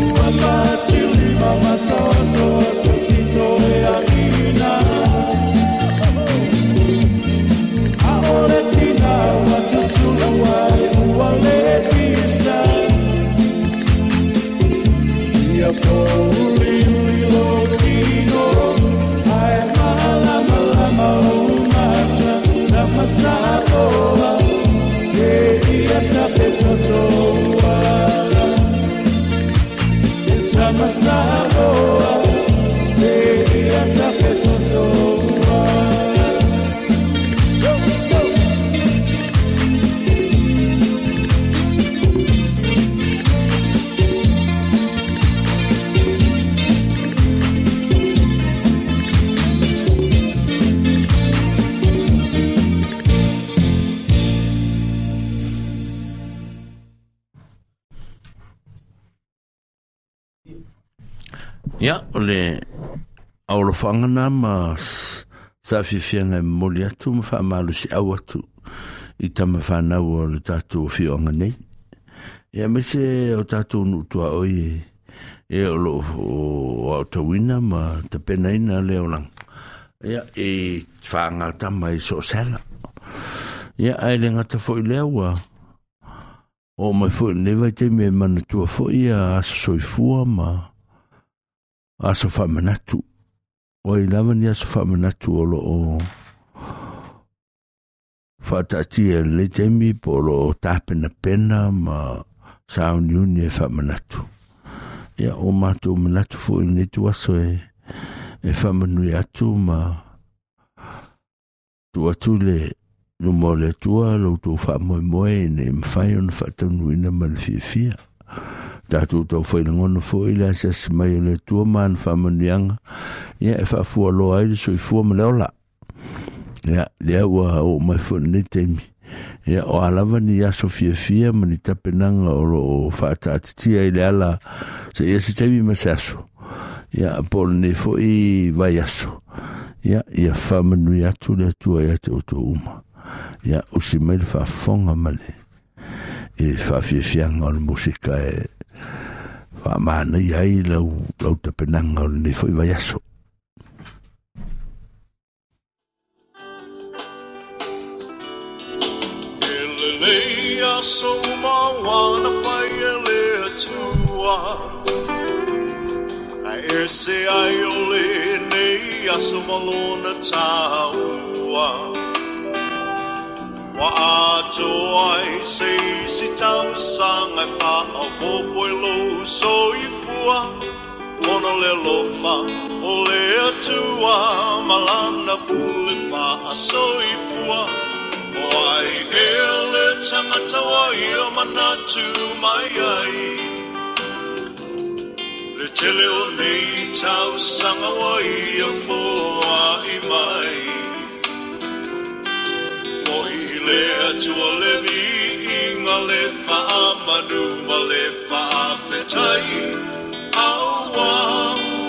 Ua patilima mataototo si toe aina. Aole tina ua tutulu ai ua le pisa. Ia pouli uli lo tino ai malama lama o mata tamasamoa. Se ia tapetotoa. Tamasamoa. Se ia tapetotoa. Go, go. Ia, o le aolofaga na ma sa fiafiaga e momoli atu ma faamalosi atu i tamafanau o le tatou afioaga nei. Ia aemaise o tatou nuu tuaoi e o loo aotauina ma tapenaina le olaga. Ia e faagatama i soosala. Ia ae le gata foi lea ua oo mai foi lenei vaitaimi e manatua foi ia aso soifua ma aso faamanatu. Ua i lava ni aso faamanatu o loo faataatia i lenei taimi po o loo tapenapena ma sauniuni e faamanatu. Ia o matou manatu foi i lenei tuaso e faamanui atu ma tuu atu le luma o le Atua lo outou faamoemoe ina ia mafai ona faataunuuina ma le fiafia. Tatou taufailagona foi le asiasi mai o le Atua ma ana faamanuiaga, ia e faafualoa ai le soifua ma le ola. Ia lea ua oo mai foi lenei taimi. Ia o a lava ni aso fiafia ma ni tapenaga o loo faataatitia i le ala se ia se taimi ma se aso. Ia po o lenei foi vaiaso. Ia ia faamanui atu le Atua ia te outou uma. Ia usi mai le faafofoga ma le e faafiafiaga o le musika e faamanaia ai lau tapenaga o lenei foi vaiaso. Elelei aso mawana fai e le atua. Ai ese ai o le nei aso malona taua. Wa atoa ai se isi tausaga e faaopopo i lou soifua. Ona le alofa o le Atua ma lana pule faasoifua. O ai ea le tagata ua ia manatu mai ai. Le tele o nei tausaga ua ia foai mai. Foi le Atua le viiga le faamanu ma le faafetai. Aua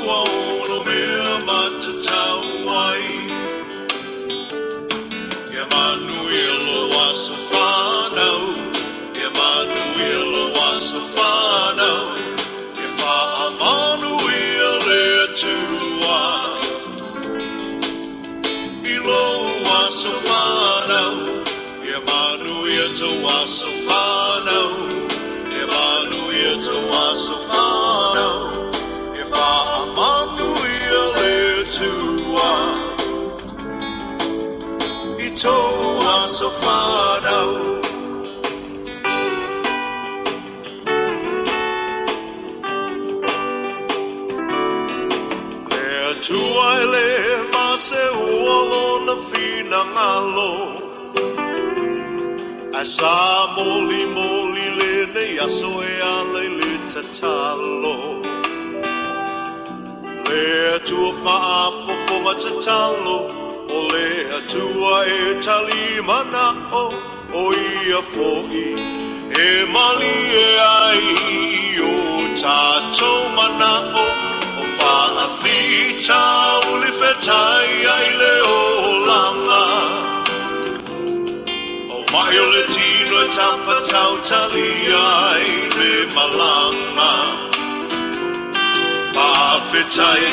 ua ono mea matatau ai. Ia manuia lo aso whanau. Ia manuia lo aso whanau. Ia faamanuia le Atua. I lo aso whanau. Ia manuia to aso whanau. Ia manuia to aso whanau. Ia faamanuia le Atua. I tō aso whanau. Le Atua e le mase ua lona whina ngalo. Ai sa moli moli le nei aso e ala i le tatalo. Le atua faafofoga tatalo, o le atua e talimanao, o ia fo'i e malie ai i o tātou manao. O faafitauli fetai ai le olaga. O mai o le tino e tapatautali ai le malaga. Faafetai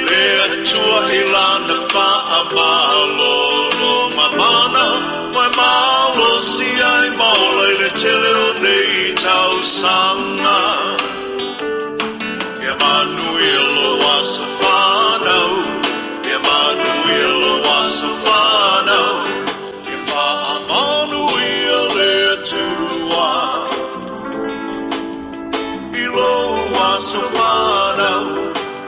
le Atua i lana faamalolo mamana, mai malosi ai maola i le tele o nei tausaga. Ia manuia lou aso fanau, ia manuia lou aso fanau, ia faamanuia le Atua i lou aso fanau.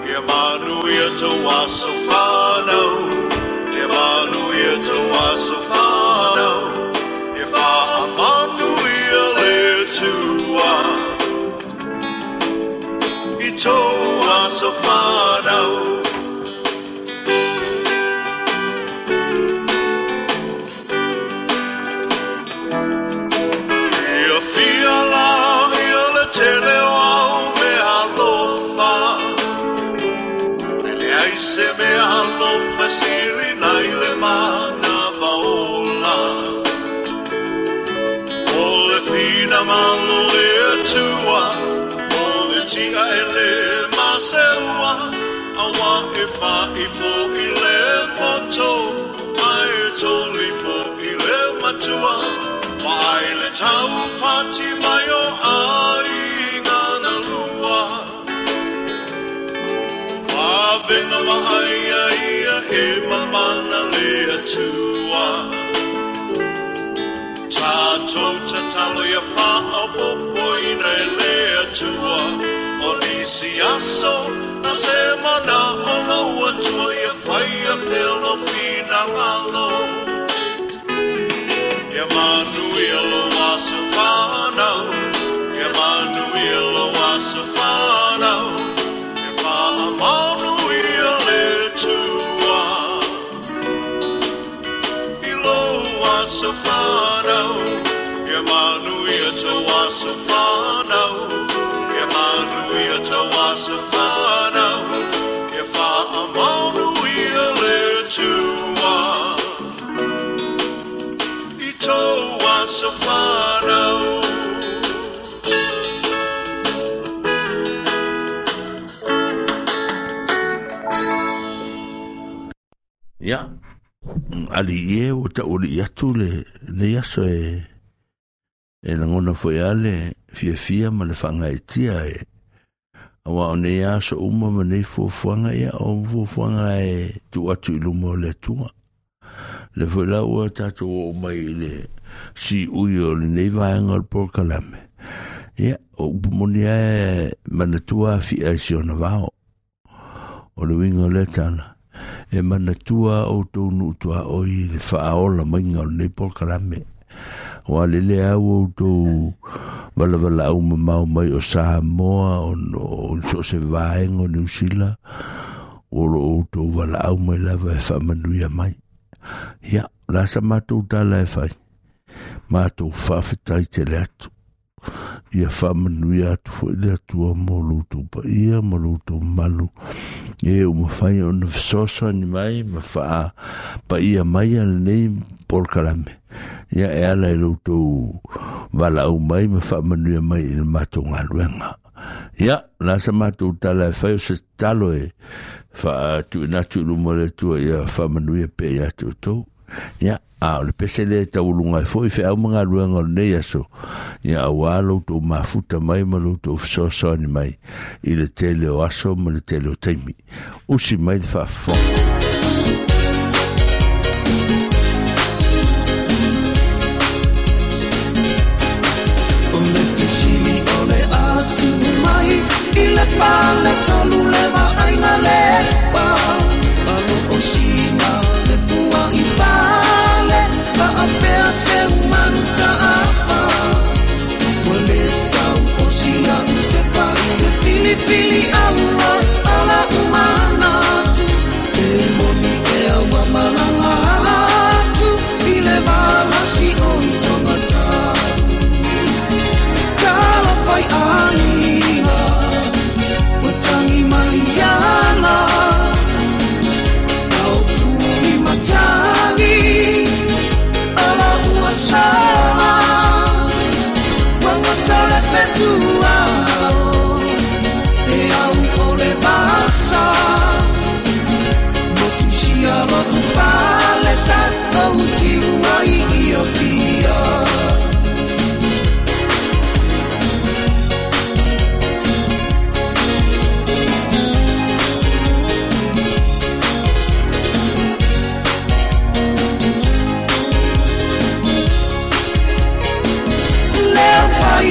Ia manuia tou aso fanau, ia manuia tou aso fanau, ia faamanuia le Atua i tou aso fanau. Ia fia la ia le tele o au mea alofa, e leai se mea alofa sili nai le manava ola. O le fina malo le Atua, o le tia e le maseua, aua e faifo i le poto, ae toli fo i le matua. Mai le taupati mai o aiga na lua. Vavena vaai ia e mamana le Atua. Tātou tatalo ia faaopopoina e le Atua. O nisi aso na se manao lau Atua ia faia pea lou finagalo. Ia manuia lou aso fanau, ia manuia lou aso fanau, ia faamanuia le Atua i lou aso fanau. Ia manuia tou aso fanau, ia manuia tou aso fanau, ia faamanuia le Atua i tou aso fanau. Ia, ali i e ua tauli atu le nei aso e lagona foi a le fiafia ma le faagaetia e aua o nei aso uma ma nei fuafuaga ia o fuafuaga e tuu atu i luma o le Atua. Le foi la ua tatou oo mai i le siui o lenei vaega o le polokalame. Ia, o upu moni ae manatua afia i si ona vao. O le uiga o lea tala, e manatua outou nuu tuaoi i le faaola maiga o lenei polokalame. Ua lele au outou valavala mamao mai o Samoa, o so o se vaega o Niu Sila, o lo outou valaau mai lava e faamanuia mai. Ia, la sa matou tala e fai, matou faafetai tele atu. Ia faamanuia atu foi le Atua mo loutou paia ma loutou mamalu. E ua mafai ona fesoasoani mai ma faapaia mai a lenei polokalame. Ia e ala i loutou valaau mai ma faamanuia mai i le matou galuega. Ia, la sa matou tala e fai o se tatalo e faatuina atu i luma o le Atua ia faamanuia pea ia te outou. Ia, a o le pese le tauluga ai foi feau ma galuega o lenei aso. Ia auā loutou mafuta mai ma loutou fesoasoani mai i le tele o aso ma le tele o taimi. Usi mai le faafofoga. O le fesili o le atu mai i le fale tolu le vaaiga le pa. Alo o sina le fua i fale, faapea se umanu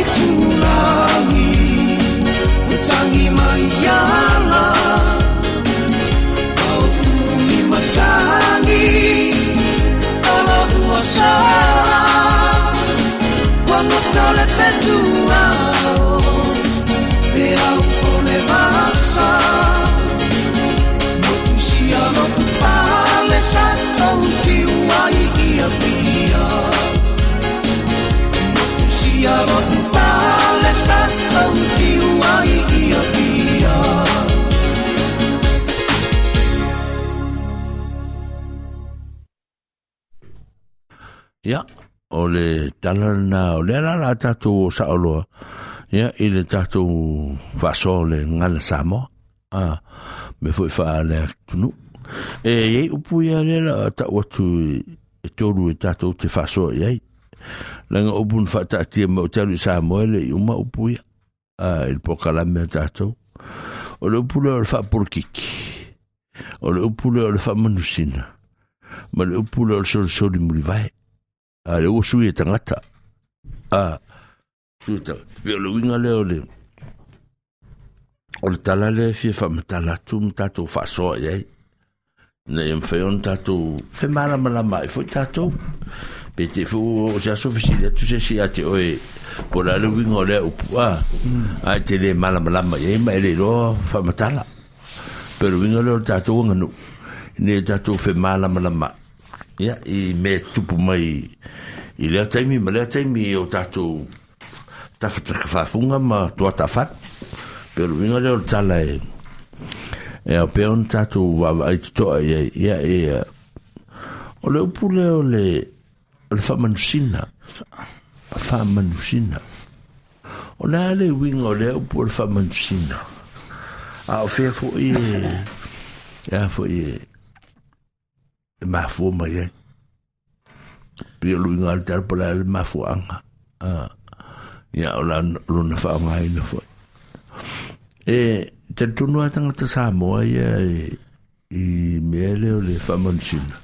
Itulagi O tangi mai ala Au umi matangi Olo ua sala Ua le fetua Pe au o le vasa Motu sia loku pale sa Au tiu ai ia pia Motu sia loku pale sa Au tiu ai ia pia. Ia, o le tala lena, o lea la la tatou o saoloa, ia, i le tatou faasoa o le gagana Samoa, a, mea foi faaleatunuu. E i ai upu ia lea la tau atu e tolu e tatou te faasoa i ai. Leaga upu na faataatia mai ou te alu i Samoa e le i uma upu ia, a, i le polokalame a tatou. O le upu lea o le faapolokiki, o le upu lea o le faamanusina, ma le upu lea o le solisoli mulivae. A le ua sui e tagata. A, sui e tagata. Pe o le uiga lea o le, o le tala lea e fia faamatala atu ma tatou faasoa i ai. Ina ia mafai ona tatou femalamalama ai foi tatou. Pe te foi ua oo se aso fesili atu se isi ia te oe po o le a le uiga o lea upu a, ae te le malamalama i ai ma e le iloa faamatala. Pe o le uiga lea o le tatou aganuu, ina ia tatou femalamalama ia, i mea tupu mai i lea taimi ma lea taimi i o tatou tafatakafafuga ma tuatafalu. Pe o le uiga lea o le tala e, e ao pea ona tatou vaavaai totoa i ai, ia, ia, o le upu lea o le, o le faamanusina, faamanusina. O le a le uiga o lea upu o le faamanusina? A o fea foi e, e a foi e, e mafua mai ai. Pei o le uiga o le tala po o le a le mafuaaga. Ia, o lona faaaogaina foi. E talitonu lava tagata Samoa ia i mea lea o le faamanusina.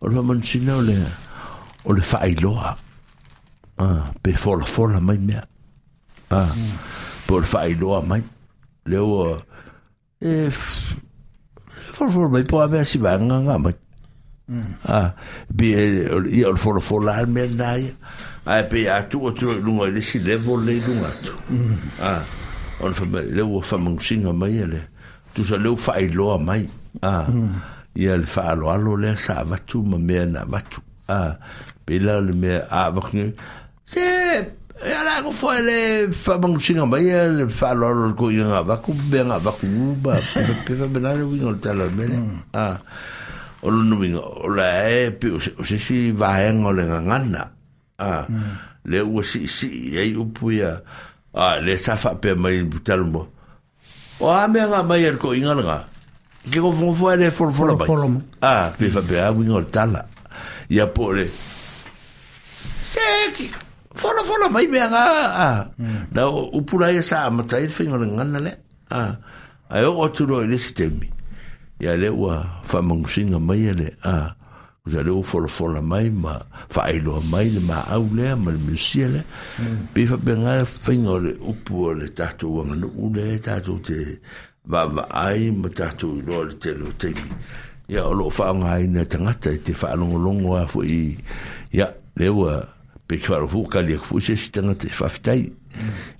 O le faamanusina o le, o le faailoa, pe folafola mai mea. Po o le faailoa mai. Lea ua, E folafola mai po o a mea si vaega nga mai. Ah, pe ia o le folafola lava le mea lena ia. Ae pei a tuu atu loa i luga i le isi level lea i luga atu. Ah, ona fai mai, lea ua faamanusiga mai ia le, tusa lea ua faailoa mai. Ah, ia le faaaloalo lea sa avatu ma mea na avatu. Ah, pei la o le mea a avatu nei, Se, e ala ko foe le whamanusinga mai e le whaaloalo le ko ia ngā vaku, mea ngā vaku ma pepa pepa me nā le winga o le tala o le mele. Ah, o lona uiga, o la e pe o se isi vaega o le gagana. Ah, lea ua siisii ai upu ia, ah, lea sa faapea mai i tala mua. O a mea ngā mai e le koʻiga lena, ke gofogofo ai le folafola mai. Folafola mai. Ah, pe faapea a uiga o le tala. Ia po o le, se ki, folafola mai mea ngā, ah. Na o upu la ia sa amata ai le faiga o le gagana lea. Ah, ae oo atu loa i le isi taimi, ia lea ua faamanusiga mai e le, ah, Tusa lea ua folafola mai ma faailoa mai le maau lea ma le minusia lea. Pei faapena le faiga o le upu o le tatou aganuu lea e tatou te vaavaai ma tatou iloa i le tele o taimi. Ia, o lo o faaaogaina e tagata e te faalogologo lava foi, ia, lea ua Pe ki wharofu, kali aku foi se isi tangata e whawhitai.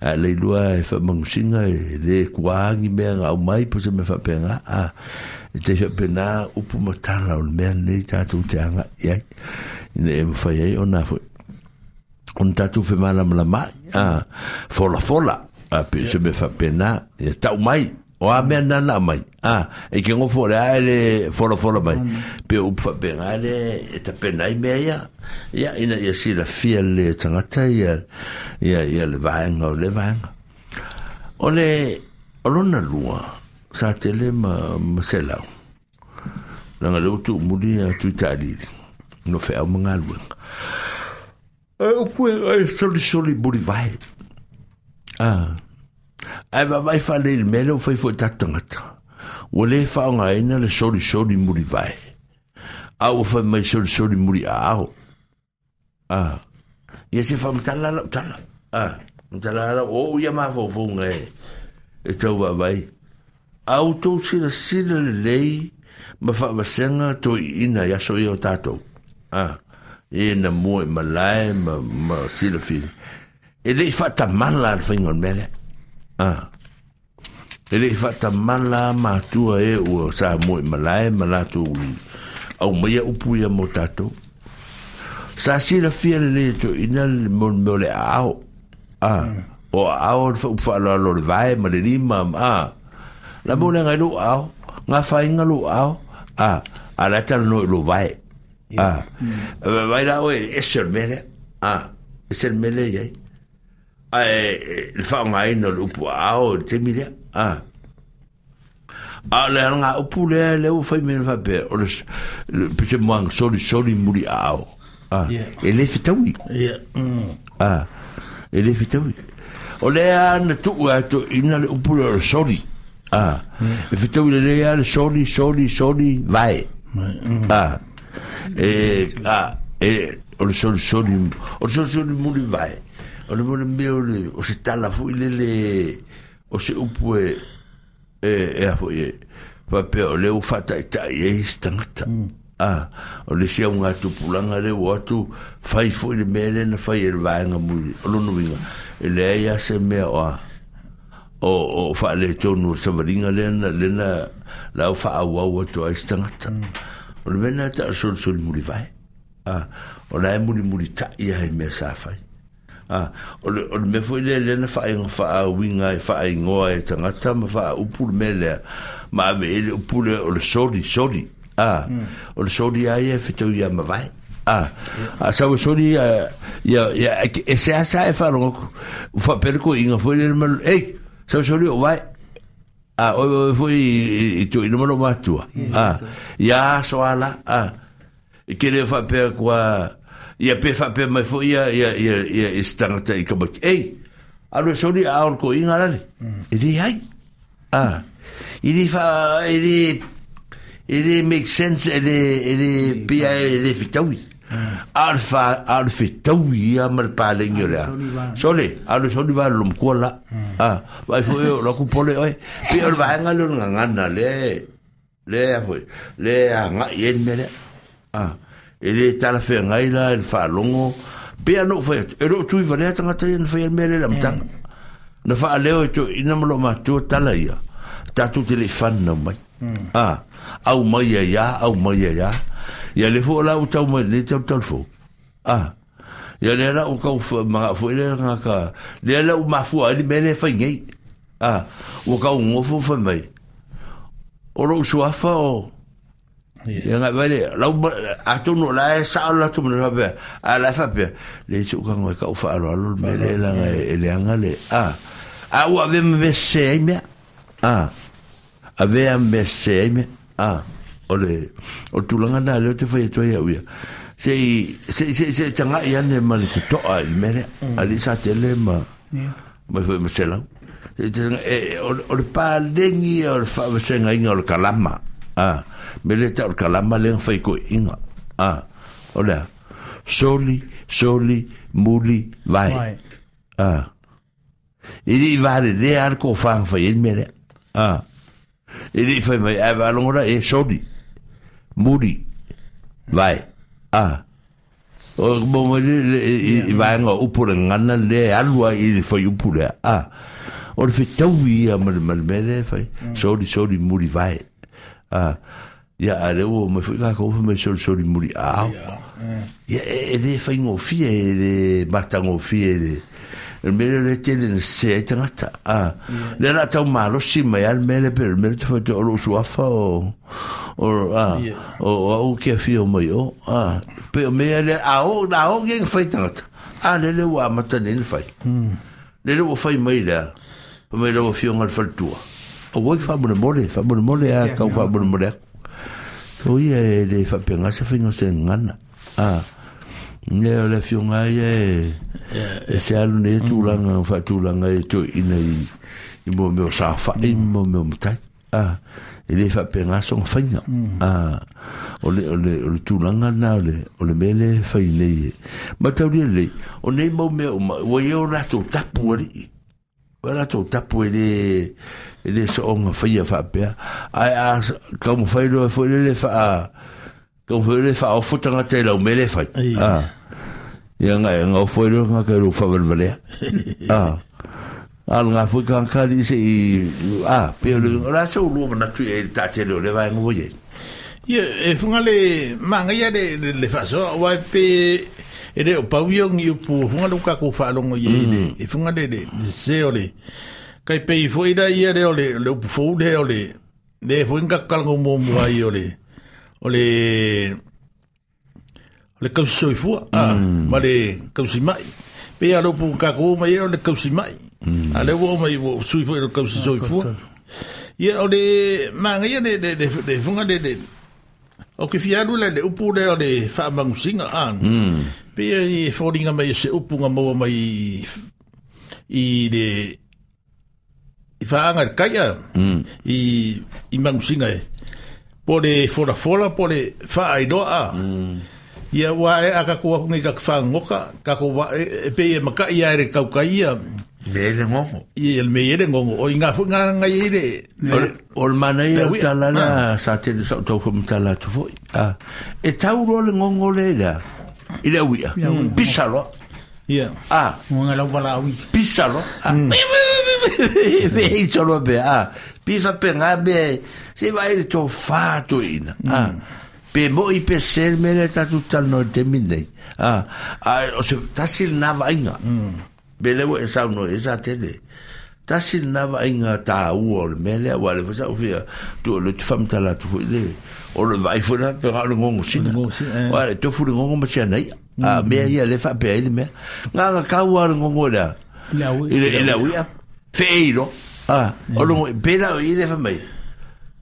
A lei lua e whamanusinga e le kuaangi mea ngā au mai po se mea whapenga. A, e te whapena upu matala o le mea nei tātou te anga i ai. Ina e mwhai ai o nā foi. Ona tātou whemalamalama ai. A, fola fola. A, pe se mea whapena. Ia tau mai. O a mea nana mai. A, e ke ngofo le ae le folafola mai. Pe o upu whapenga le e tapena ai mea ia. Ia, ina ia silafia le tangata ia, ia, ia le vaega o le vaega. O le, o lona lua, sa tele ma, ma selau. Leaga le ua tuumuli a Tuitaalili, no feau ma galuega. E upu e, e solisoli mulivae. A, ae vaavaai faalelei i le mea lea ua fai foi e tatou tagata. Ua le faaaogaina le solisoli mulivae, a ua fai mai solisoli muliaao. A, ia se faamatala lau tala. A. Matala la o ia mafaufauga e tau vaavaai. A outou silasila lelei ma faavasega toeaiina i aso ia o tatou. A, e na mua i malae ma, ma silafia. E le i faatamala le faiga o le mea lea. A, e le i faatamala matua e ua sa mua i malae ma latou aumaia upu ia mo tatou. Sa silafia lelei e toeaiina le mea o le aao. A, o aao le faaaloalo o le vae ma le lima, a. La mo le ngai lou aao, gafaina lou aao, a, a la e talanoa i lou vae. A, vai la oe ese o le mea lea. A, ese le mea lea i ai. Ae le faaaogaina o le upu aao i le taimi lea. A, a o le alga upu lea lea ua fai mai faapea, o le pese moaga solisoli muli aao. A, e le fetaui. A, e le fetaui. O lea na tuu a toeaiina le upu lea o le soli. A, e fetaui lelei lava le soli, soli, soli, vae. A, e, a, e, o le solisoli, o le solisoli muli vae. O le mea mea o le, o se tala foi lele, o se upu e, e, e a foi e, faapea o lea ua faataitai ai se tagata. A, o le isi augatupulaga lea ua o atu fai foi le mea lea na fai e le vaega muli. O lona uiga, e leai lava se mea o a, o, o faaletonu o le savaliga lea na, lea na, la ua faaauau atu ai se tagata. O le mea lena e tau o le solisoli mulivae. A, o la e mulimulitai lava i mea sa fai. A, o le, o le mea foi lea lea na faaiga faauiga ai, faaigoa e tagata ma faaupu le mea lea, ma ave i ai le upu lea o le soli, soli. A, o le soli lava ia e fetau ia mavae. A, a sau e soli ia, ia, ia, e seasea e faalogo atu, ua faapea le toeaina foi lea ma, ei, sau soli o vae. A, oe oe foi i toeaina ma lou matua. A, ia aso a la, a, E te le faapea kua ia pe faapea mai foi ia ia ia ia i se tangata i tamaiti. Ei, alu e soli a o le toeaina lale. E leai. A, e le fa e le e le make sense e le e le pia e le fetaui. A o le fa a o le fetaui ia ma le paleni o le a. Sole, alu e soli va le matua la. A, vaai foi o la ku pole oe. Pei o le vaega lea o le gagana lea Lea foi, lea agai i ai le mea lea. A, e le talafeagai la i le faalogo, pei lava ona ou fai atu, e le o tui valea tagata ia na faia le mea lea i le amataga. Na faaleo e toeaiina ma loomatua tala ia, tatou te le i fanau mai. A, aumai ai lava, aumai ai lava. Ia lea foi o la ua tau mai lenei talu fou. A, ia lea la ua tau manao foi lea tagata, lea la ua mafua ai le mea lea e fai nei. A, ua tau nofo fai mai, o lou suafa o... Ia ngai vai lea, lau, atonu o la e sao le latou manatu faapea, a la e faapea, leai se uka e kau faaaloalo le mea lea leaga e leaga le, a, a ua avea ma mea sese ai mea, a, avea ma mea sese ai mea, a, o le, o le tulaga lena lea ou te fai atu ai au ia, se i, se i, se i, se i tagai ane ma le totoa i le mea lea, alii sa tele ma, mai foi ma selau. O le paleni ia o le faavasegaina o le kalama. A, me le tau o le kalama lea na fai toeaiina. A, o le a? Soli, soli, muli, vae. A, e le i valelea lava le tofa na fai ai le mea lea. A, e le i fai mai, ae faalogo la, e soli, muli, vae. A, O mo mai le, le, i, i vaega o upu o le gagana lea e alu ai i le fuaiupu lea, a, o le fetaui ia ma le, ma le mea lea e fai, soli, soli, muli vae. A, ia, a lea ua omai foi kākou fai mai soli, soli, muli aao. Ia, e, e le faigofie, e le matagofie i le, le mea lea o lea e tele ina sese ai tagata. A, lea o le a tau malosi mai lava le mea lea, pei o le mea lea ou te fai atu ai, o lou suafa o, o, a, o, o au ke afio mai o, a, pei o mea lea, a o, a o ia na fai tagata, a lele ua amata nei na fai. Lele ua fai mai lea, fai mai lau afioga i le faletua, auai faamolemole, faamolemole a, tau faamolemole atu. So ia e le faapena se faiga o se gagana. A, lea o le afioga lava ia e, e se alu nei tulaga faatulaga e toeaiina i, i mo mea o saofai ma mo mea o matai. A e le faapena soga faiga. A o le o le o le tulaga lena o le o le mea lea e fai nei e mataulia lelei o nei mau mea uma ua i ai o latou tapu alii. Ua latou tapu e le e le soonga faia faapea. Ae a taumafai loa foi lele faa taumafai lele faaofo tagata i lau mea lea e fai. A ia nga nga ofo ai loa le tagata i lou faavalevalea. A a o lena foi tagata alii se i a pei o le o le a se ulua manatu i ai i le taatele o lea vaega ua i ai? Ia, e funga le manaia le, le, le faasoa, aua e pe e le o pau ia o ni upu funga le ua tatou faalogo i ai le, e funga le, le, le sese o le, kai pei foi la ia lea o le, le upu fou lea o le, le foi na tatou talanoa muamua ai o le, o le, o le tausi soifua a, ma le tausi mai. Pei lava o le upu na tatou oo mai ai o le tausi mai. A o lea ua oo mai ua sui foi i le tausi soifua. Ia o le manaia le le le le fuga le le ou te fia alu la i le upu lea o le faamanusiga a. Pei e foliga mai o se upu na maua mai i le i faaga i le tai a i i manusiga e po o le folafola po o le faailoa a. Ia ua e a tatou o atu nei tatou fagogota tatou va e pei e mata'i lava e le tautai ia Mea i le gogo. Ia le mea i le gogo. O i ngā foi ngā ngai i le O le manaia o le tala lea sa tele sa ou tau faamatala atu foi. A, e tau loa le gogo lea i le a? I le auia. Pisa loa. Ia. A. Ua lau valaau isi. Pisa loa. A. Fe i solo pea. A. Pisa pe ngā mea se vai le tō whā tō ina. A. Pe moi pe se le mea lea tātou talanoa i le taimi lenei. A. A o se tasi lena vaaiga. Pe lea ua e saunoa i ai sa tele. Tasi lena vaaiga tāua o le mea lea, aua o lea foi sa ou fia tuu o lea ou te faamatala atu foi le, o le vaai foi la pe na o le gogosina. Aua e tofu le gogo ma si ana i'a. A mea ia lea e faapea ai le mea. Nganga kau lava le gogo i le a? I le, i le au i'a. Feei loa. A, o le gogo, pe la o i le fai mai.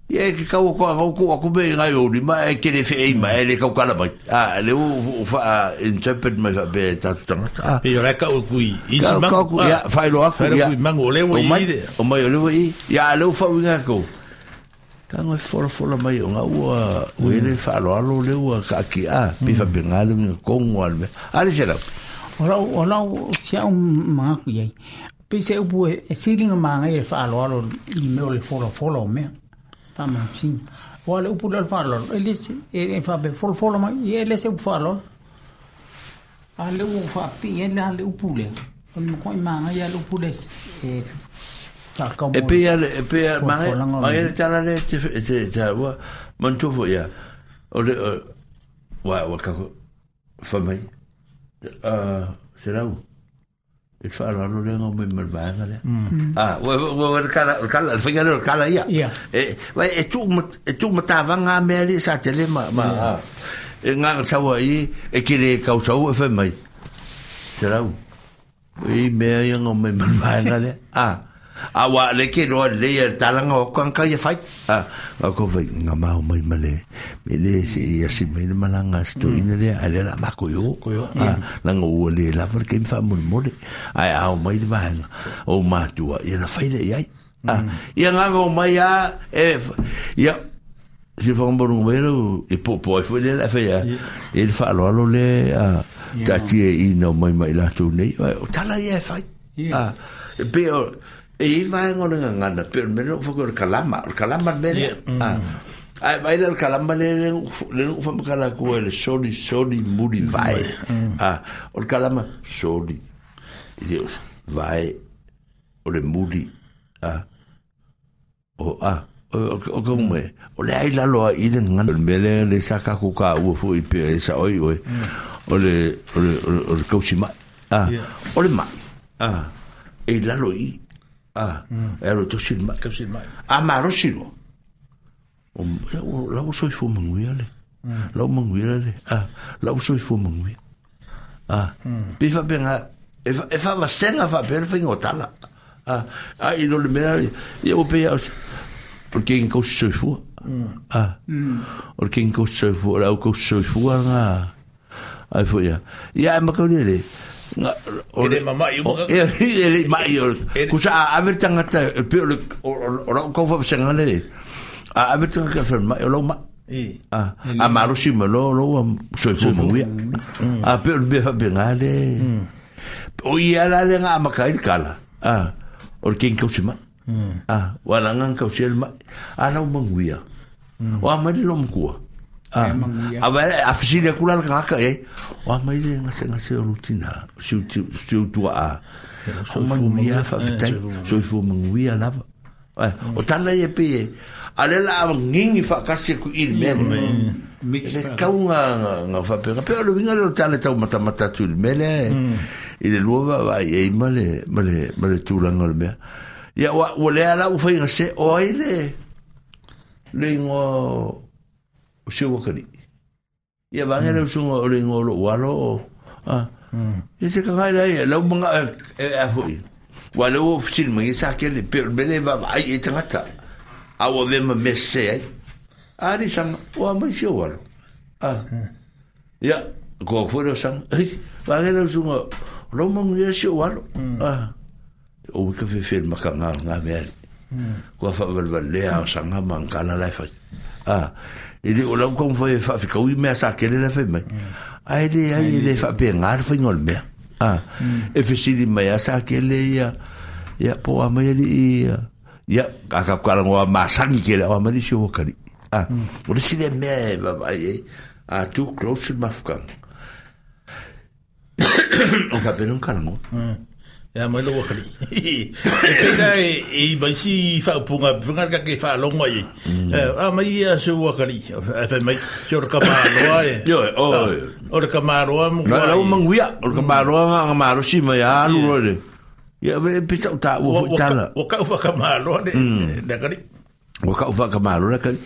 Ia e ke kau ko au ko aku me ngai o lima e ke le whei mai e le kau kala mai. A le u u wha interpret mai wha pe tatu tangata. A. Pe ora ka u kui isi mangu. Ka ku ia whai lo aku ia. Kui mangu o le ua i le. O mai o le ua i. Ia le u wha uinga ko. Ka ngoi fola fola mai o ngā ua ua ele whaaloalo le ua ka aki a. Pi wha pe ngā le uinga kongo a le mea. A le se lau. O lau, o lau si au mangaku iai. Pe se upu e silinga maangai e whaaloalo i mea o le fola fola o mea. Whaamausina. Oa le upu lea o le faaaloalo, e le se, e, e faapea folafola mai, ia e le se upu faaaloalo. A le ua faapipii ai la le upu lea, o le makuai maangai lava le upu lea e faakau E pei lava le, e pei lava, maangai, maangai le tala lea e te, e te, e te, ua, manatua foi ia, o le, o, ua, ua kako, fai mai, se lau, E faaaloalo lea ngau mai ma le vaega lea. Ah, ua ua ua le kala, le kala, le faiga lea o le kala ia. Ia. E, vai e tuu ma, e tuu matavaga mea alii sa tele ma, ma, ah, e nganga sau ai, e ke le kau sau e fai mai. Te rau, i mea ia ngau mai ma le vaega lea. Ah, A ua le ke loa lelei a le talaga o aku kanga ia fai. A, nga ko fai, nga mau mai ma le, me le se i asi mai le malanga a se toeaina lea, ae lea o le a mako i o. A, leaga ua le lava le taimi faamolemole. Ae a oo mai le vaega o matua, ia na fai lea i ai. A, ia nganga o mai a, e, ia, se whakamaru mai rau, e popo ai foi lea le fai a, e le whaaloalo le a, taatia i nau mai mai lātou nei, o tala ia e fai. A, e pei o, e i ai vaega o le gagana, pei o le mea lea na ou fai atu ai, o le kalama, o le kalama le mea lea. A, a e vaai la i le kalama lea, lea na ou, lea na ou faamatala atu ai, le soli, soli muli vae. A, o le kalama, soli, e le o, vae, o le muli, a, O, a, o, o, o ka ume, o le ai lalo ai i le gagana. O le mea lea le sa tatou taua foi pea e sao ai oe, o le, o le, o le, o le tausi mai. A, o le mai, a, e i lalo i i, a, e alo e tausi le mai. Tausi le mai. A malosi loa, o, ia, o la ua soifua manuia le, la ua manuia le, a, la ua soifua manuia. A, pei faapena, e, e faavasega faapea le faiga o tala. A, a i lo le mea, ia ua pei a o o le keiki kausi soifua. A, o le keiki kausi soifua, o le au kausi soifua ngā, ai foi ia. Ia, e makau le, nga, o E le mama'i uma o, e, e le ma'i o, kusa a ave le tagata, e pei o le, o, o, o lau kau faavasega le, A ave te ka whanmai o lau ma. A malosi ma lo lo ua soifua manuia. A pe o le mea faapena le. O ia la le nga amaka ai le kala. A o le kengi kausi mai. A ua la nga kausi le mai. A lau manuia. O a mai le lo makua. A a vai a fisili aku la le kaka e. O a mai le ngase ngase o lutina. Si si tua a. O manuia faafetai. Soifua manuia lava. O tala ia pe e. A le la ngingi whakasi aku i le mea lea. E le kau ngā, ngā, ngā whapenga. Pe o le winga le o tala tau matamata atu i le mea lea. I le lua va vai e ma le, ma le, ma le tūranga o le mea. Ia, ua, ua lea la ua whainga se, o ai le, le ingoa o si wakari. Ia vage le usunga o le ingoa o lou alo o, a, ia se kangai la ia, lau manga e a foi. Wa le ua fesili mai sa kele pe o le mele va ai e tangata. A ua ve ma mese ai. A ri sanga, o a mai si o alo. A, ia, ko foi le sanga. Ei, vage le usunga, o lau mangu ia si o alo. A, o wika fe fe maka ngā ngā mea. Kua whawalewalea o sanga ma ngana lai whai. A, e le o lau kong whai whawhikau i mea sa kele lai whai mai. A e le ai e le whapea ngā le whai ngol mea. A, e fesili mai a sa kele ia, ia po a mai ali ia, ia, a ka karangoa masangi kele o a mai si o wakari. A, o le sile mea e vavai e, a too close in mafukanga. O ka pena karangoa. Ia mai lo wakari. E pēnā e mai si whaupunga, whangar ka ke whaalonga i. A mai ia se wakari. E whai mai, se ora ka māroa e. Yo, o. Ora ka māroa mo kua. Lau manguia, ora ka māroa ngā ngā mārosi mai a alu roe le. Ia, e pisa o tā ua fo tala. O kau whakamāroa le, le kari. O kau whakamāroa le kari.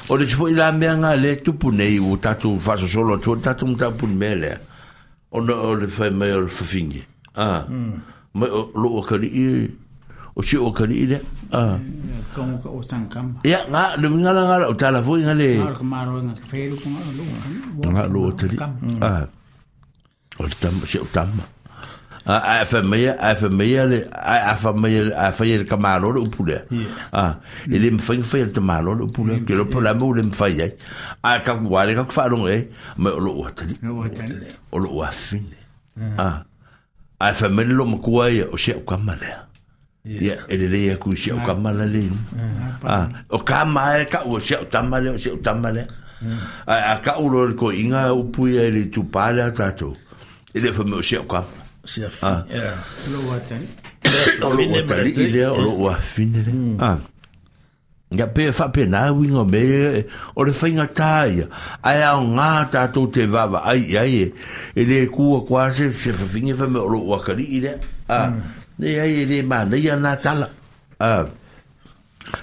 O le sifo i la mea ngā le tupu nei o tātou whasosolo atu o tātou mtāpuni mea lea. Ona o le whai mai o le whawhingi. A, mai o lo o kari i, o si o kari i le. A. Tongo ka o sangkama. Ia, ngā, le ngā la ngā la, o tāla fo i ngā le. Ngā ka maro ngā ka whēru ko ngā lo kari. Ngā lo o tari. A. O le tama, si o tama. A, a whai mai, a whai mai le, a whai mai, a whai le kamaro le upu lea. A, e le mwhai whai le tamaro le upu lea. Ke lopo la mo le mwhai ai. A, ka kuwale, ka kuwharongo e, mai o lo o atari. O lo o awhine. A, a whai mai le lo makua ia, o sia o kama lea. Ia, e le lea ku sia o kama la le. A, o kama e ka o sia o tama lea, o sia o tama lea. A, a ka uro le ko inga upu ia e le tupā lea tātou. E le whai mai o sia o kama. Sia fi, ia. Lo o atari. O lo o atari i lea, o lo o awhine lea. A, ia pe whape nā winga me, o le whainga tā ia. Ai ao ngā tātou te wawa ai ai e, e le kua kua se, se whawhinge wha me o lo o akari i lea. A, ne ai e le mānei a nā tala. A,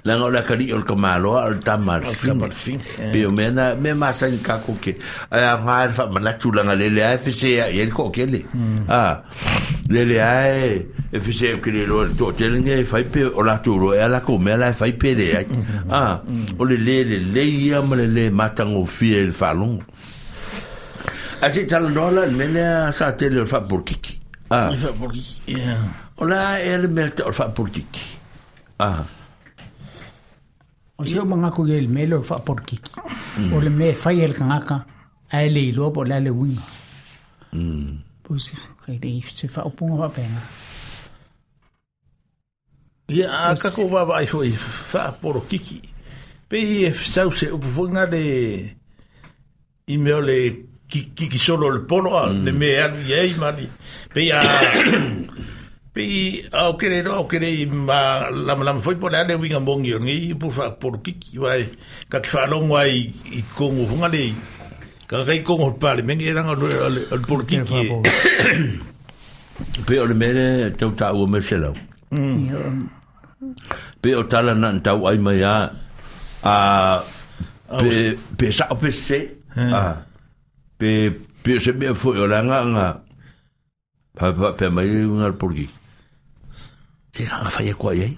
langa o le akari o le kamaloa o le tama le whine. Pe o mea nā, mea māsangi kako ke. Ai a ngā e whamanatu langa lele ai whise ia, ia le kookele. A, lele ai e whise o kere roa le toatelenge e whai pe o lātou roa e ala ko mea la e whai pe le ai. A, o le le le le ia ma le le matango fia e le whalongo. A se tala noa la, le mea sa tele o le whaporokiki. A, o la e le mea te o le whaporokiki. A, O se o mangako i le mele o whaporokiki. O le mea whai e le kangaka, a e le iloa po le ale winga. Po se, kai le se whaopunga whapenga. Ia, a kako wawa ai foi whaporokiki. Pe i e sau se upu foi ngā le i mea o le kiki solo le polo a, le mea alu i ei mani. Pe i a... Pe i au kere roa, au kere i ma lama lama foi po le ale winga mongi o ngi upu whaporokiki. Wai, ka te whalongo ai i kongo funga le, ka kai kongo pale mengi e ranga o le porokiki e. Pe o le mele tau tā ua me se lau. Pe o tala na tau ai mai a, a pe, pe sa o pe se, a, pe, pe se mea foi o langa nga, pa, pa, pe mai nga le porokiki. Se ranga whai e koa iai.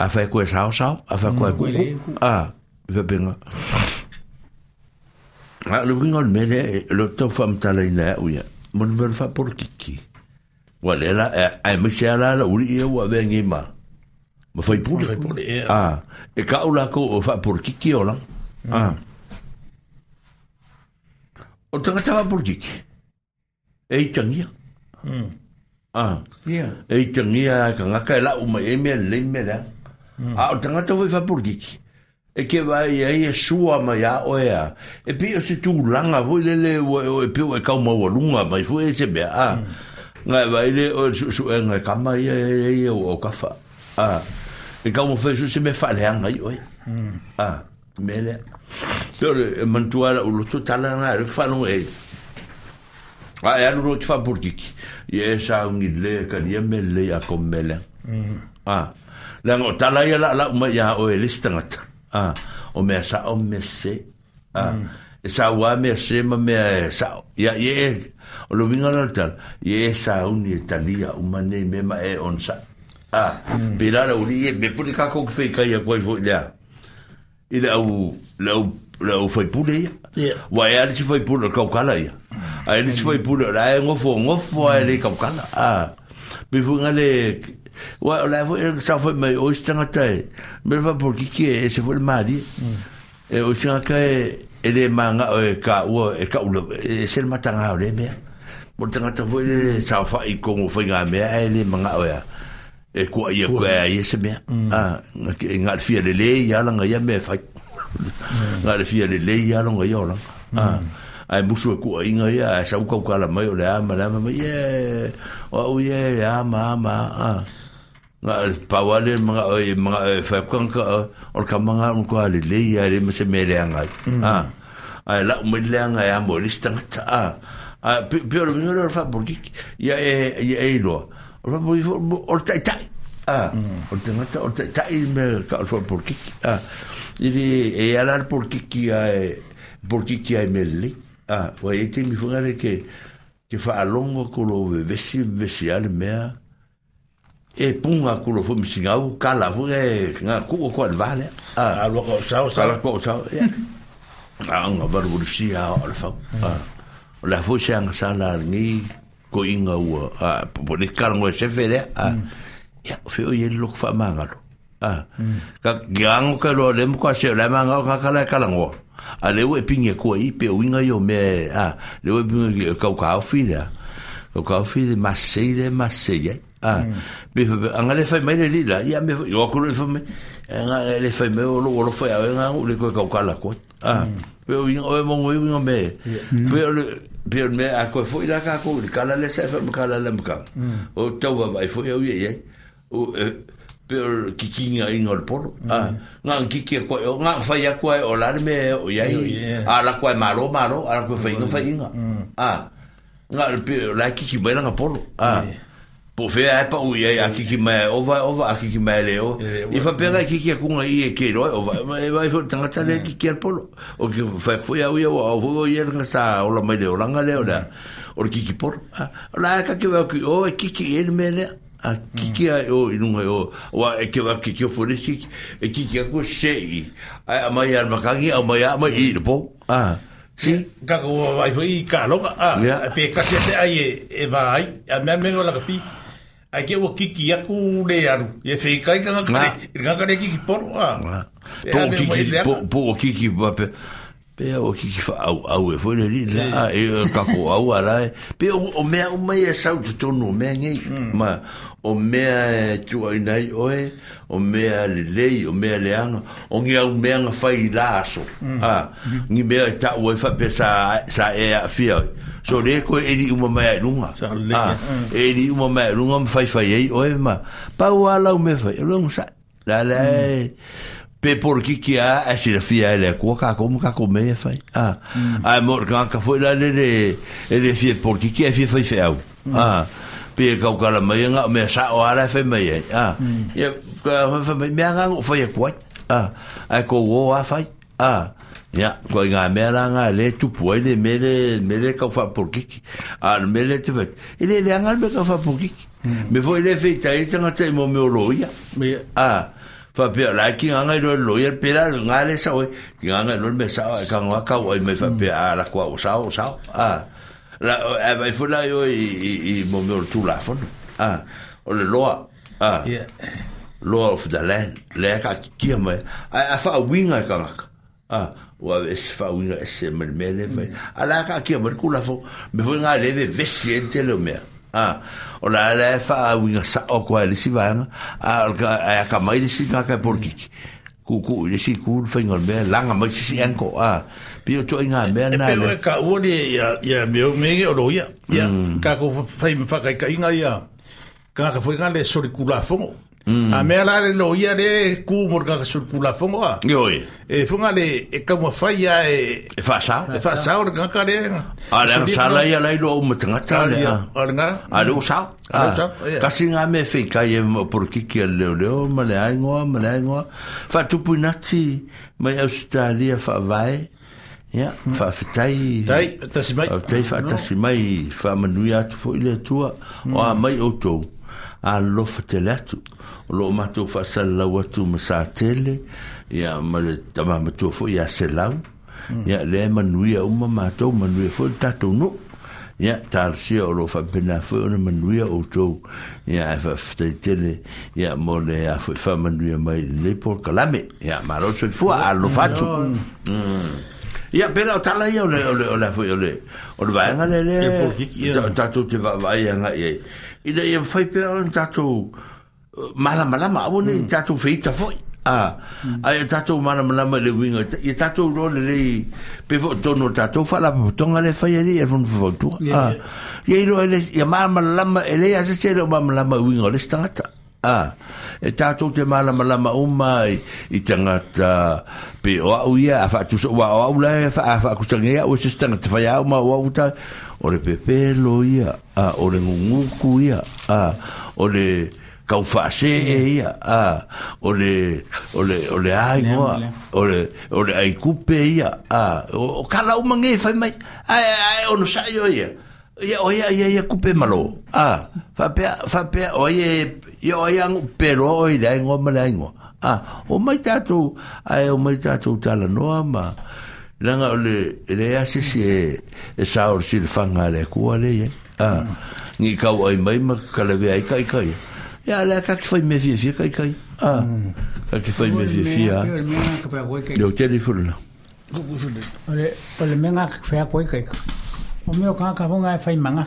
A whai e koe sao sao, a whai e koe kuku. A, pe penga. A, le winga o le mele, lo tau whamtala ina au ia. Mo le mele whaporokiki. Wa le la, e mai se ala la uri ia ua vea ngi ma. Ma faipule. Faipule, ia. Ah, e ka ula ko o faaporokiki o laga. Ah. O tagata faaporokiki, e itagia. Ah. Ia. E itagia e kangaka e lau mai e mea lelei ma mea leaga. A o tagata foi faaporokiki, e ke vaai ai e sua mai a oe a. E pei o se tulaga foi lele ua e pei ua e kau maualuga mai foi e se mea. Ah. Ngai vai le o suesuega e kama ia e ia ua o kafa. Ah. E kau mo fai su se mea faaleaga ai oe. Ah. Mea lea. Pe o le e manatua lau loto tala na e le faalogo e. A e alu loa ki faaporokiki, ia e sauni le kalia mea lelei a ko mea leaga. Ah. Leaga o tala ia laalau mai ia oe e le isi tagata. Ah. O mea sao ma mea sese. Ah. E sau lava mea sese ma mea e sao. Ia, ia e, o le uiga la o le tala, ia e sauni e talia uma nei mea ma e onosai. Ah. Pēlā le aualii ia, mea pule kākou ke feikai atu ai foi i le a, i le au, le au, le au faipule ia. Ia. Ua e a le isi faipule o le kaukala ia. A e le isi faipule o la e gofo, gofo lava e le kaukala. Ah. Pei foi nga le, ua o la e foi e saofai mai o isi tagata e, mea le faapolokiki e ese foi le malie. E o isi tagata e, e le magao e kaua, e kaula, e ese le mataga o lea mea. Mo le tagata foi lele saofai i totonu o faigamea ae le magao e a, e kuai atu e a ia se mea. Ah, na o le fia lelei lava lana ia mea e fai. Na o le fia lelei lava lona ia olaga. Ah, ae musu e kuaiga ia, ae sau kaukala mai o le a ma le a, fai mai, ie, o au ia e a ma a ma a. Ah. Na o le pau lava lea manao e manao e fai atu tagata, o le tama lena o le matua lelei lava e leai ma se mea e leaga ai. Ah. Ae lau mai le leaga e amo e le isi tagata. Ah. Ae pei o le uiga lea o le faapolokiki, ia e, ia e iloa, o le faapolokiki foi o le taitai. Ah. O le tagata o le taitai le mea tau o le faapolokiki. Ah. E le, e ala le polokiki ae, polokiki lava i mea lelei. Ah. Ua i ai taimi foi lea ke, ke faalogo atu lou vevesi, vevesi lava le mea, e puga atu loa foi ma sigau kala foi e nga kuu atu lava i le va lea. Ah. Alu atu au sao, sao. Alu atu au sao, ia. A nga valuvalusia o le fau. Ah. O le a foi se agasala a lenei toeaina ua, ah, po o le kala e sefe lea. Ah. Ia, o fea o i ai le loto faamagalo. Ah. Ka ki ago ka loa le mo ka se o le manga o ka kala e kalagoa. A le ua e pingi atua i pe o uiga ia o mea e, ah, le ua e pingi e kau kaofi lea. Kau kaofi le masei le masei ai. Ah, pe fa anga le fai mai le li la, ia me o aku le fai mai. Anga le fai mai o lo o fai au nga le koe kau kala koe. Ah, pe o uiga o e mongo i uiga me. Pe o le pe o le mea a koe foi la ka ko le kala le sa fa kala le maka. O tau va vai foi au ia ia. O pe o le kikiga iga o le polo. Ah, nga kiki a koe o nga fai aku ai o la le mea o iai. A la koe malo malo, a la koe faiga faiga. Ah, nga le pe o la kiki mai langa polo. Ah. Po o fea ae pau i ai a kiki mai e ova e ova, a kiki mai e le ova. I faapea ngai kiki aku ngai i e ke iloa e ova. E vaai foi le tagata lea e kiki ai le polo. O ke fai atu foi au ia ua ao foi o ia lana sa ola mai le olaga lea o le a, o le kiki polo. A, o la e ka ke vaai atu i o e kiki i ai le mea lea. A kiki ai o i luga i o, aua e ke vaai atu ke tiofo i le isi kiki, e kiki atu e sese i i. Ae aumai lava i le matagi, aumai lava aumai i i le po. A, si. Tatou vaavaai foi i kaloga, a, Ia. pe tasi a se ai e, e va ai, a mea mea o lakapi. Ai ke ua kiki atu le alu, ia whikai tagata Nga. le, i le ngaka le kiki poro, a. Nga. E Po o ave mai kiki, le po, aka. po o kiki pape. Pe o kiki whaauau e foi le li la, a, e o kako au a la e. Pe o, o mea uma ia sau totonu o mea nei. Ma, o mea e tuaina ai oe, o mea lelei, o mea leaga, o ni au mea na fai i la aso. A, ni mea e taua ai faapea sa, sa e aafia ai. So lea koe eli uma mai ai i luga. Sa lelei, A, e eli uma mai ai i luga ma faifai ai oe ma, pau lava lau mea fai, o le onosai. La la e, pe porokiki lava ae silafia ai e le Atua kākou ma kākou mea ia fai. A, ae mo le tagata foi la le e le fia porokiki ae fia faifeau. A, pe e kaukala mai na o mea sao lava la e fai mai ai. A, ia, ka fai mai, mea ngā o fai atu ai. A, ae kou o lava fai. A, ia, koe ngā mea la ngā le tupu ai le mea le, mea le kau whaaporokiki. A, le mea le te whai. E le leaga le mea kau whaaporokiki. Me foi le whitai ai tangata i mo mea o loia. Ia. A, faapea, la e ki ngā ngai loa le loia, pērā le ngā le sao ai, ki ngā ngai loa le mea sao ai, ka ngā kau ai mai faapea, a, la kua o sao, o sao. A, la, e vai foi la i o i, i, i mo mea o le tūlafono. A, o le loa. A, Ia. Law of the land, lea e kaatitia mai, ae a faauiga e tagata, a, ua aveese faauiga ese mai le mea lea e fai. A o la e kaatia mai le Tulafono, mea foi lena lea e vevesi ai le tele o mea. A, o la la e faauiga sao atu lava i le isi vaega, a o le ae atamai le isi tagata e polokiki, tuutuu i le isi itu le faiga o le mea, laga mai se isi angle, a, pei o ituaiga mea E na pei o lea. e taua le ia ia mea o mea nei o loia. Ia, tatou fai ma faataitaiga ia tagata foi na le solitulafono. A mea la le loia le e ku mo le tagata solitulafono a. Ioe. E foi na le e taumafai lava e E faasao. e faasao le tagata lea. A le agasala ia la iloa uma tagata le a. O lena. A le ua sao. A le ua sao, ia. Tasi nga mea e feitai ai ma polokiki a le leoleo ma le aigoa ma le aigoa. Faatupu inati mai Ausetalia faavae. Ia, faafetai. Tai, faatasi mai. Faafetai faatasi mai, faamanuia atu foi le Atua. O a mai outou, alolofa tele atu. O lo o matou faasalalau atu ma Satele, ia, ma le tama matua foi ia Selau. Ia, lea e manuia uma matou, manuia foi le tatou nuu. Ia, talosia o lo o faapena foi ona manuia outou. Ia, ae faafetai tele, ia, mo le a foi faamanuia mai i lenei polokalame. Ia, malo le soifua, alolofa atu. Ia, pei la o tala ia o le, o le, o le, foi, o le, o le vaega lea, lea, Ia, polokiki, ia. tatou te vaavaai agai i ai. Ina ia mafai pea ona tatou malamalama, aua ne i tatou feita foi. A, ae ia tatou malamalama i le uiga, ia tatou iloa lelei, pei foi o totonu o le tatou faalapotopotoga lea e fai ai le Fono Faufautua. A, ia iloa e le, ia malamalama, e leai lava se isi e le o malamalama i uiga o le isi tagata. A, e tatou te malamalama uma i tagata, pei o au ia, a faatusa, aua o au la e a faatusa nei au e se isi tagata fai au ma o au ta, o le pepelo ia, a, o le guguku ia, a, o le taufaasee ia, a, o le, o le, o le a igoa, o le, o le aikupe ia, a, o kala uma nei e fai mai, ae, ae onosai oe ia. Ia, o ia, ia, ia kupe malo. A, faapea, faapea, o ai e, ia o ai agu peloa oe i le aigoa ma le aigoa. A, o mai tatou, ae o mai tatou talanoa ma, leaga o le, e leai lava se isi e, e sao i le silafaga a le Atua lea e i ai. A, ni kauai mai ma kalavea ai ka ika ia. Ia, lea ka te fai mea fiafia ka ika ia. A, ka te fai mea fiafia. Leo tele ifo lena. O le mea ka whea koe kai. O mea o kāka fonga e whai manga.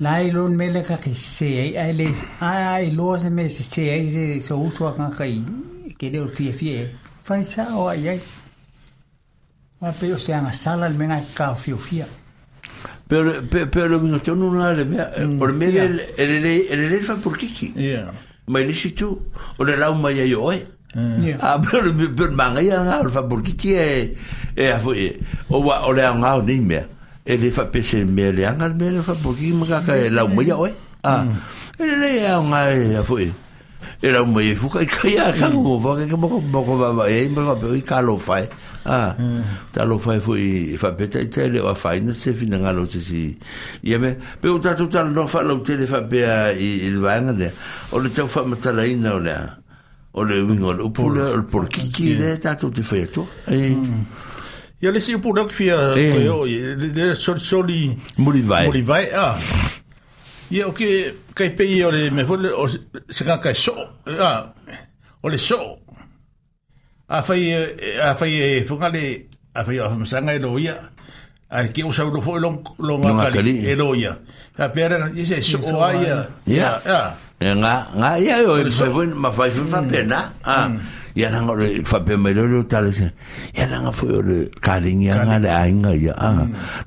La i lo mele ka ke se ai ai le ai ai lo se me se se ai se so usu a kāka i ke leo fia fia. Whai sa o ai ai. Wa pe o se anga sala le mea ka fia fia. Pero pe le winga tonu na le mea, o le mea le e le e le le whapurkiki. Yeah. Mai le isi tu, o le lau mai ai o oe. A pe o le pe o le mangaia ngā o le whapurkiki e e a foi e. O wa o le ao ngā o nei mea. E le whapese mea le anga le mea le whapurkiki ma kaka e lau mai a oe. A e le le ao ngā e a foi e. E lau mai e fuka i kai a ka ngo whaka ka moko moko wawa e ma whape i ka lo whai. A ta lo whai foi i whapeta i te le o a whaina se whina ngā lo te si. Ia me, pe o tātou tala noa wha lau tele whapea i le vaenga lea. O le tau whamatalaina o lea. O le uiga o le upu lea, o le polokiki lea tātou te whai atua. E. Ia le isi upu lea ou te fia E. toe oo i ai, le solisoli Mulivae. mulivae, a. Ia o ke kai pei o le mea foi lea, o se tagata e soo, a, o le soo. Afai e, afai e foi le, afai o afamasaga e loia, ae ke o saulo foi long longa Longa kali kali. e loia. Faapea lea, ia se soo a ia. Ia. A. E ngā, ngā, ia, o, e fai foi, ma fai foi faapena. A, ia langa o le faapea mai lea o le tala se, ia langa foi o le kalingi anga le aiga ia. A,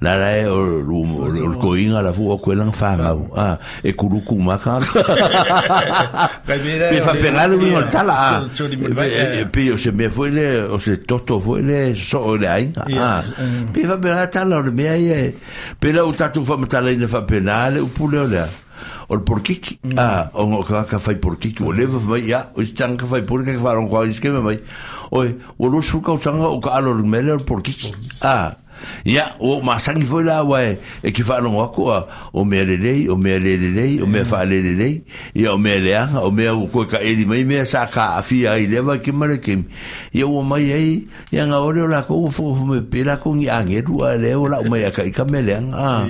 la la e o o le koinga la fu o koe langa whangau. A, e kuruku maka. Kai pei Pe faapena le uiga o le tala, a. Soli mulivae, E, pe o se mea foi le, o se toto foi le, soo i le aiga. Ia, A, pe faapena tala o le mea ia e, pe la o tatou whamatalaina faapena le upu lea o lea. O le porokiki, a, o ngā ka whai porokiki, o lewa mai, ia, o isi tanga ka whai porokiki, ka wharongo au isi keme mai, oi, o 20 kausanga o ka alo le mele o le porokiki, a, ia, o masangi foi la wa e, e ki wharongo aku, a, o mea lelei, o mea le lelei, o mea whaalelelei, ia, o mea leanga, o mea o koe ka eli mai, mea sa ka awhia ai lewa ki mare kimi, ia ua mai ai, ia ngā ore o lako, ua whakawha mai pe lako ngi angeru, a leo la umai a ka ika mea leanga, a,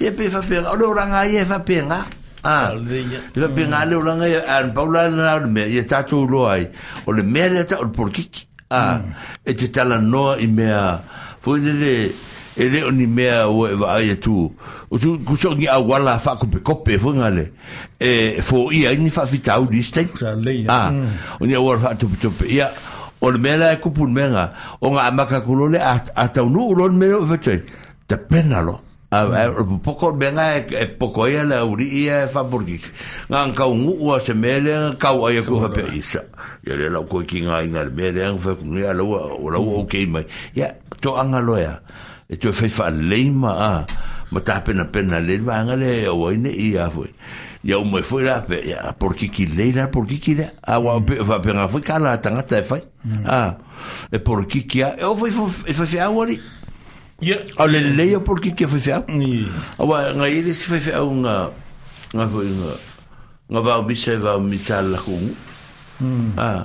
ia pe whapenga, o le oranga ia e whapenga. A le faapena le olaga ia, a na pau la lena o le mea ia tatou iloa ai, o le mea lea tau o le polokiki. A e te talanoa i mea foi lele e le o ni mea ua e vaai atu, o su kuso ni auala faakopekope foi ngale e foia ai ni faafitauli i isi taimi. Sa lelei. A o ni auala faatopetope. Ia, o le mea la e kupu i le mea lena, ona amata atu loa lea, a taunuu loa le mea lea ua e fai atu ai, tapena loa. A o le popoto o le mea lena e poto ai le aualii ia e faapolikiki. Na ona taunuu lava o se mea lea na tau ai atu faapea, isa, ia lea la ua toe tigaina i le mea lea na fai atu nei, a o la ua, la ua okay mai. Ia, toaga loa e a? E toe fai faalelei ma, a, ma tapenapena lelei le vaega lea e aua ai ne i, a foi, ia uma ai foi la pe, ia, polokiki lelei la le polokiki lea. A ua pei e faapena foi tala a tagata e fai. A, e polokiki lava. E oo foi i faifeau alii. Ia. A o le lelei o polokiki a faifeau. Ia. Aua na i ai le isi faifeau na, na foi na, na vaomisa e vaomisa a le latou nuu. A,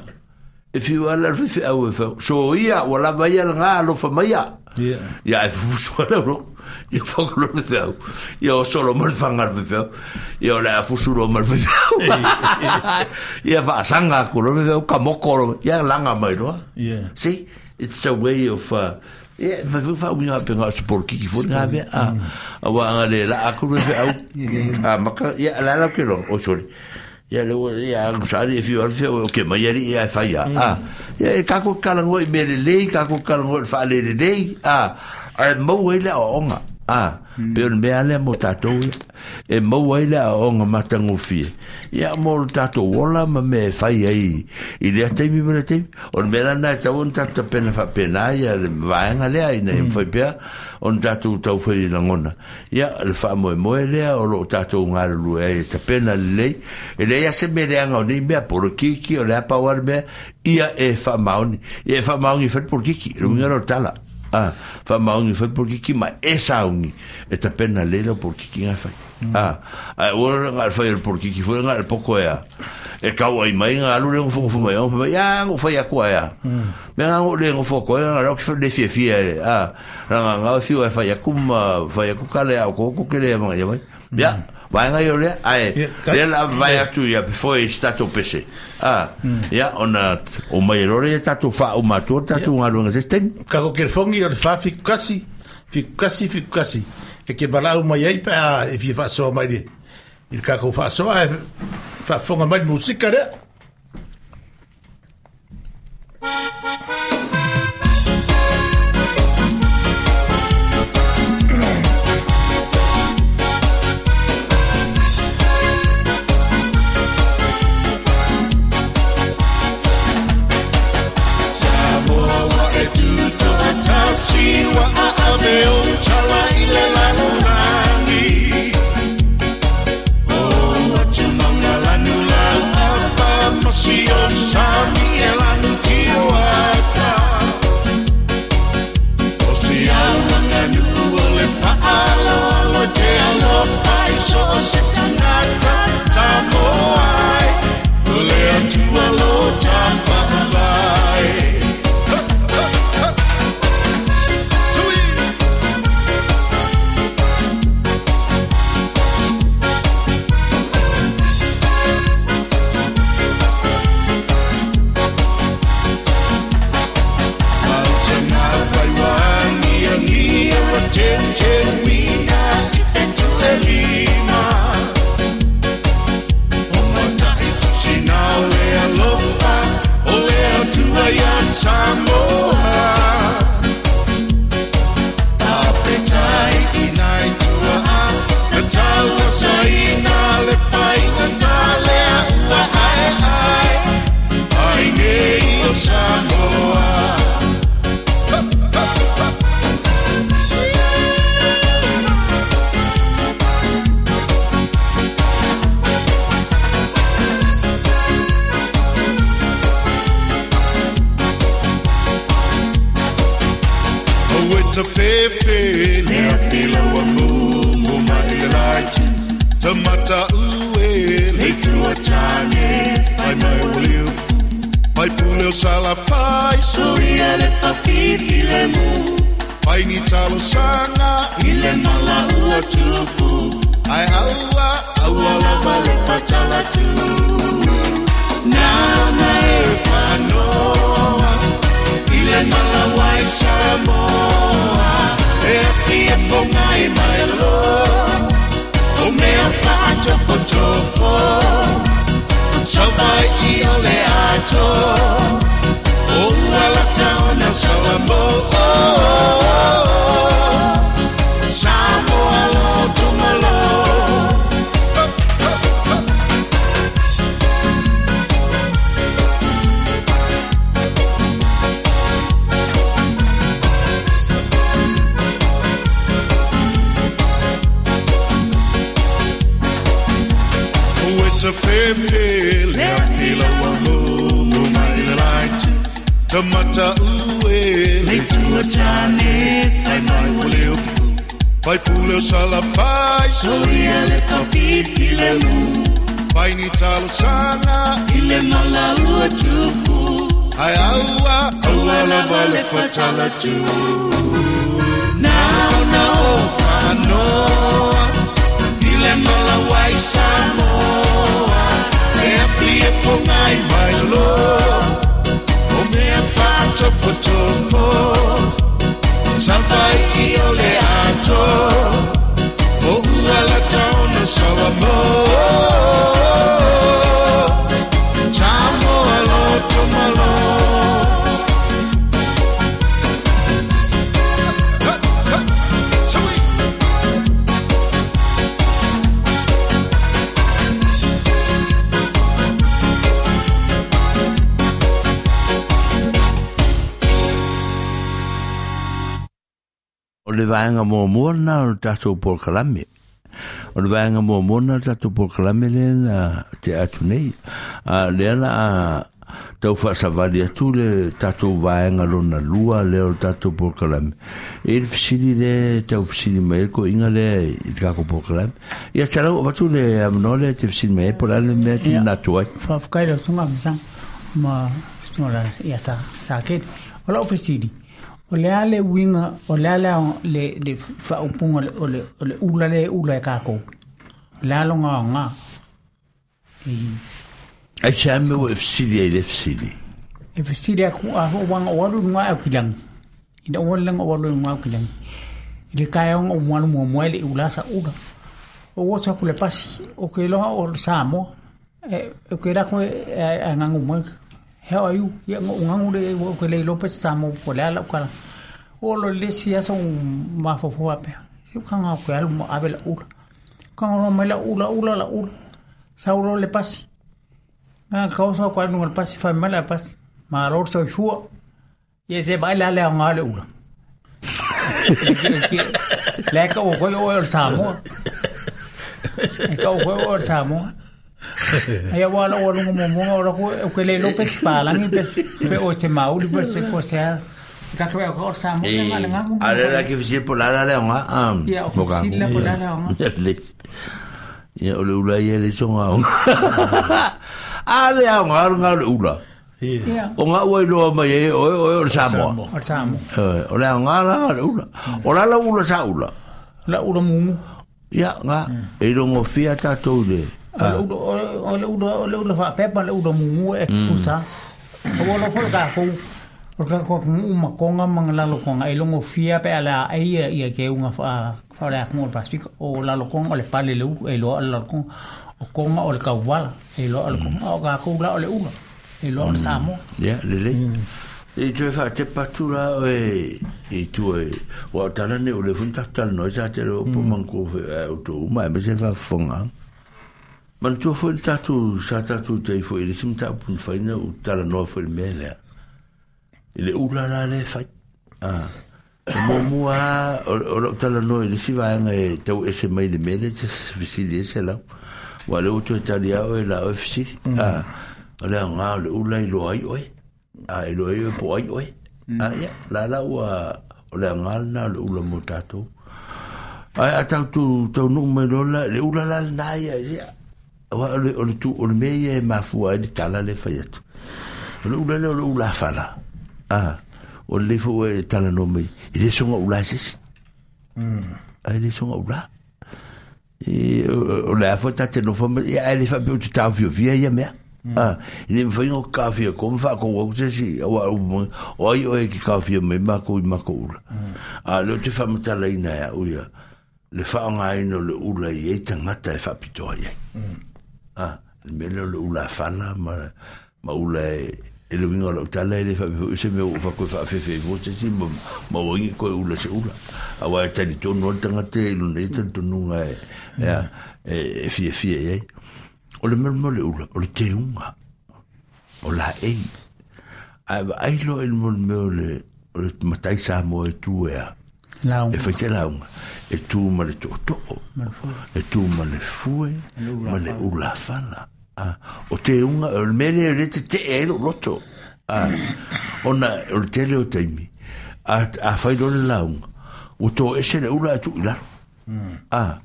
e fiu lava la le faifeau e fai, soia ua lava ia lena alofa maia. Ia. Ia ae fusu lava le aulotu. Ia fau loa le faifeau. Ia oso loa ma le faga a le faifeau. Ia o le a fusu loa ma le faifeau. Ia faasaga atu loa le faifeau, kamoko loa. Ia laga mai loa. Ia. See, it's a way of Ia, e mafai foi ona faauiga faapena o se polokiki foi lena mea, a, aua ana le laa atu le feau, amata, ia, o le a la ou te iloa, oi sorry, ia lea ua, ia, a saili e fiu lava le feau e oke mai alii ae fai lava, a, ia, e tatou te talanoa i mea lelei, tatou te talanoa i le faalelelei, a, ae maua ai le aoaoga, a, pei o le mea lava lea mo tatou ia, e maua ai le aoaoga matagofie, ia, mo le tatou ola ma mea e fai ai i lea taimi ma lea taimi. O le mea la lena e tatau ona tatou tapena faapena ia le vaega lea ina ia mafai pea ona tatou taufai lagona. Ia, le faamoemoe lea o lo o tatou galulue ai e tapena lelei. E leai lava se mea leaga o nei mea, polokiki, o le a pau lava le mea, ia e faamaoni. Ia e faamaoni e fai le polokiki, le uiga lea o le tala. A, faamaoni e fai le polokiki ma e sauni e tapena lelei lau polokiki na e fai. A, ae ua na o le fai o le polokiki foi na o le poto e a, e tau ai mai na alu le nofonofo mai au, fai mai, a, na ou fai atu ai a. Mea na ou le nofo atu ai, na o le le fiafia e, a, na na o fiu e fai atu ma fai atu ka le au koko ke le mai mai. Ia, vaega ia o lea, ae, lea la vae atu ia before e se tatou pese. A, ia, ona o mai e loa lea tatou faauma atu le tatou galuega se isi taimi. Kako kelefogi o le 471 71 71 e ke valaau mai ai pe a e fia faasoa mai le i le tatou faasoa ae faafofoga mai le musika lea. Samoa ua e tutoatasi ua aave ou tala i le lalolagi. O atumauga lanu lau ava ma sio sami e lanu tio ata. O si au aganuu o le faaaloalo e te alofa i so o se tagata Samoa ai, o le Atua lo ta faavae. Tui! Autanga whai wāngiangia wa teuteuina i whetu e lima. O matai tusina o le alofa, o le Atua ia Samoa. Pāpetai i nai tuaa, na taua saina le whainga tālea ua ae ae, ai nei o Samoa. Aue ta fefe le afila ua mumu mai le laiti Ta mata ue le tua tane fai mai o le upu Pai pule o salafai soia le fafifi le mu Pai ni talo sanga i le mala ua tupu Ai aua, aua lava le fatalatu. Nana e whanoa, i le malawai Samoa. E afi e ponga i mai loa, o mea whaatofotofo. Sauvai i o le ato, o ualata ona Samoa. Samoa loto malo. Te pepe le afila wa mumu mai le laiti. Tamata ue le tua tane fai mai o le upu. Fai pule o sala fai soia le whafifi le mu. Fai ni talo sana i le malaua tupu. Ai aua, aua lava le fatala tu. Nao na o whanoa, i le malawai Samoa. E afi e ponga i mai loa, o mea whaatofotofo. Savai i o le ato, o ualata ona Samoa. Samoa loto malo. O le vaenga muamua lena o le tatou polokalame. O le vaenga muamua lena o le tatou polokalame lea na te atu nei. Lea la a tau faasavali atu le tatou vaenga lona lua lea o le tatou polokalame. E le fesili lea tau fesili mai ai le koiga lea i le tatou polokalame. Ia salau avatu le avanoa lea te fesili mai ai po o le a le mea te manatu ai. Faafetai lau susuga Masang ma susuga la ia sa kele. O lau fesili, o le a le uiga, o le a le le faaupuga o le o le ula le ula e kākou. O le a longa aoga. Ai se a mea ua e fesili ai i le fesili? E fesili aku a ho wanga o alu nga au kilangi. Ina o alu o alu nga au kilangi. I le kaeaoga o mualu muamua e le ula sa ula. O oso aku le pasi, o ke loha o Samoa. E o ke lako e ngangu mai. He o iu, ia ngangu le o ke le lope Samoa po le ala ukala. O lo le si aso mafofo ape. Si ukanga o ke alu mo ave la ula. Kanga ro mai la ula ula la ula. Sauro le pasi. Nga kausa ko anu le pasi fai mai la pasi. Ma ro so ifua. Ye se bai la le nga le ula. Le ka o ko o Samoa. E ka o ko o Samoa. Ai wa la o lungo mo mo o ko o ke le Lopez palangi pes pe o se mauli pe se ko se ka ko o Samoa nga nga nga. Ale la ke fesili po la la le nga. Ia o fesili la po la la nga. Ia o le ula ia le songa. Ale nga nga le ula. O ngā ua iloa mai e oe oe o le Samoa. O le Samoa. O le ngā la le ula. O la la ula sa ula. La ula mumu. Ia ngā. E rongo fia tātou le. O le ula o le ula whaapepa le ula mumu e pusa. O lo fo ka kou. O ka ko makonga mangalalo konga e longo fia pe ala e ia ia ke unga fa fa le akmo Pasifika o lalo konga o le pale le u e lo lalo konga o konga o le kauwala e lo le konga o ka kou la o le ula. E loa o le Samoa. Ia, lelei. E toe whaatepa atu la oe i tua e. Wa o tala ne o le fun taku tala sa te leo po manko o tō uma e mese whaafonga. Manatua foi le tātou sa tātou tei foi i le sima tāpu ni whaina o tala noa foi le mea lea. I le ula la le whai. O muamua o lau tala noa i le si vaenga e tau ese mai le mea lea te fisili ese lau. Wa le o toe tali ao e la oe fisili. O lea ngā o le ula i loa ai oe. A i loa ai oe po ai oe. A ia, la la ua o lea ngā lena o le ula mō tātou. Ai a tau tu tau nuu mai lola, le ula la lena ia, ia. O le tu, o le mea ia e mafua ai le tala le whai atu. O le ula le o le ula whala. A, o le leifo e tala no mai. I le songa ula sesi. A i le songa ula. O le a foi tate nofo ma ia ai le faapea ou te taofiofia ia mea. E le mafai ona kaofia ko ma faakou au se isi aua o ai oe e ke kaofia mai makou i makou ula. A o lea ou te faamatalaina e au ia le faaaogaina o le ula i ai tagata e faapitoa i ai. Le mea lea o le ula fala ma ula e le uiga o lau tala e le faapea foi o se mea ua ou fai atu e faafefe ai fua se isi ma ua igi koe ula se ula. Aua e talitonu lava le tagata ia i lona ia talitonuga e fiafia i ai. O le mea o le ula, o le teuga, o laei. Ae vaai loa i le mea o le matai Samoa e tu e a. E fai se lauga, e tu ma le tootoo, e tu ma le fue, ma le ulafala. O teuga, o le mea lea o lea tetee ai lou loto. Ona o le tele o taimi, a fai loa le lauga, ua toese le ula ae tuu i lalo.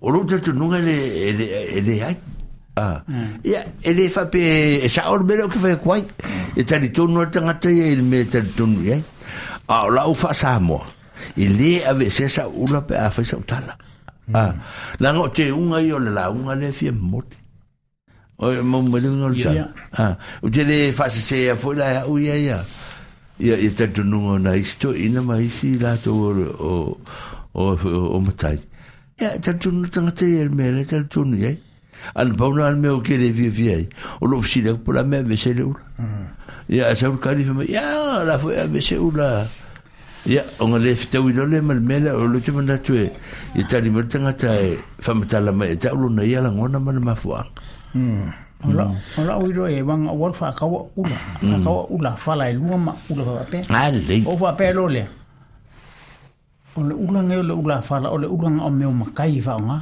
O lou talitonuga e leai. Ia, e le faapea e sao le mea lea ou te fai atu ai. E talitonu lava le tagata ia i le mea e talitonu i ai. A o lau faa-Samoa, e le aveesea sau ula pe a fai sau tala. Leaga o teuga ia o le lauga lea e fia momoli. O mau mai le uiga o le tala. Ou te le faasesea foi la e au ia ia ia talitonuga o nai isi toeaiina ma isi latou o matai. Ia, e talitonu le tagata ia i le mea lea e talitonu i ai. A na pau na le mea o ke le fiafia ai, o lou fesili atu po o le a mea e aveese ai le ula. Ia, ae sau le kali fai mai, ia, o le a foi e aveese ula. Ia, ona le fetaui loa lea ma le mea lea, o lea ou te manatu e ia tali mai le tagata e faamatala mai ia te au lona ia lagona ma le mafuaaga. O lau iloa e wanga o alu whaakaua ula, whaakaua ula whala e lua ma ula whaapea. Alei. O whaapea loa lea. O le ula nei o le ula whala, o le ula nga o mea o makai i whaonga.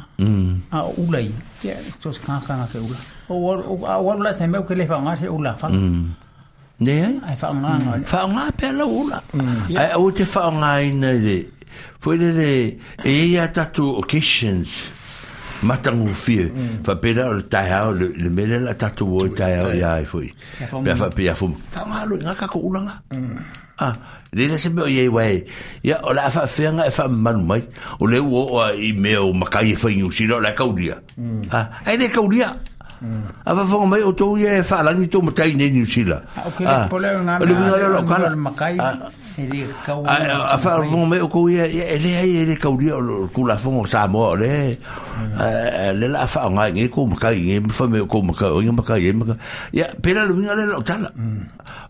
A o ula ia, ia, so se kākanga ke ula. O a o alu la se mea o ke le whaonga se ula whala. Ne ai? Ai whaonga nga. Whaonga pea lau ula. Ai au te whaongaina i le, foi lele, e i ai a tātou occasions, matagofie, faapena o le taeao, le mea lea la tātou o i taeao ia ai foi. Pea faapea fo, whaonga alo i ngā kako ulanga. Le se mea o i ai wae, ia, o le a faafeanga e faamamalu mai, o le ua oo a i mea o makai e fai Niu Sila, o le a kaulia. Ai le kaulia. A faafofoga mai outou ia e faalagi tou matai nei Niu Sila. O ke le pole o ngā O le uiga lea o lau kala. mea o le makai, e le kau A faafofoga mai outou ia, ia, e leai e le kaulia o le Tulafono o Samoa, o le, le la a faaaoga i nei kou makai, i nei fai mai o kou makai, o ia makai e makai. Ia, pēlā le uiga lea o lau tala.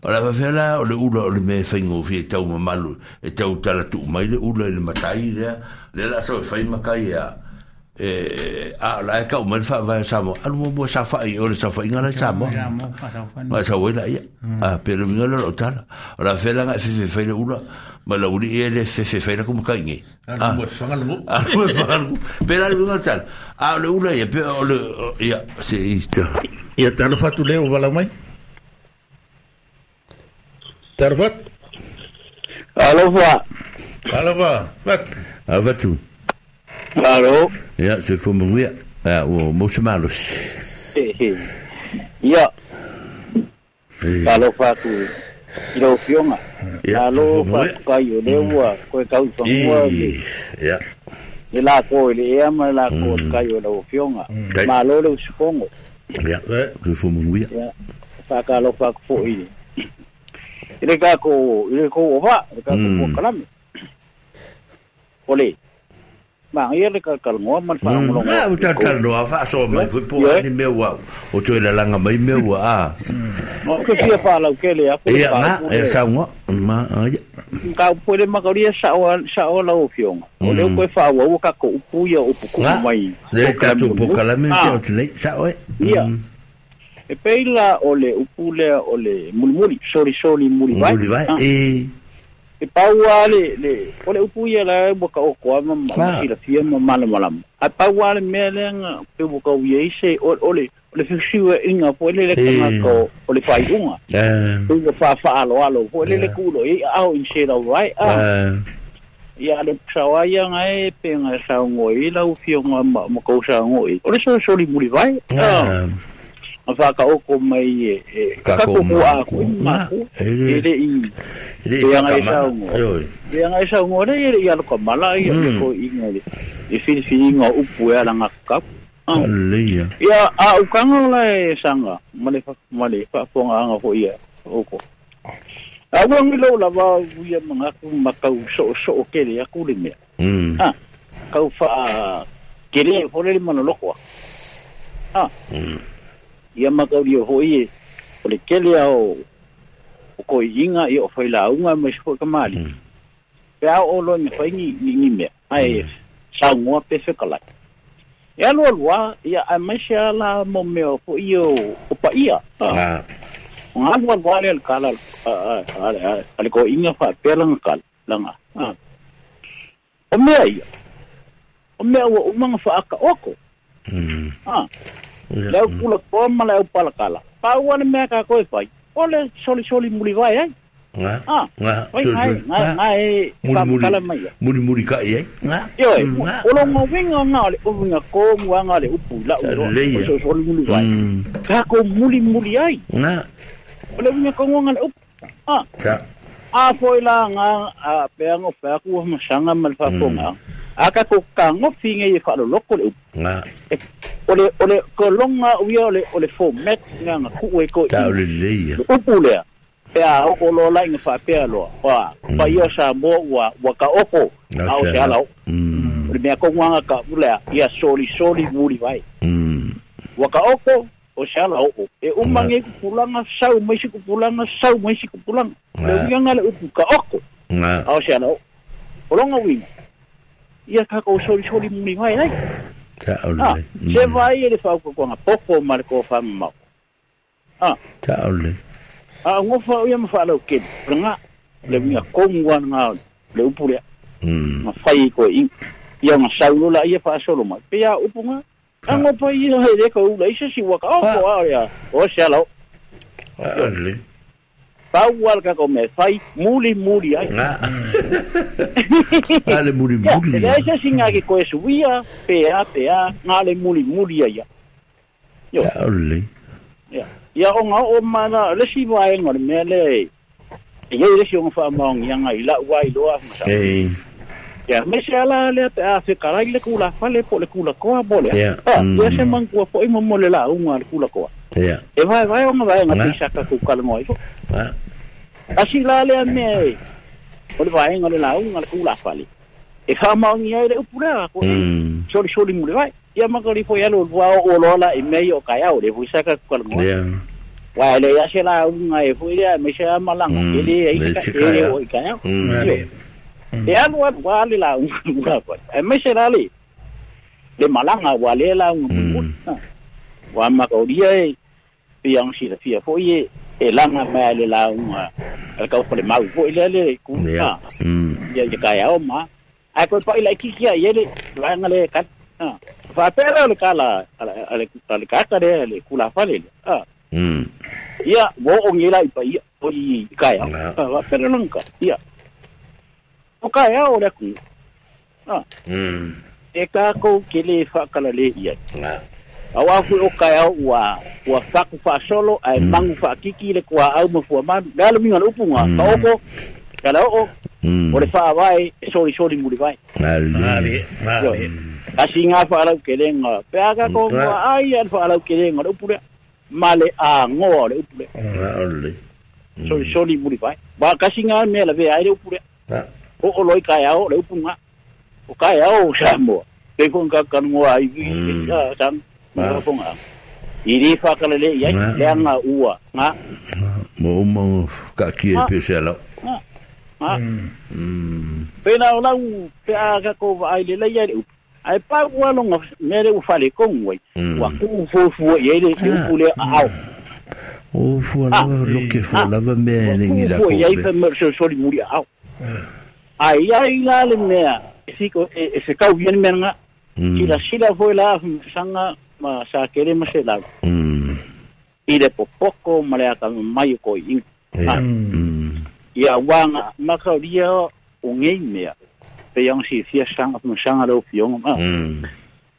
O le a faapefea la o le ula o le mea e faigofie e tau mamalu, e tau talatuu mai le ula i le matai lea, lea la sau e fai makai a, e, a o la e kau mai le faavae o Samoa, alu muamua saofai i o le saofaiga la i Samoa. Ma sau ai la ia. A, pe le uiga lea o lau tala. O le a faapefea la nga e fefe fai le ula, ma lau alii ia e le fefe fai la ku makai nei. Alu mo e whanga le nuu. Alu mo e whanga le nuu. Pēlā le uiga o le tala. A o le ula ia, pe o le, ia, se i te. Ia, talofa atu lea ua walau mai. Talofa atu. Alofa. Alofa, Fatu. Alofa atu. Alo. Ia, soifua manuia. Ia, ua mau se malosi. Ia. Alofa atu i lau afioga. Ia, Alo soifua manuia. faafetai o lea ua toe tau i fanua le Ia. le lako i le ea ma le lako o le kai o lau afioga. Malo le usufono. Ia, soifua manuia. Ia, faatalofa atu foi i i le tatou i le tou ova, le tatou polokalame. O le manaia le talatalanoa ma le faalogologo Ah, atu ua i tou. talatalanoa faasoa mai foi po o Ioe. a ni mea ua o toe lalaga mai mea ua a. Ou te fia faalautele atu le Ia, ga, mataupu ia lea. saunoa. Ma, ia. Mataupu foi le mataulia sao sao lau afioga. O lea ua toe faaauau tatou upu ia o upu kumu Ga, mai le polokalame tatou muamua. polokalame te Ah, atu nei, sao e. ia. E pei la o le upu lea o le mulimuli, solisoli mulivae. Mulivae, Ah. e. E pau lava le, le, o le upu ia la ua taoto lava ma Ah. silafia ma malamalama. Ae pau lava le mea lea na pei ua tau i ai se, o, o le, o le fesuiaiga foi lele tagata o, o le faaiuga. Pei ua faafaaloalo foi lele tuulo i ai aao i se lauvae. Ah. Ia le saoa ia na e pe na saunoa i ai lau afioga ma tou saunoa i ai. O le solisoli mulivae. Ah. Na whakaoko mai e Kako kako ma a ko. koe Ma, ma e le e le i e le e anga e whakamana. saungo. Oi. E anga e saungo le e le i alo ka mala i le ko inga le e whiriwhiringa o upu e ala ngā kap. Aleia. Ia, a ukanga la e sanga, ma le whaafonga anga ho ia, oko. A ua ngilo lava uia mangaku makau so so kere aku le mea. Ah, kau wha kere hore le manolokoa. Ah. Ia makau rio hoi e, o le kele ao o ko inga i o whaila unga mai se ka mali. Pe ao o loa me whai ni mea. Ai, saungoa pe whekalai. E alu alua, ia ai mai se ala mo mea fo i o pa ia. Ah. O ngā alu alua le kala a le ko inga wha pea langa kala. Langa. Ah. O mea ia. O mea ua umanga whaaka oko. Ah. Le au kula koa ma le au palakala. Pa ua le mea ka koe whai. O le soli soli muri vai ai. Nga. Ah. Nga. Wai Soli ngai soli. ngai ngai Muri muri. whakakala mai ia. Muri muri ka i ai. Nga. Ioe, o longa winga ngā le o winga ko mua ngā le upu la uro. Leia. O so soli muri vai. Ka ko muri muri ai. Nga. O le winga ko ngā le upu. Ah. Ka. A foi la ngā a pea ngo pea ku masanga ma le whafonga. A ka ko ka ngofi ngai e whaloloko le upu. Nga. O le ko longa uia o le format ngā ngā ku e ko Ta o le leia. Le upu lea. Pea o lo la inga whapea loa. Wa, pa ia sa mo ua, ua ka oko. Na A o se te ala. ala o. O le mea ko nganga ka ulea, ia soli soli muri vai. Ua ka oko, o se ala o. E umange kupulanga, sau mai si kupulanga, sau mai si kupulanga. Le uianga le upu ka oko. Nga. A o se ala o. O longa uinga. Ia ka ko soli soli muri vai ai. Ta o Ah, le. se vai e le whauka kuanga poko ma le ko whamamau. Ah. Ta o le. A ngofa ia ma whalau kene. Nga, le winga kongua ngā le upu lea. Nga whai ko i. Ia nga saulo la ia whaasolo mai. Pea upu ngā. A ngopa ia he le ka ula isa si waka. O ko a rea. O se ala o. A le. Pau wal ka ko me whai muli muli ai. Nga. A le muri muri. Ia, le isa si ngā ki koe suia, pea, pea, ngā le muli muli ai. Yo. Ta o le. Ia. Ia o ngā o mana, le si vaenga le mea le, e iei le si o ngā whaamaongi anga i lau ai loa masa. Ei. Ia, me se ala le te a whekarai le kula whale po le kula koa po le. Ia. Ah, ia se mangkua po i momo le la unga le kula koa. Ia. E vai vai o ngā vaenga Nga. te isaka ku kalangoa ifo. Nga. Asi la le a mea e, o le vaenga le la unga le kula whale. E whaamaongi ai le upu lea ko soli soli mule vai. Ia makari fo ia lo wao o lola i mei o kai au le fuisaka ku kalangoa. Ia. Wa le ia se la unga e fo ia me se malanga e le Le e se ka e kaya. o i kai au. E alu alu wa le la unga wa. E me se la le le malanga wa le la unga mu. Wa ma ko dia e piang si la fia fo ie e langa ma le la unga. Al ka fo le mau fo ile le ku. Ia. Ia ia kai au ma. Ai ko pa ila ki kia ie le langa le ka. Fa pera le kala ale ale ka ka le le kula fa le. Ah. Ia wo o ngila i pa ia o i kai au. Fa pera lanka. Ia. O kai au le ku. Ah. E ka ko ke le fa kala le ia. Nga. Awa fu o kai au ua ua faku fa solo ai mangu fa kiki le kua au mo fua manu. Le alu minga le upu ngā. Ka oko. Ka la o. O le wha vai, e soli soli muri vai. Ale. Ale. Kasi ngā whaalau ke lenga. Pea ka ko ngā ai an whaalau ke lenga le upu lea. Ma le a ngoa le upu lea. Nga o le. Soli soli muri vai. Ba kasi ngā mea la vea ai le upu lea. Nga. O o loi kai au le upu ngā. O kai au sa moa. Pe kon ka kanungoa ai vi. Sang. Nga ponga. I ri whakala le iai. Lea ngā ua. Ngā. Mo uma ka ki e pe se ala. Ngā. Ngā. Pena o lau pe a ka ko ai le lei ai le upu. Ai pa ua longa mea le ufale kongu ai. Ua ku fufu i le upu le a au. O fua lava loke fua lava mea e ngi la Ku ko. i ai fe mer so soli muri a au. Ai ai la le mea e siko e se kau ien mea nga. Sila sila foi la sanga ma sa kere ma se lau. I le popoko ma le aka mai ko i. Ia wanga makauria o ngei mea. Pe yang si fia sanga ma sanga lo fionga ma.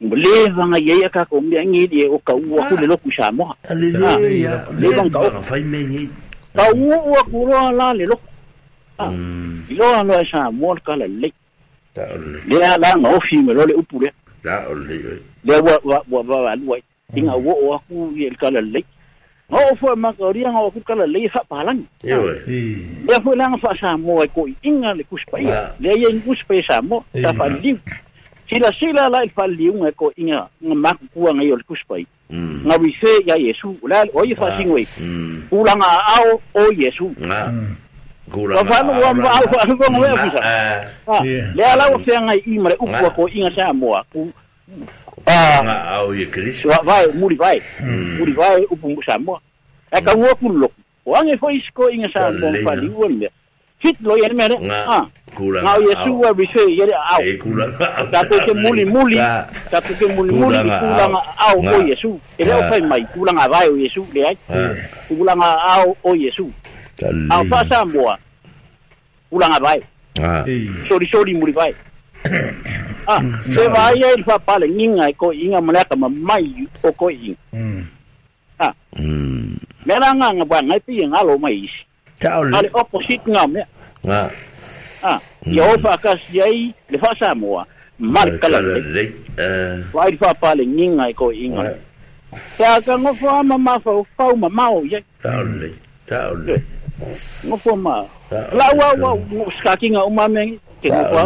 Le vanga ia ka ko mea ngi o ka ua ku le loku Samoa. Le le le vanga fai me ngi. Ka ua ku roa la le loku. Iloa loa Samoa ka le le. Le la nga ofi me lo le upu le. Le ua ua ua lua. Inga ua o aku i le kala le. Nga o fua makaria nga o ku kala le fa palangi. Le fua langa fa Samoa ko inga le kuspaia. Le ia i kuspaia Samoa ta fa liu. Sila sila la il fa liu nga ko inga nga makukua nga i o le kuspai. Nga wise ia Yesu. La o i fa singwe. Kulanga ao o Yesu. Kulanga ao ao. Le ala o fea i mare upua ko inga Samoa. Nga au i Kristo. Vai, muri vai. Muri vai upu Samoa. E ka ua ku loku. O ange foi isko inga Samoa fa liu le mea. Fit lo ia mea. Kulanga au. Yesu wa wise ia au. Kulanga au. Tato ke muli muli. Tato ke muli muli kulanga au o Yesu. E leo fai mai kulanga vai o Yesu le ai. Kulanga au o Yesu. Au fa Samoa. Kulanga vai. Sori sori muri vai. Se vai ia il fa pale nginga ko inga malaka mai o ko inga. Mera nga nga ba ngai pi nga lo mai isi. Ale opposite nga me. Ia o fa ka siai le fa Samoa. Mar kala le. Vai fa pale nginga ko inga. Ta ka ngo fa ma fa fa ma mau ia. Ta ole. Ngo fa ma. La wa wa skakinga o mame ke ngo fa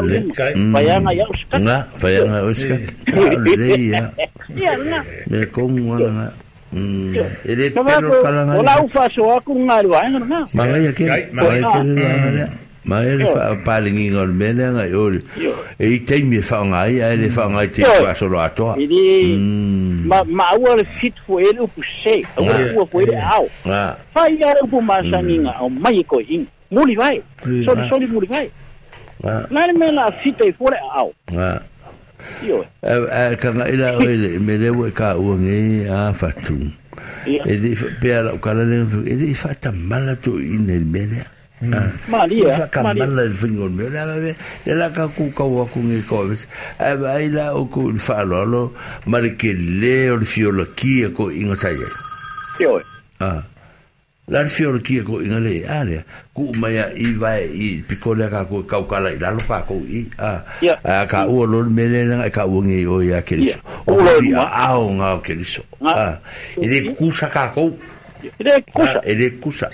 Faianga ia uska. Nga faianga uska. Le ia. Ia nga. Me kongu ala nga. Ele pero kala nga. Ola u fa so aku nga ru ai nga. Mangai ke. Mangai ke nga. Mai le fa palingi ngol mele nga yo. E te mi fa nga ai le fa nga te fa so lo atoa. Ili ma ma ua le fit fo ele upu se. Ua fo ele au. Fa ia upu masanginga au mai ko ing. Muli vai. Soli soli muli vai. La le mela fit e fo le au. Io. Ka nga ila o le me le ua ka ua nge a fatu. E di pe ala kala le e di fa tamala to ine mele. Maria, ka mala le fingo me la le la ka ku ka wa ku nge ko. Ai la o ku fa lo lo mare ke le o fiola ki ko inga sai. Io. La fiola ki ko inga le ale ku mai i vai i pikole ka ku kau kala i lalo ka ku i a ka ua lo mele nga ka ua nge o ia Keriso. O i ao nga o Keriso. E le kusa ka ko. E le kusa. E le kusa.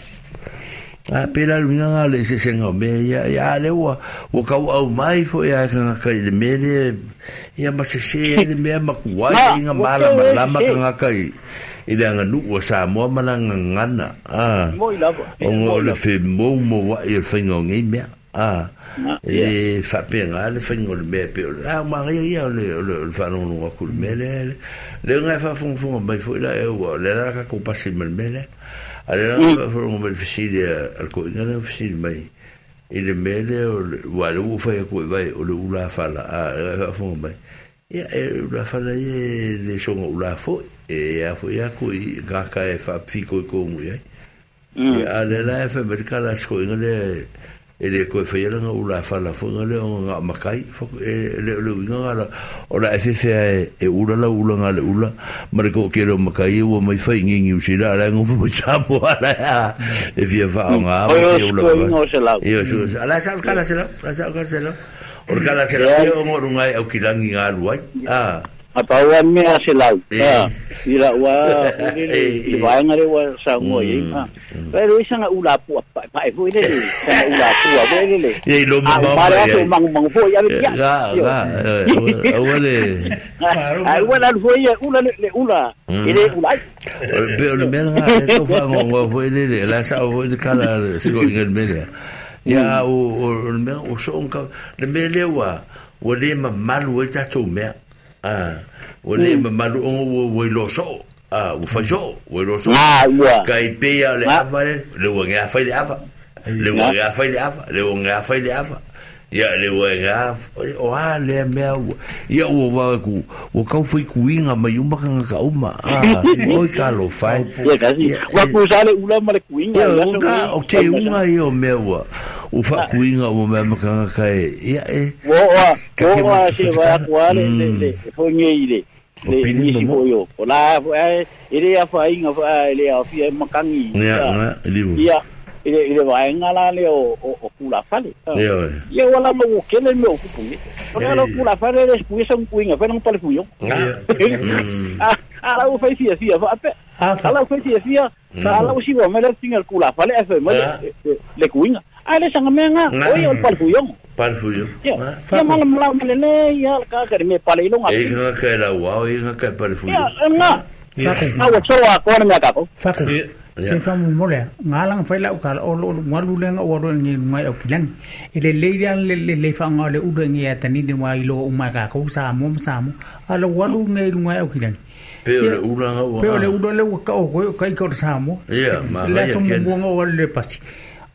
Pela lunga nga le se senga me ia ia le ua ua kau au mai fo ia ka nga kai le mele ia ma se se le mea makuai inga mala malama ka nga kai i le anga nuu Samoa malanga ngana moi lava o le fe mo mo wa i le whainga o ngei mea e le whapenga le whainga o le mea pe o le ma ia ia o le whanongo aku le mea le le ngai whafungafunga mai fo ila e ua le raka ko pasi ma le mea le ale la whafunga mai le fisili al ko inga le fisili mai i le mea le wa le ua whai aku e vai o le ula whala a whafunga mai ia e ula whala ia le songa ula fo e a fo ia ko i ngaka e whapfiko i kongu ia ia le la e wha merikala sko inga le e le koe whaiala ngā ula whala fo ngā le o ngā makai e le le winga ngā la o la e whewhea e ula la ula ngā le ula ma le ko kere o makai e ua mai whai ngingi usila ala e ngofu mo Samoa ala e fia wha o ngā awa e ula e o ala sa kala se lau ala sa kala se lau o le kala se lau e o ngā rungai au kilangi ngā luai A pau a mea se lau. I la ua le vaenga le ua saungoa i. Pero isa nga ula pua pa e foi le sanga ula pua foi le. E lo mo ma e mangu mangu foi a ia. Ga ga. Ua le. Ai ua la foi ula le ula. Ele ula. Pe o le mea nga le to fa ngo foi le la sa o le kala siko inga le mea. Ia o le mea o so ka le mea le ua ua le mamalu e tatou mea. Ua le mamalu ongo ua ilo so ua fai so ua ilo so ka i pea le afa le le ua ngea fai le afa le ua ngea fai le afa le ua ngea fai le afa ia le ua ngea o a le mea ua ia ua wawe ku ua kau fai kuinga mai uma ka ngaka uma oi ka lo fai ia kasi ua kusa le ula ma le kuinga ia o te unga ia o mea ua O whaakuinga o mea makanga kai ia e. Oa, oa se vai aku le le le fonge i le. Le nisi foi o la e le afainga fa le afia makangi. Ia, liu. Ia ile ile vaenga la le o o kula fale. Ia. Ia wala mo kele me o kupungi. O la kula fale le puisa un kuinga fa no pale fuyo. Ah, ala o fai fia fia fa pe. Ala o fai fia fia. Ala o siwa me le tinga kula fale fa me le kuinga. Ale sanga menga oi o pale fuyo. Pale fuyo. Ia mala mala mala le ia ka ka me pale ilonga. E nga ka la wa e nga ka pale fuyo. Ia nga. A o tsoa ko na me ka ko. Fa. Se fa mo le ngalang fa la ka o lo ngalu le nga o ro ngi ngai o kilang ile le le le le fa nga le u le ngi atani ni wa ilo o ma ka ko sa mo sa mo ala walu ngi ngai o kilang pe o le ula nga pe o le ula le ka o ko ka ko sa mo ia ma la so mo nga o le pasi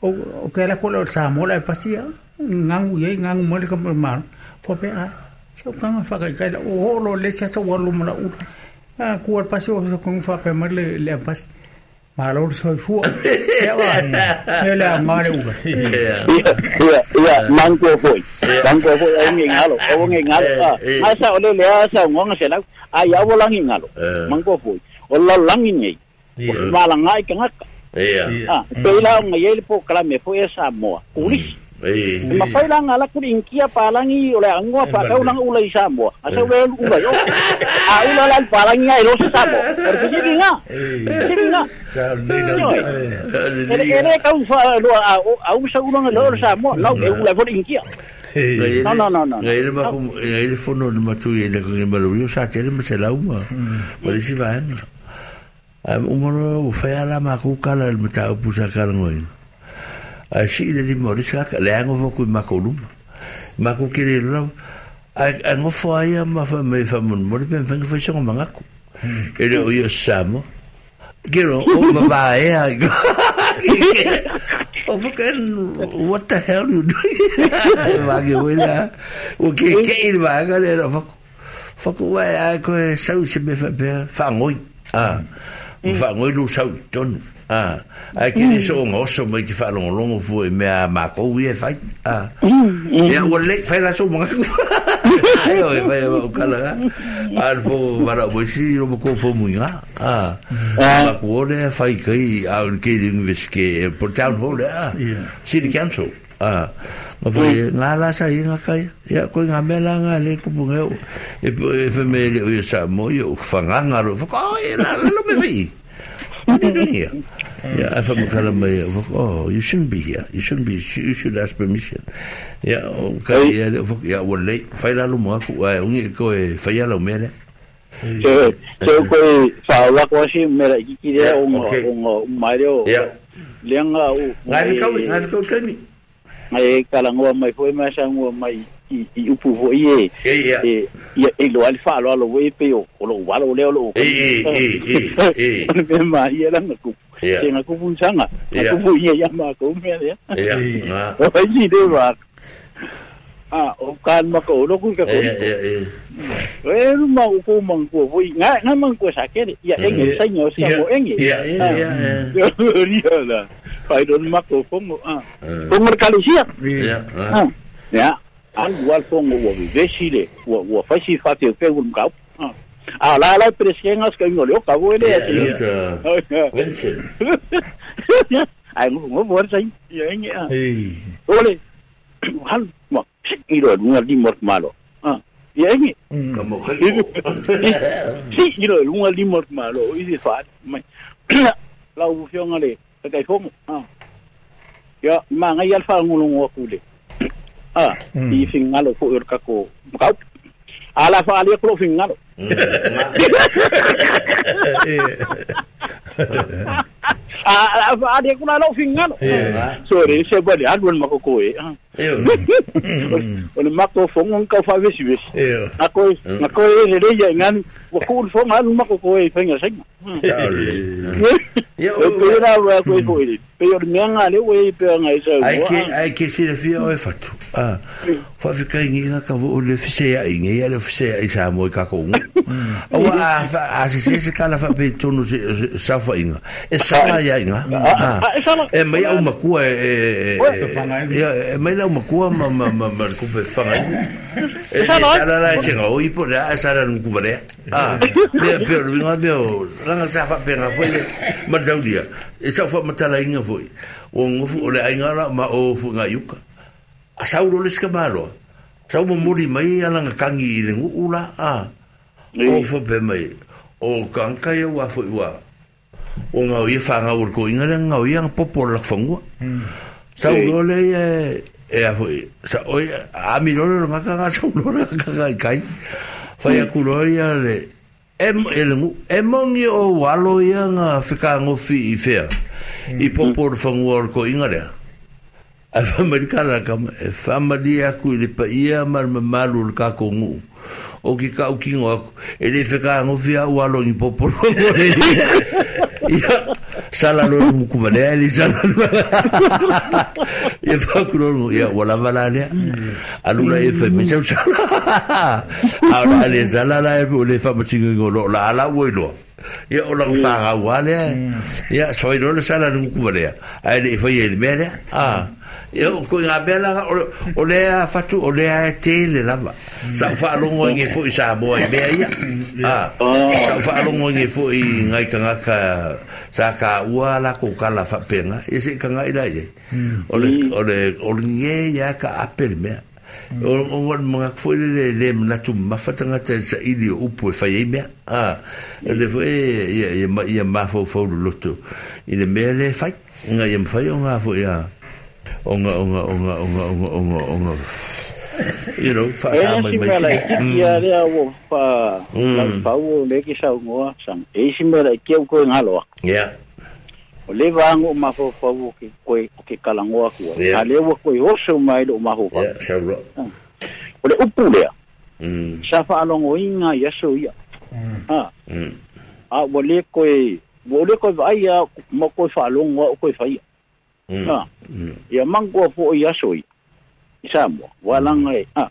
o ka la ko lo sa mo la pasi ngangu ye ngangu mo le ka ma fo pe a se o ka nga fa ka la o lo le sa so walu mo la u a ku al pasi o so ko fa pe ma le le pasi Malo soy fu. Ya va. Ele mare uga. Ia mango foi. Mango foi ai ngalo, o ngalo. Asa ole le asa ngonga sela. Ai avo langi ngalo. Mango foi. O la langi nei. O mala ngai ka ngaka. Ia. Ah, peila ngai ele po kala me foi esa moa. Kulis. Ma pai la ngala ku inkia palangi ole angua pa kau nang ula i Samoa. Asa ula ula yo. A ula la palangi ai lo Samoa. Porque si vinga. Si vinga. Ele kau fa lo a usa ula lo Samoa, no e ula por inkia. No no no no. Ngai le ma ngai le fono le matu i le ko malo yo sa tele me se la uma. Ma si va. Umoro fa ala ma ku kala le mata pusa kala ngoi. Ai si le limo le saka le ango fo ku makoluma maku kiri lo ai ango fo ai ma fa me fa mon mo le pen fa so mangaku ele o yo samo gero o ma va e ai o fucking what the hell you doing ma ke wela o ke ke il va ga le ro fa ku ai ko sau se me fa fa ngoi ah fa ngoi lu sau ton. Ah, ai ke le so ngoso mai ke fa longo longo fu e mea ma ko wi e fai. Ah. Ya o le fai la so mo. Ai o fai o kala. Al fo vara mo si ro ko fo mu nga. Ah. Ma ko le fai kai a ke university por town hall ah. City council. Ah. Ma fai nga la sa inga kai. Ya ko nga mela nga le ko bunga e e me le o sa mo yo fa nga ro fa ko e la lo me fi. What are you doing here? Yeah, I oh, you shouldn't be here. You shouldn't be. You should ask permission. Yeah, okay. Yeah, yeah. Well, late. Faila lo mo aku. Ai, ungi ko e faila lo mele. So, ko fa wa ko si mera iki le o o mario. Yeah. Lenga o. Ngai ka ngai ka kami. Ngai kala ngoa mai foi mai sa ngoa mai i upu foi e. E e lo alfa lo lo we pe o lo wa lo le lo. E e e e. Me ma ia la ku. Te nga ku sanga. Ku fu ia ya ma ko me ya. Ya. O ai de wa. Ah, o kan ma ko lo ku ka ko. E e. E ma o ko mang ko foi nga nga mang ko sa ke ya enge sa nyo sa mo enge. Ya ya ya. Ya la. Fai don ma ko fongo ah. Fongo kalisia. Ya. Ya. Al wal fongo wo vesile wo wo fasi fa te pe un kau. Ah la la presiengas que no le acabo ele Vincent. Ai mo mo sai ya enge ah. Ole. Hal mo iro lunga di mort malo. Ah. Ya enge. Como Si iro lunga di mort malo i di fa mai. La u fionga le kai fongo. Ah. Ya ma ngai al fa ngulungo kule. Ah, i fingalo ko ur kako. Kau. Ala fa ali ko fingalo. Ah, fa ali ko lo fingalo. Sorry, se bali alun makoko e. O le mako fongo ka fa vesi vesi. Ako ako e le ya ngan o ko fongo alun makoko e finga sing. Ya o pera wa ko ko e. Pe o le mea ngā leo e pe anga e sau. Ai ke ai ke silafia oe fatu. Ah. Faafetai ngi ka ka o le fise ai ngi le fise ai sa mo ka ko. Aua a se se se kala fa pe tonu se sa fa inga. E sala ia inga. E mai au makua e e mai lau makua ma ma ma ma ku pe fanga. E sala la se ngo i po la sala nu ku vale. Ah. Me pe ru inga me o ranga sa fa pe nga foi ma daudia. E sa fa matala inga foi. O ngofu o le ainga la ma o fu nga yuka. A sau lo le ska malo. Sau mo muri mai ala nga kangi i le nguu la a. O fa pe mai. O kanka ia wa foi wa. O ngau ia whanga ur ko inga le ngau ia popo la whangua. Sau lo le e a foi. Sa oi a mi lo le ngaka nga sau lo le ngaka kai. Whai aku lo ia le e le ngu e mongi o walo ia nga whika ngofi i whea. I popo le whangua ko inga lea. Ai whamarika la kama, e whamari aku i le paia ma le mamalu le kako ngu. O ki ka ukingo aku, e le wheka ngofi au alo ni poporo ngore. Ia, sala lo muku valea, le sala lo. Ia whakuro ngu, ia wala wala lea. Alula e whai mesau sala. Aora le sala la e le whamatingo ingo lo la ala ua iloa. Ia o la whanga ua lea. Ia, soi lo le sala le muku valea. Ai le whai e le mea lea. Ah. Ia ko ngā mea la o lea fatu o lea e tele lava. Sa whaalongo nge fo i Samoa i mea ia. Ah. Sa whaalongo nge fo i ngai kangaka sa ka ua la ko kala whapenga. Ia se kanga ila ia. O le nge ia ka apel mea. O ngā mga fo i le le manatu mafatangata sa ili o upu e whai e mea. Ah. Le fo e ia mawhau whau loto. I le mea le whai. Ngā ia mwhai o ngā fo ia. Onga you know fa sa mai mai ia lea wo fa la pau le ki sa ngoa sang e si mera ke ko ngalo yeah o le vango ma fo fa wo ke ko ke kala ngoa ku a le wo ko oso mai lo ma ho fa yeah sa ro o le upu lea sa fa alongo inga ia so ia ha a wo le ko vai ia mo ko fa alongo o ko fa ia Ah. Ia mango fo ia soi. Samoa, walanga e. Ah.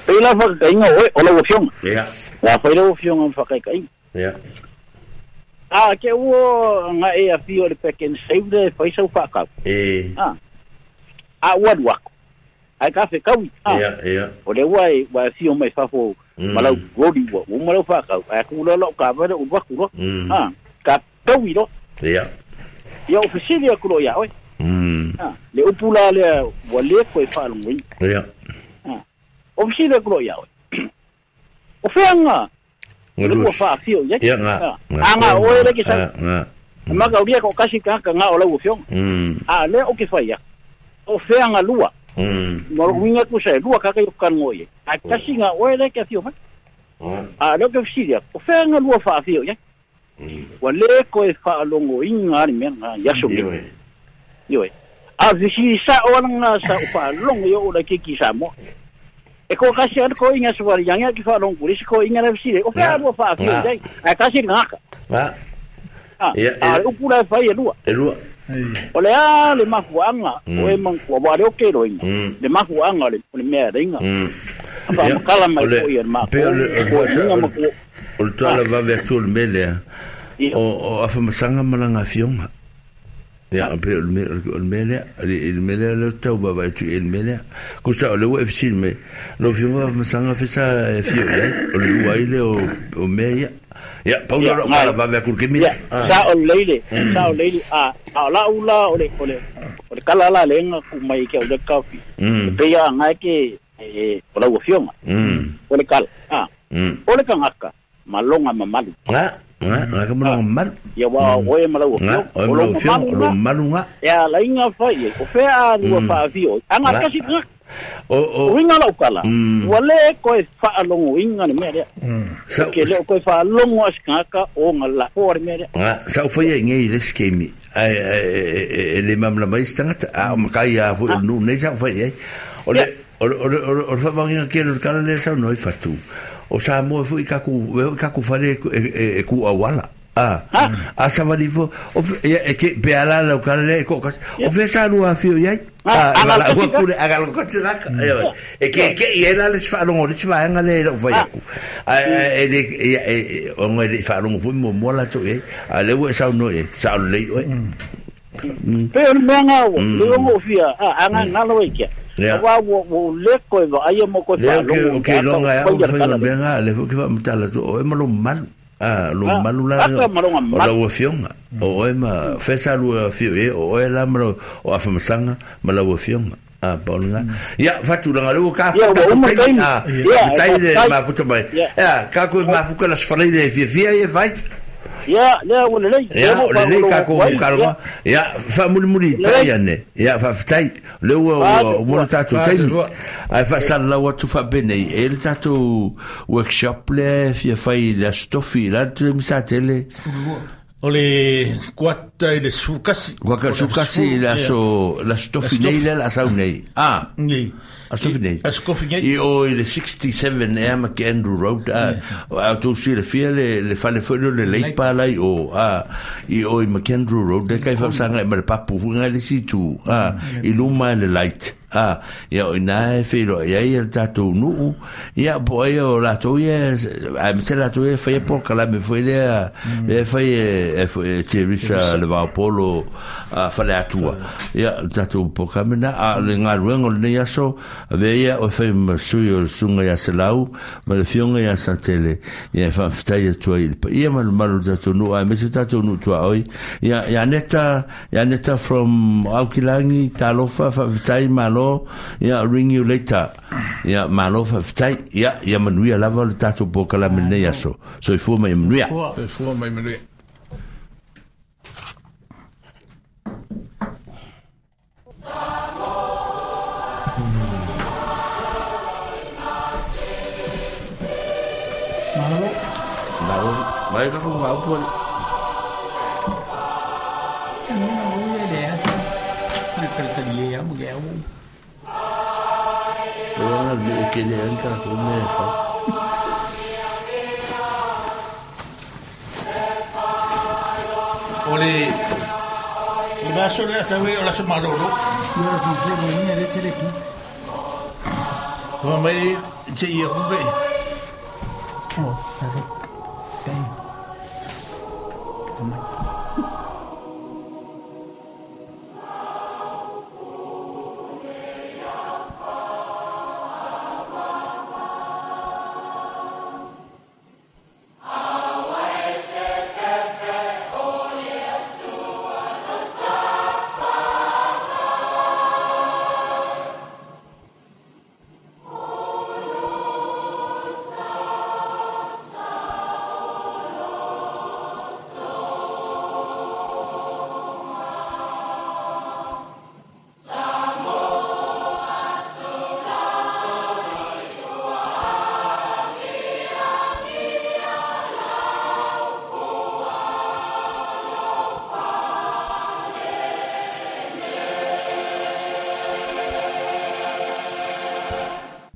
Pela fa kainga oi o lo fionga. Yeah. Wa fa lo fionga fa kai. Yeah. Ah, ke wo nga e a fio le peken save de fa sau fa ka. Eh. Ah. A wa wa. Ai ka fe kau. Yeah, yeah. O le wa wa fio mai fa fo malau godi wa, o malau fa ka. A ku lo lo ka va o wa ku lo. Ah, ka kau ro. Yeah. Ia o fesili aku lo ia oi. Ah, le upula le wa le ko e whalongoi. Ia. Ah. O fesili aku lo ia oi. O wheanga. Le ua whaafio ia. Ia ngā. A ngā oe le ki sa. Ngā. Maka uria ko kasi ka ngā o lau o fionga. A le o ki whai ia. O wheanga lua. Maro winga ku sa lua kaka i o kango ia. A kasi ngā oe le ki a fio mai. A le o ki fesili aku. O wheanga lua whaafio ia. Wa le ko e whaalongo inga ni mea ngā yaso me. Ioi. A visi sa o nga sa o whaalongo i o la kiki Samoa. E ko kasi ana ko inga sawari yang ki whaalongo kuri si ko inga na visire. O whea lua whaafio i ai. A kasi ngaka. Ngā. A le upura e whai e lua. E lua. O le a le mafuanga o e mangkua wa le o ke roinga. Le mafuanga o le mea reinga. A wha makala mai ko ia ma ko. O le tuala vave atu o le melea. O awhamasanga malanga fionga. Ia, o le melea, le melea le tau vava atu e le melea. Kusa o le ua e fisili me, lo fionga awhamasanga fesa e fio ia, o le ua ile o mea ia. Ia, paula ro kala vave aku ke mila. Sa o leile, sa o leile, a la ula o le kala la lenga ku mai ke o le kafi. Pe ia ngai ke o la ua fionga. O le kala, o le kangaka. Malonga mamalu. Nga ka malonga mamalu. Ia wa oe malau o fio. Oe malau o fio, o malu nga. Ia la inga whai, o whea a lua whaafio. Anga kasi nga. O inga lau kala. Ua le koe whaalongo inga ni mea rea. Ke leo koe whaalongo asikangaka o nga la hoa ni mea rea. Sa o whai ngei le skemi. E le mamla mai stangata. A o makai a fo nu nei sa o whai ai. O le o whawanginga ke le kala le sa noi whatu. O Samoa foi kaku whare e ku awala. A a savali fo o ia e ke pe ala lau kala le ko kas o fe sa lua afio i ai. A e vala ua kule a galo ko tira e ke ke i la le fa longo le fa nga le lo fa aku. A e le e o ngai le fa longo fu mo mo la to e a le ua sa no e sa le o. Pe o mea ngā o, le o fia, a ngā ngalo e kia. Wa wo le ko e va ai mo ko fa longo. Ke longa ya o fa mea ngā le fo ke fa mtala to o e malo malu. A lo malu la o la ua fionga. O e ma fesa lua fio e o e la malo o afa masanga ma la ua fionga. A paulunga. Ia fatu langa le ka fa ta a tai le ma futa mai. Ya ka ko ma fuka la sfalai le fia fia e vai. Ya le o le Ya o le ka ko ka lo. Ya fa muli muli tai ane. Ya fa tai le o mo tatu tai. Ai fa sa la wa tu fa bene e le tatu workshop le fia fai la stofi la tu mi sa tele. O le kuata i le sukasi. Kuata sukasi la so la stofi nei la sau nei. Ah. Nei. A stofi nei. A stofi nei. I o i le 67 ea McAndrew Road. A tau si le fia le fale whaino le leipa lai o. I o i McAndrew Road. Le kai whapsanga e ma le papu hunga le situ. I luma le light. Ia o ina e whiro ia ia le tātou nuu. Ia po ia o lātou ia, a me te lātou ia whaia po kalame fwoi lea, lea whai e te risa le vaopolo whale atua. Ia le tātou po kamena, a le ngā ruenga o le nei aso, a vea ia o whai masui o le sunga ia se lau, ma le fionga ia sa tele, ia e whaaftai atua i le pa. Ia malu malu tātou nuu, a me se tātou nuu tua oi. Ia, ia neta from Aukilangi, talofa, whaaftai, malo, ia ring you later. Ia malo fa fitai ia ia manuia lava le tatou po kala mene ia so. So i fua mai manuia. So i fua mai manuia. Malo. Malo. Mai ka ko ngau po. Ora le ke le anka ko me fa. Ole le baso le sa we ola so malolo. Yo la fi ni le sele ki. Ko mai se ia ko be. Oh, sa se. Dai.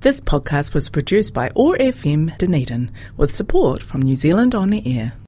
This podcast was produced by OAR FM Dunedin with support from New Zealand On Air.